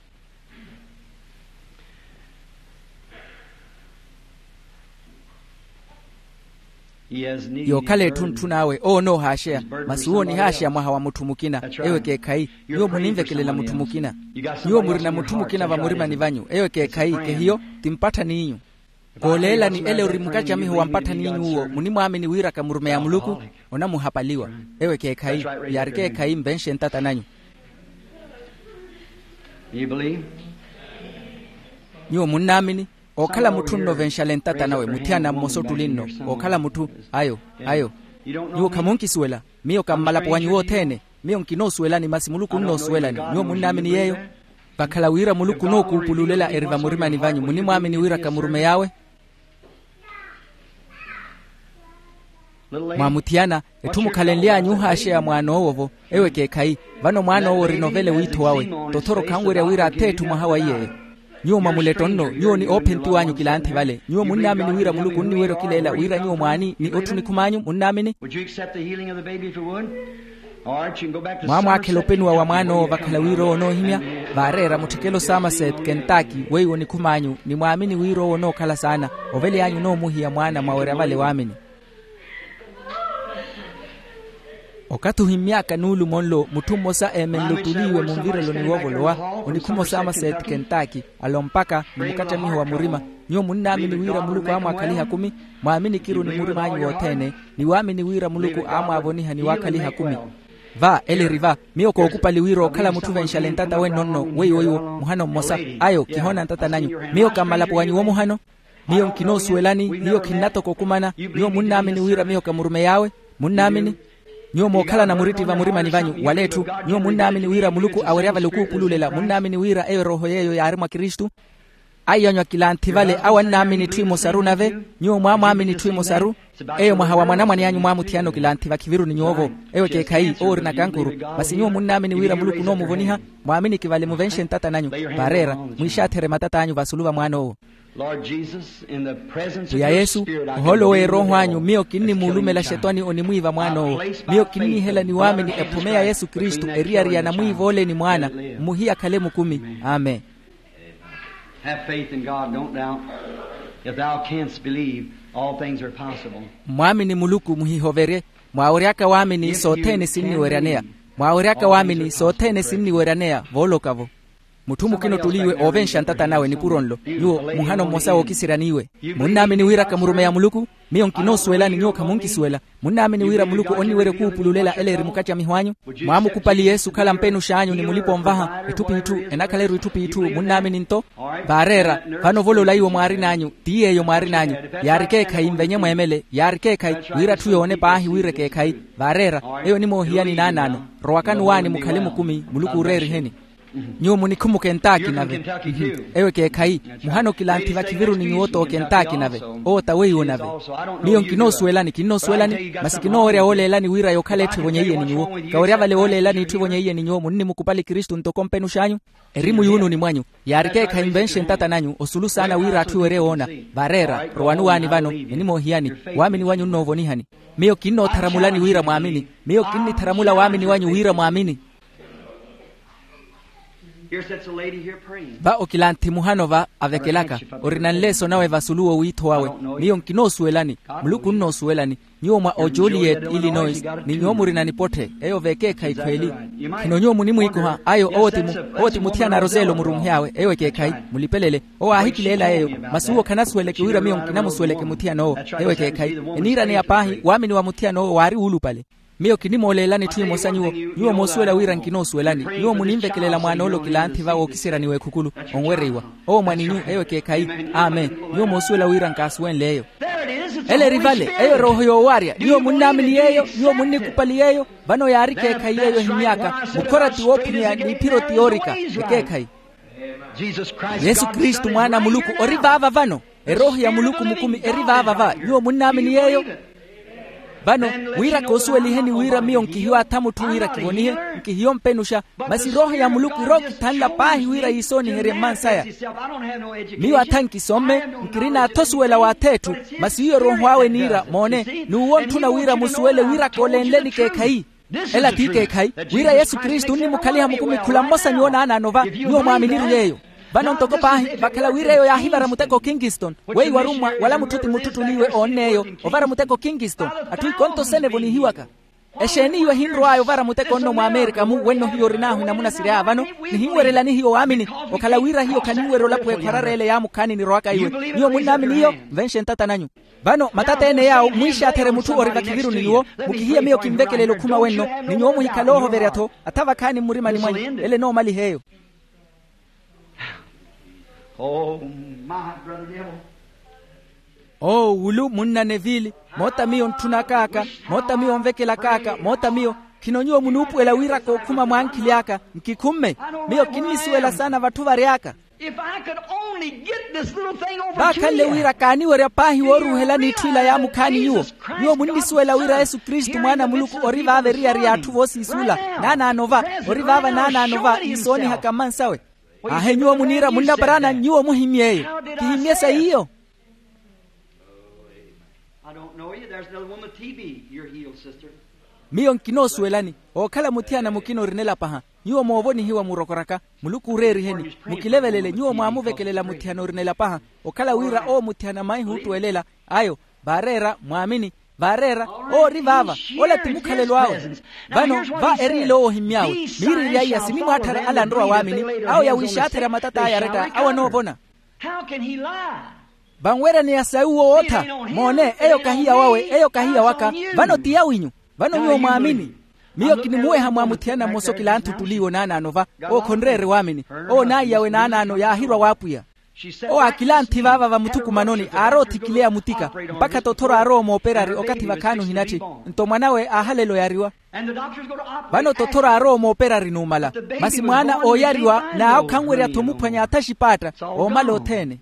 Yookhala etthu ntthun'awe owo onoohaaxeya. Masi uwo onihaaxeya mwaha wa mutthu mukina. Eyo ekeekhayi. Nyuwo muninvekelela mutthu mukina. Nyuwo murina mutthu mukina vamurimani vanyu eyo ekeekhayi kehiyo. Ti mpatthaniinyu. Kooleelani ele ori mukacamiho wa mpatthaniinyu uwo munimwaamini wira kamurumeya muluku. Onamuhapaliwa. Eyo ekeekhayi. Yaari ekeekhayi nvenxe ntata nanyu. Nyuwo munnaamini. Ookhala mutthu nno venxale ntata nawe muthiyana mmosa ottuli nno. Ookhala mutthu. Ayo. Ayo. Nyuwo khamunkisuwela. Miyo ka mmalapo wanyu wothene. Miyo nkinoosuwelani masi muluku onnoosuwelani. Nyuwo munnaamini yeeyo. Vakhala wira muluku onookuupululela eri vamurimani vanyu munimwaamini wira kamurumey'awe. Mwamuthiyana. Etthu mukhalenly'anyu ohaaxeya mwaan'owo-vo. Ewo ekeekhayi. Vano mwaan'owo orina ovela ewiitho wawe. Tothoro khanwerya wira athe etthu mwaha wa iy'eyo. Nyuwo mwa muletto nno nyuwo ni oophentiw'anyu kilanthi vale nyuwo munnaamini wira muluku onniwerya okileela wira nyuwo mwaani ni otthu onikhum'anyu munnaamini? Mwaamwaakhela openuwa wa mwaan'owo vakhala wira owo onoohimya. Vaareera mutthikelo samaseti kentaki weiwo onikhum'anyu ni mwaamini wira owo onookhala saana. Ovely'anyu onoomuhiya mwaana mwawerya vale waamini. Okathi ohimmy'aka nuulumo nlo mutthu mmosa eemenle ottuli iwe munvireloni woovolowa. Onikhuma osaama seeti kentaki alompaka ni mukattamiho wa murima. Nyuwo munnaamini wira muluku aamwaakhaliha kumi? Mwaamini kiru ni murim'anyu wothene. Ni waamini wira muluku aamwaavoniha ni waakhaliha kumi. Va ele eri va. Miyo kookupali wira ookhala mutthu venxale ntata wenno nno weiwo iwo muhano mmosa. Ayo kihoona ntata nanyu. Miyo ka mmalapo wanyu wo muhano. Miyo nkinoosuwelani hiyo khinnatoka okumana. Nyuwo munnaamini wira miyo ka murume yaawe? Munnaamini? Nyuwo mookhalana muritti vamurimani vanyu wala etthu. Nyuwo munnaamini wira muluku awerya vale okuupululela munnaamini wira eyo erooho yeeyo yaari mwa kristu? Aiyanyu akilanthi vale awo annaamini itthu emosaru nave. Nyuwo mwaamwaamini itthu emosaru. Eyo mwaha wa mwanamwane anyu mwaamuthiyana okilanthi vakhiviru ni nyuwo-vo. Eyo ekeekhayi owo ori nakankuru. Masi nyuwo munnaamini wira muluku onoomuvoniha? Mwaaminiki vale muvenxe ntata nanyu. Vaareera, mwiixaatherye matata anyu vasulu va mwaan'owo. Pwiya yesu, ohoolo w'erooho anyu miyo kinnimuulumela xetwani onimwiiva mwaan'owo. Miyo kinniihela ni waamini ephome ya yesu kristu eriyari ya namwiiva ole ni mwaana, mmuhiya akhale mukumi. Amen. Have faith in god, don't doubt. If thou canst believe, all things are possible. Mmwaamini muluku muhihoverye. Mwaaweryaka waamini sothene sinniweryaneya. Mwaaweryaka waamini sothene sinniweryaneya vooloka-vo. Mutthu mukina ottuliiwe oovenxa ntata nawe nipuro nlo. Nyuwo muhano mmosa wookisirya n'iwe. Munnaamini wira kamurumeya muluku? Miyo nkinoosuwelani nyuwo khamunkisuwela. Munnaamini wira muluku onniwerya okuupululela ele eri mukacamiho anyu? Mwaamukupali yesu okhala mpenux'anyu ni mulipa-onvaha etthu p'itthu? Enakhala-ru etthu p'itthu munnaamini nto? Vaareera, vano ovolola iwo mwaarin'anyu. Ti yeeyo mwaarin'anyu. Yaari ekeekhayi nvenye mweemele yaari ekeekhayi. Wira atthu yoone paahi wira ekeekhayi. Vaareera, eyo onimoohiyani naanaano. Rowakani owaani mukhale mukumi muluku ooreeriheni. Nyuwo munikhumuka entaaki nave. Eyo ekeekhayi. Muhana okilanthi vakhiviru ni nyuwo t'oka entaaki nave. Owo ta weiwo nave. Miyo nkinoosuwelani kinnoosuwelani masi kinoowerya wooleelani wira yokhala etthu evonyeiye ni nyuwo. Kawerya vale wooleelani etthu evonyeiye ni nyuwo munnimukupali kristu ntoko mpenux'anyu. Erimu yuununi mwanyu. Yaari ekeekhayi nvenxe ntata nanyu osulu saana wira atthu ewerye woona. Vaareera, rowani owaani vano enimoohiyani. Waamini wanyu onnoovonihani. Miyo kinnootharamulani wira mwaamini. Miyo kinnitharamula waamini wanyu wira mwaamini. Va okilanthi muhano va avekelaka. Orina nleeso nawe vasulu w'owiitho wawe. Miyo nkinoosuwelani. Muluku onnoosuwelani. Nyuwo mwa ojuliyeti illinois, ni nyuwo murina nipotthe eyo v'ekeekhayi khweli. Khino nyuwo munimwiikoha ayo owo ti muthiyana aroselo murunhey'awe eyo ekeekhayi. Mulipelele. Owo aahikileela yeeyo. Masi uwo khanasuweleke wira miyo nkinamusuweleke muthiyan'owo. Eyo ekeekhayi. Eniiraneya paahi waamini wa muthiyan'owo waari wuulupale. Miyo kinimooleelani etthu emosa nyuwo. Nyuwo moosuwela wira nkinoosuwelani. Nyuwo muninvekelela mwaan'ole okilanthi va wookiseryani w'ekhukulu. Onwereiwa. Owo mwaninyu eyo ekeekhayi. Amen. Nyuwo moosuwela wira nkaasuwenle eyo. Ele eri vale. Eyo erooho yoowarya nyuwo munnaamini yeeyo. Nyuwo munnikupali yeeyo. Vano yaari ekeekhayi yeeyo ehimy'aka. Mukhora ti woophunyeya n'iphiro ti yoorika. Ekeekhayi. Yesu kristu mwaana a muluku ori vaava vano. Erooho ya muluku mukumi eri vaava va nyuwo munnaamini yeeyo. Vano wira koosuweliheni wira miyo nkihiyo atha mutthu wira kivonihe. Nkihiyo mpenuxa. Masi erooho ya muluku irookithanla paahi wira yiisooniherye mmansaya. Miyo atha nkisomme. Nkirina atha osuwela w'ath'etthu. Masi iyo erooho awe eniira moone. N'uwo ontthuna wira musuwele wira koolenleni ekeekhayi. Ela t'ikeekhayi. Wira yesu kristu onnimukhaliha mukumi khula mmosa nyuwo naanaano va nyuwo mwaaminiru yeeyo. Vano ntoko paahi vakhala wira eyo yaahivara muteko kinkiston. Weiwo arummwa wala mutthu ti mutthu ottuliiwe oonn'eyo. Ovara muteko kinkiston. Atthu ikonto sene evonihiwaka. Exeeni iwe ehinrow'aya ovara muteko nno mwaamerikamu wenno hiyo orin'ahu enamuna siry'aya vano. Nihinwerelani hiyo waamini. Okhala wira hiyo khaninwerya olapuwa ekhwarara ele yaamukhaani nirowaka iwe. Nyuwo munnaamini iyo. Nvenxe ntata nanyu. Vano matata ene yaawo mwiixaatherye mutthu ori vakhiviru ni nyuwo. Mukihiye miyo kinvekelela okhuma wenno. Ni nyuwo muhikhale oohoverya-tho. Atha vakhaani mmurimani mwanyu. Ele enoomaliha eyo. Oo wulu munna nevili. Moota miyo ontthunakaaka. Moota miyo onvekelakaaka moota miyo. Khino nyuwo munuupuwela wira kookhuma mwankhili aka. Nkikhumme. Miyo kinnisuwela saana vatthu vary'aka. Vaakhanle wira kaaniwerya paahi wooruuhelani itthu ila yaamukhaani nyuwo. Nyuwo munnisuwela wira yesu kristu mwaana a muluku ori vaava eriyari y'atthu voosiisuula. Naanaano va. Ori vaava naanaano va iisoonihaka mmansawe. Aahe nyuwo muniira munnaparaana nyuwo muhimmye eyo. Kihimmye sa yiyo. Miyo nkinoosuwelani. Ookhala muthiyana mukina orinela paha. Nyuwo moovonihiwa murokoraka. Muluku ooreeriheni mukilevelele nyuwo mwaamuvekelela muthiyana orinela paha. Okhala wira owo muthiyana maihuuttuwelela. Ayo. Vaareera mwaamini. Vaareera. Owo ori vaava. Ola ti mukhalelo awe. Vano va eriile owo ohimmy'awe. Miiriirya iya sinimwaatthara ala anrowa waamini. Awo yawiixaatherya matat'aya aretta awo anoovona. Vanweryaneya sayi uwo woottha. Moone eyo kahi ya wawe eyo kahi ya waka. Vano ti yawinyu. Vano nyuwo mwaamini. Miyo kinimuweha mwa muthiyana mmosa okilanthu ottuliiwe onaanaano va. Owo khonreerye waamini. Owo naayi yawe naanaano yaahirwa w'apwiya. Owo aakilanthi vaava vamuthukumanoni aarowa othikileya mutika, mpakha tothoro aarowa omooperari okathi vakhaani ohinatthi. Nto mwan'awe aahalela oyariwa. Vano tothoro aarowa omooperari numala, masi mwaana ooyariwa n'awo khanwerya-tho omuphwanya athaxipaatta. Oomala othene.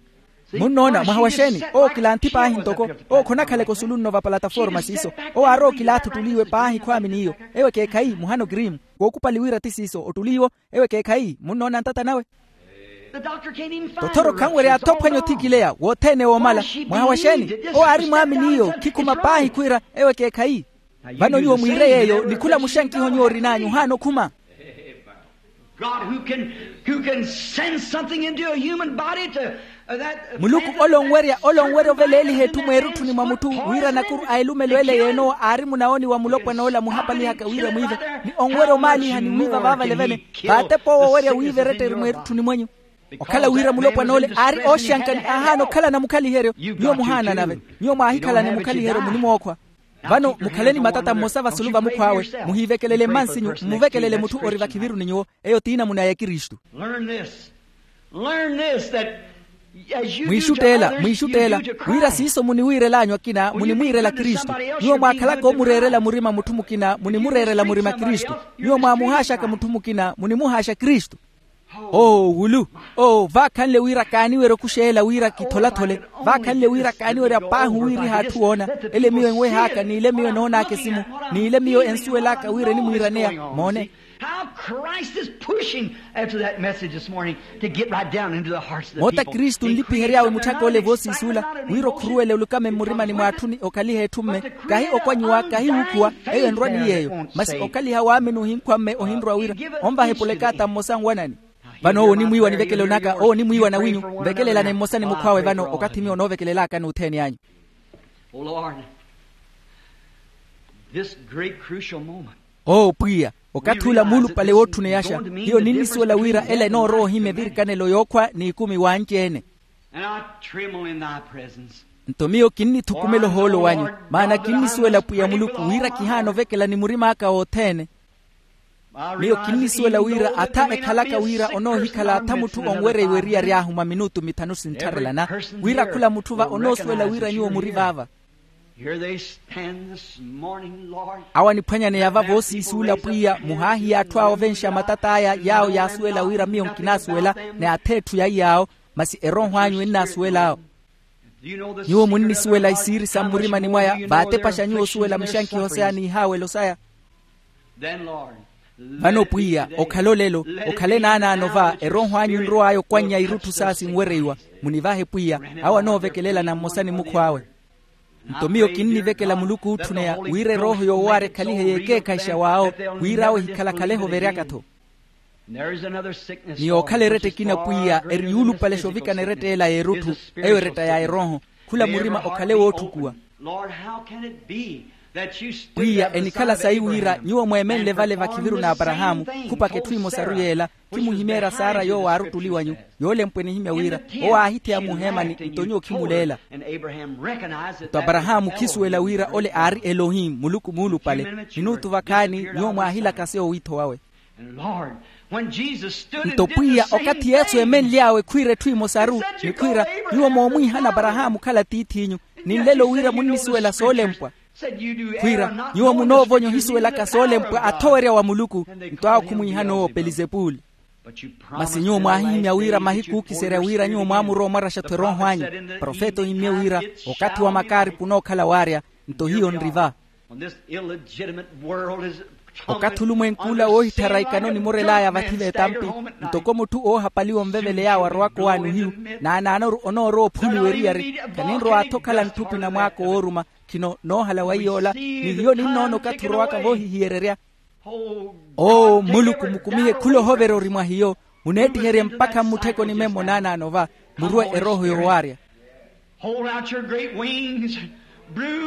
Munnoona mwaha wa xeeni? Owo kilanthi paahi ntoko. Owo khonakhaleke osulu nno va palataforma siiso. Owo aarowa okilaatha ottuliiwe paahi khwaamini iyo. Eyo ekeekhayi muhano kirimu. Kookupali wira ti siiso ottuliiwo. Eyo ekeekhayi munnoona ntata nawe. Tothoro khanwerya athophwanya othikileya wothene woomala. Mwaha wa xeeni? Owo aari mwaamini iyo khikhuma paahi khwiira eyo ekeekhayi. Vano nyuwo mwiire yeeyo ni khula muxankiho nyuwo orin'anyu ohaana okhuma. God who can, who can send something into a human body to, uh, that muluku ole onwerya ole onwerya oveleeliha etthu mweerutthuni mwa mutthu wira nakuru a elumelo ele yeenowo aari munaoni wa mulopwana ola muhapalihaka wira mwiive, ni onwerya omaaliha ni mwiiva vaavale vene. Vaatepa owo owerya wiiva eretteri mweerutthuni mwenyu. Okhala wira mulopwana ole aari ooxanka ni aahaana okhalana mukhaliheryo. Nyuwo muhaana nave. Nyuwo mwaahikhalani mukhaliheryo munimookhwa. Vano mukhaleni matata mmosa vasulu va mukhw'awe. Muhiivekelele mmansinyu mmuvekelele mutthu ori vakhiviruni nyuwo. Eyo t'inamuna ya kristu. Mwiixutteela mwiixutteela wira siiso muniwiirel'anyu akina munimwiirela kristu. Nyuwo mwaakhalaka oomureerela murima mutthu mukina munimureerela murima kristu. Nyuwo mwaamuhaaxaka mutthu mukina munimuhaaxa kristu. Oo wulu. Oo vaakhanle wira kaaniwerya okuxeela wira kitholathole. Vaakhanle wira kaaniwerya paahi owiiriha atthu woona. Ele miyo enwehaaka n'ile miyo enoon'aka esimu n'ile miyo ensuwel'aka wira enimwiiraneya. Moone. How christ is pushing after that message this morning to get right down into the hearts of the moota kristu nlipihery'awe mutthaka ole voosiisuula wira okhuruwele olukame mmurimani mw'atthu ni okhaliha etthu mme. Kahi okwanyiwa kahi wuukhuwa. Eyo enrwa ni yeeyo masi okhaliha waamini ohinkhwa mme ohinrwa wira onvaha epolekaata mmosa nwanani. Vano owo onimwiiwa nivekelo naka owo onimwiiwa nawinyu. Nvekelelane mmosa ni mukhw'awe vano okathi miyo onoovekelelaka n'uthene anyu. Oh lord, this great crucial moment. Oo pwiya, okathi ula muulupale wootthuneyaxa hiyo ninnisuwela wira ela enoorowa ohimya evirikanelo yookhwa n'ikumi wanci-ene. Nto miyo kinnithukumela ohoolo wanyu. Maana kinnisuwela pwiya muluku wira kihaana ovekela ni murim'aka wothene. Miyo kinnisuwela wira atha ekhalaka wira onoohikhala atha mutthu onwereiwa eriyari ahu mwa minutu mithanu sinttharelana. Wira khula mutthu va onoosuwela wira nyuwo muri vaava. Awo aniphwanyaneya va voosiisuula pwiya muhaahiya atthu awo ovenxa matat'aya yaawo yaasuwela wira miyo nkinaasuwela. Ni ath'etthu ya iyaawo masi erooho anyu ennaasuwel'awo. Nyuwo munnisuwela isiiri sa mmurimani mwaya vaatepaxa nyuwo osuwela muxankiho saya n'ihaawelo saya. Vano pwiya okhale olelo okhale naanaano va erooho anyu enrow'aya okwannya irutthu saya sinwereiwa. Munivahe pwiya awo anoovekelelana mmosa ni mukhw'awe. Nto miyo kinnivekela muluku ootthuneya wira erooho yoowaarya ekhalihe yeekeekhahixa w'awo wira awo ehikhalakhalehe overyaka-tho. Ni yookhala eretta ekina pwiya eri yuulupalexa ovikana eretta ela y'erutthu. Eyo eretta ya erooho khula murima okhale wootthukuwa. Pwiya enikhala sayi wira nyuwo mweemenle vale vakhiviru n'aparahaamu khupaka etthu emosaru yeela. Khimuhimeerya saara yoowo aari ottuli wanyu yoolempwa enihimya wira owo aahitheya muheemani nto nyuwo khimuleela. Nto aparahaamu khisuwela wira ole aari elohim muluku muulupale. Minutu vakhaani nyuwo mwaahilaka seyo wiitho wawe. Nto pwiya okathi yesu eemenly'awe khwiira etthu emosaru ni khwiira nyuwo moomwiihana aparahaamu okhala tiith'inyu. Ni nlelo wira munnisuwela soolempwa. Khwiira nyuwo munoovonya ohisuwelaka soolempwa athowerya wa muluku. Nto awo khumwiihana owo pelizepuli. Masi nyuwo mwaahihimya wira mahiku ookiserya wira nyuwo mwaamurowa omwaraxa-tho erooho anyu. Profeta ohimmye wira okathi wa makaaripu onookhala waarya. Nto hiyo nri va. Okathi olumwenk'ula woohitthara ikano onimorel'aya vathi v'etampi ntoko mutthu oohapaliwa onvevele yaawo arowaka owaani ohiyu. Naanaanoru onoorowa ophuliwa eriyari. Kaninrow'atho okhala ntthupi na mwaako wooruma. Khino noohala wa iy'ola ni hiyo ninnoona okathi orowaka voohihiyererya. Oo muluku mukumihe khula ohovera ori mwa hiyo. Muneettiherye mpakha mmutthekoni memmo naanaano va murwe erooho yoowaarya.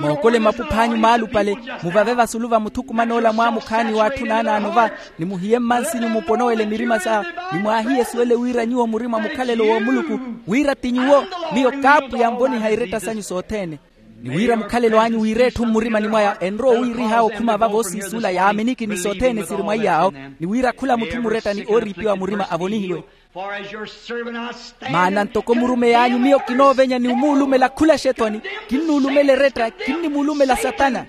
Mookole mapupha anyu maalupale muvave vasulu va muthukuman'ola mwaamukhaani w'atthu naanaano va. Ni muhiye mmansinyu muponowele mirima sa ni mwaahiye suwele wira nyuwo muri mwa mukhalelo w'omuluku wira ti nyuwo. Miyo kaapwiya nvoniha iretta sanyu sothene. Ni wira mukhalelo anyu wiire etthu mmurimani mwaya enrowa owiirih'awe okhuma vavo osiisuula yaaminiki ni sothene siri mwa iyaawo. Ni wira khula mutthu murettani ooriipiwa murima avonihiwe. Maana ntoko murumeyi anyu miyo kinoovenya ni omuulumela khula xetwani. Kinnuulumela eretta kinnimuulumela satana.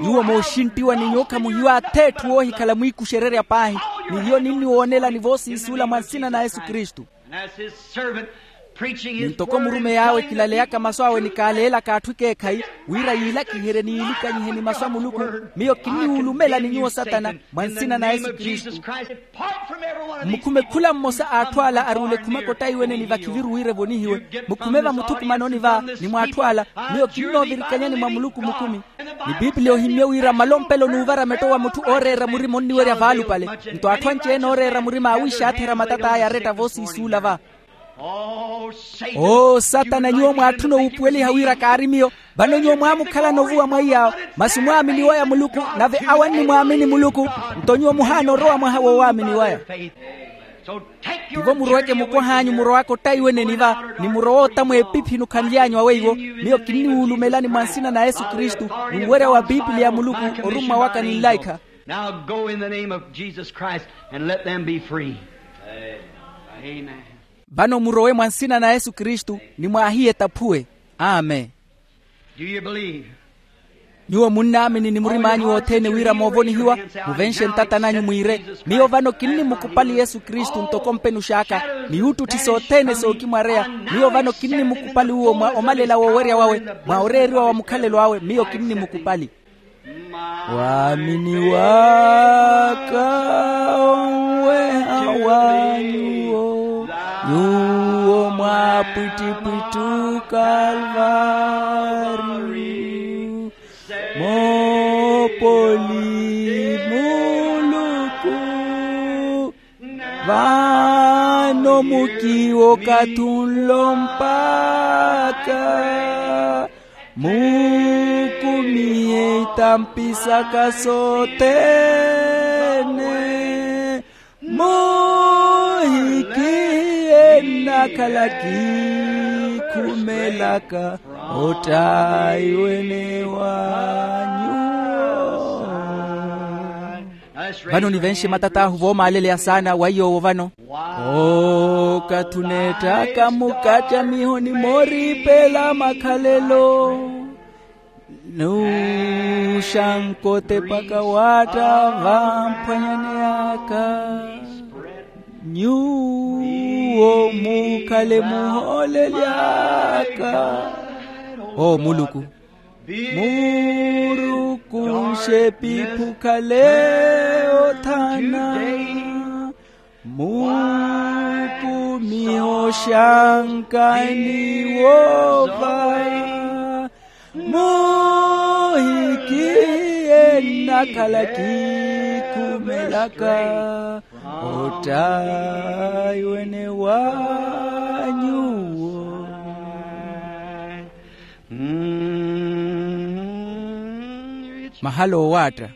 Nyuwo mooxinttiwa ni nyuwo khamuhiwa ath'etthu woohikhala mwiikuxererya paahi. Ni hiyo ninniwoonelani voosiisuula mwa nsina na yesu kristu. Ni ntoko murumey'awe kilaleyaka masu awe ni kaaleelaka atthu ekeekhayi wira yiilakiherye ni yiilikanyihe ni masu a muluku. Miyo kinniwulumelani nyuwo satana mwa nsina na yesu kristu. Mmukhume khula mmosa a atthu ala aruule ekhumaka ottaiwene ni vakhiviru wira evonihiwe. Mukhume vamuthukumanoni va ni mwa atthu ala. Miyo kinnoovirikanyani mwa muluku mukumi. Ni piipiliya ohimmye wira malompelo n'uvara metto wa mutthu ooreera murima onniwerya vaalupale. Nto atthu anci-ene ooreera murima aawiixaathera matat'aya aretta voosiisuula va. Oo satana nyuwo mwaatthuna owuupuweliha wira kaari miyo. Vano nyuwo mwaamukhalana ovuwa mwa iyaawo. Masi mwaamini waya muluku nave awo annimwaamini muluku. Nto nyuwo muhaana orowa mwaha woowaamini waya. Tivo muroweke mukwaha anyu murowaka ottaiweneni va ni murowa otta mweepiphini okhanly'anyu aweiwo. Miyo kinniwulumelani mwa nsina na yesu kristu. N'uwerya wa piipiliya ya muluku orummwa waka ni nlaikha. Now go in the name of Jesus Christ and let them be free. Amen. Vano murowe mwa nsina na yesu kristu ni mwaahiye etaphuwe. Amen. Do you believe? Nyuwo munnaamini ni murim'anyu wothene wira moovonihiwa. Muvenxe ntatan'anyu mwiire, miyo vano kinnimukupali yesu kristu ntoko mpenux'aka. Ni yuuttutti sothene sookimwareya. Miyo vano kinnimukupali uwo mwa omalela woowerya wawe, mwa oreeriwa wa mukhalelo awe miyo kinnimukupali. Waamini waka onweha wa nyuwo, nyuwo mwaapwittipwittu kalvari. Moopoli muluku, vano mukiwo okathi unlo mpakha. Mukumihe itampi saka sothene. Muhikihiye nnakhala kiikhumelaka ottaiwene wa nyuwo. Vano nivenxe matat'ahu voomaaleleya saana wa iyoowo vano. Okathi oneetthaka mukacamiho ni mooriipela makhalelo, nuuxanka otepaka waatta vamphwanyani aka. Nyuwo mukhale muhooleli aka. Oo muluku, murukunxe epiphi okhale othana. Mukumihe oxanka ni woova. Muhikihiye nnakhala kiikhumelaka ottaiwene wa nyuwo. Mahala owaatta.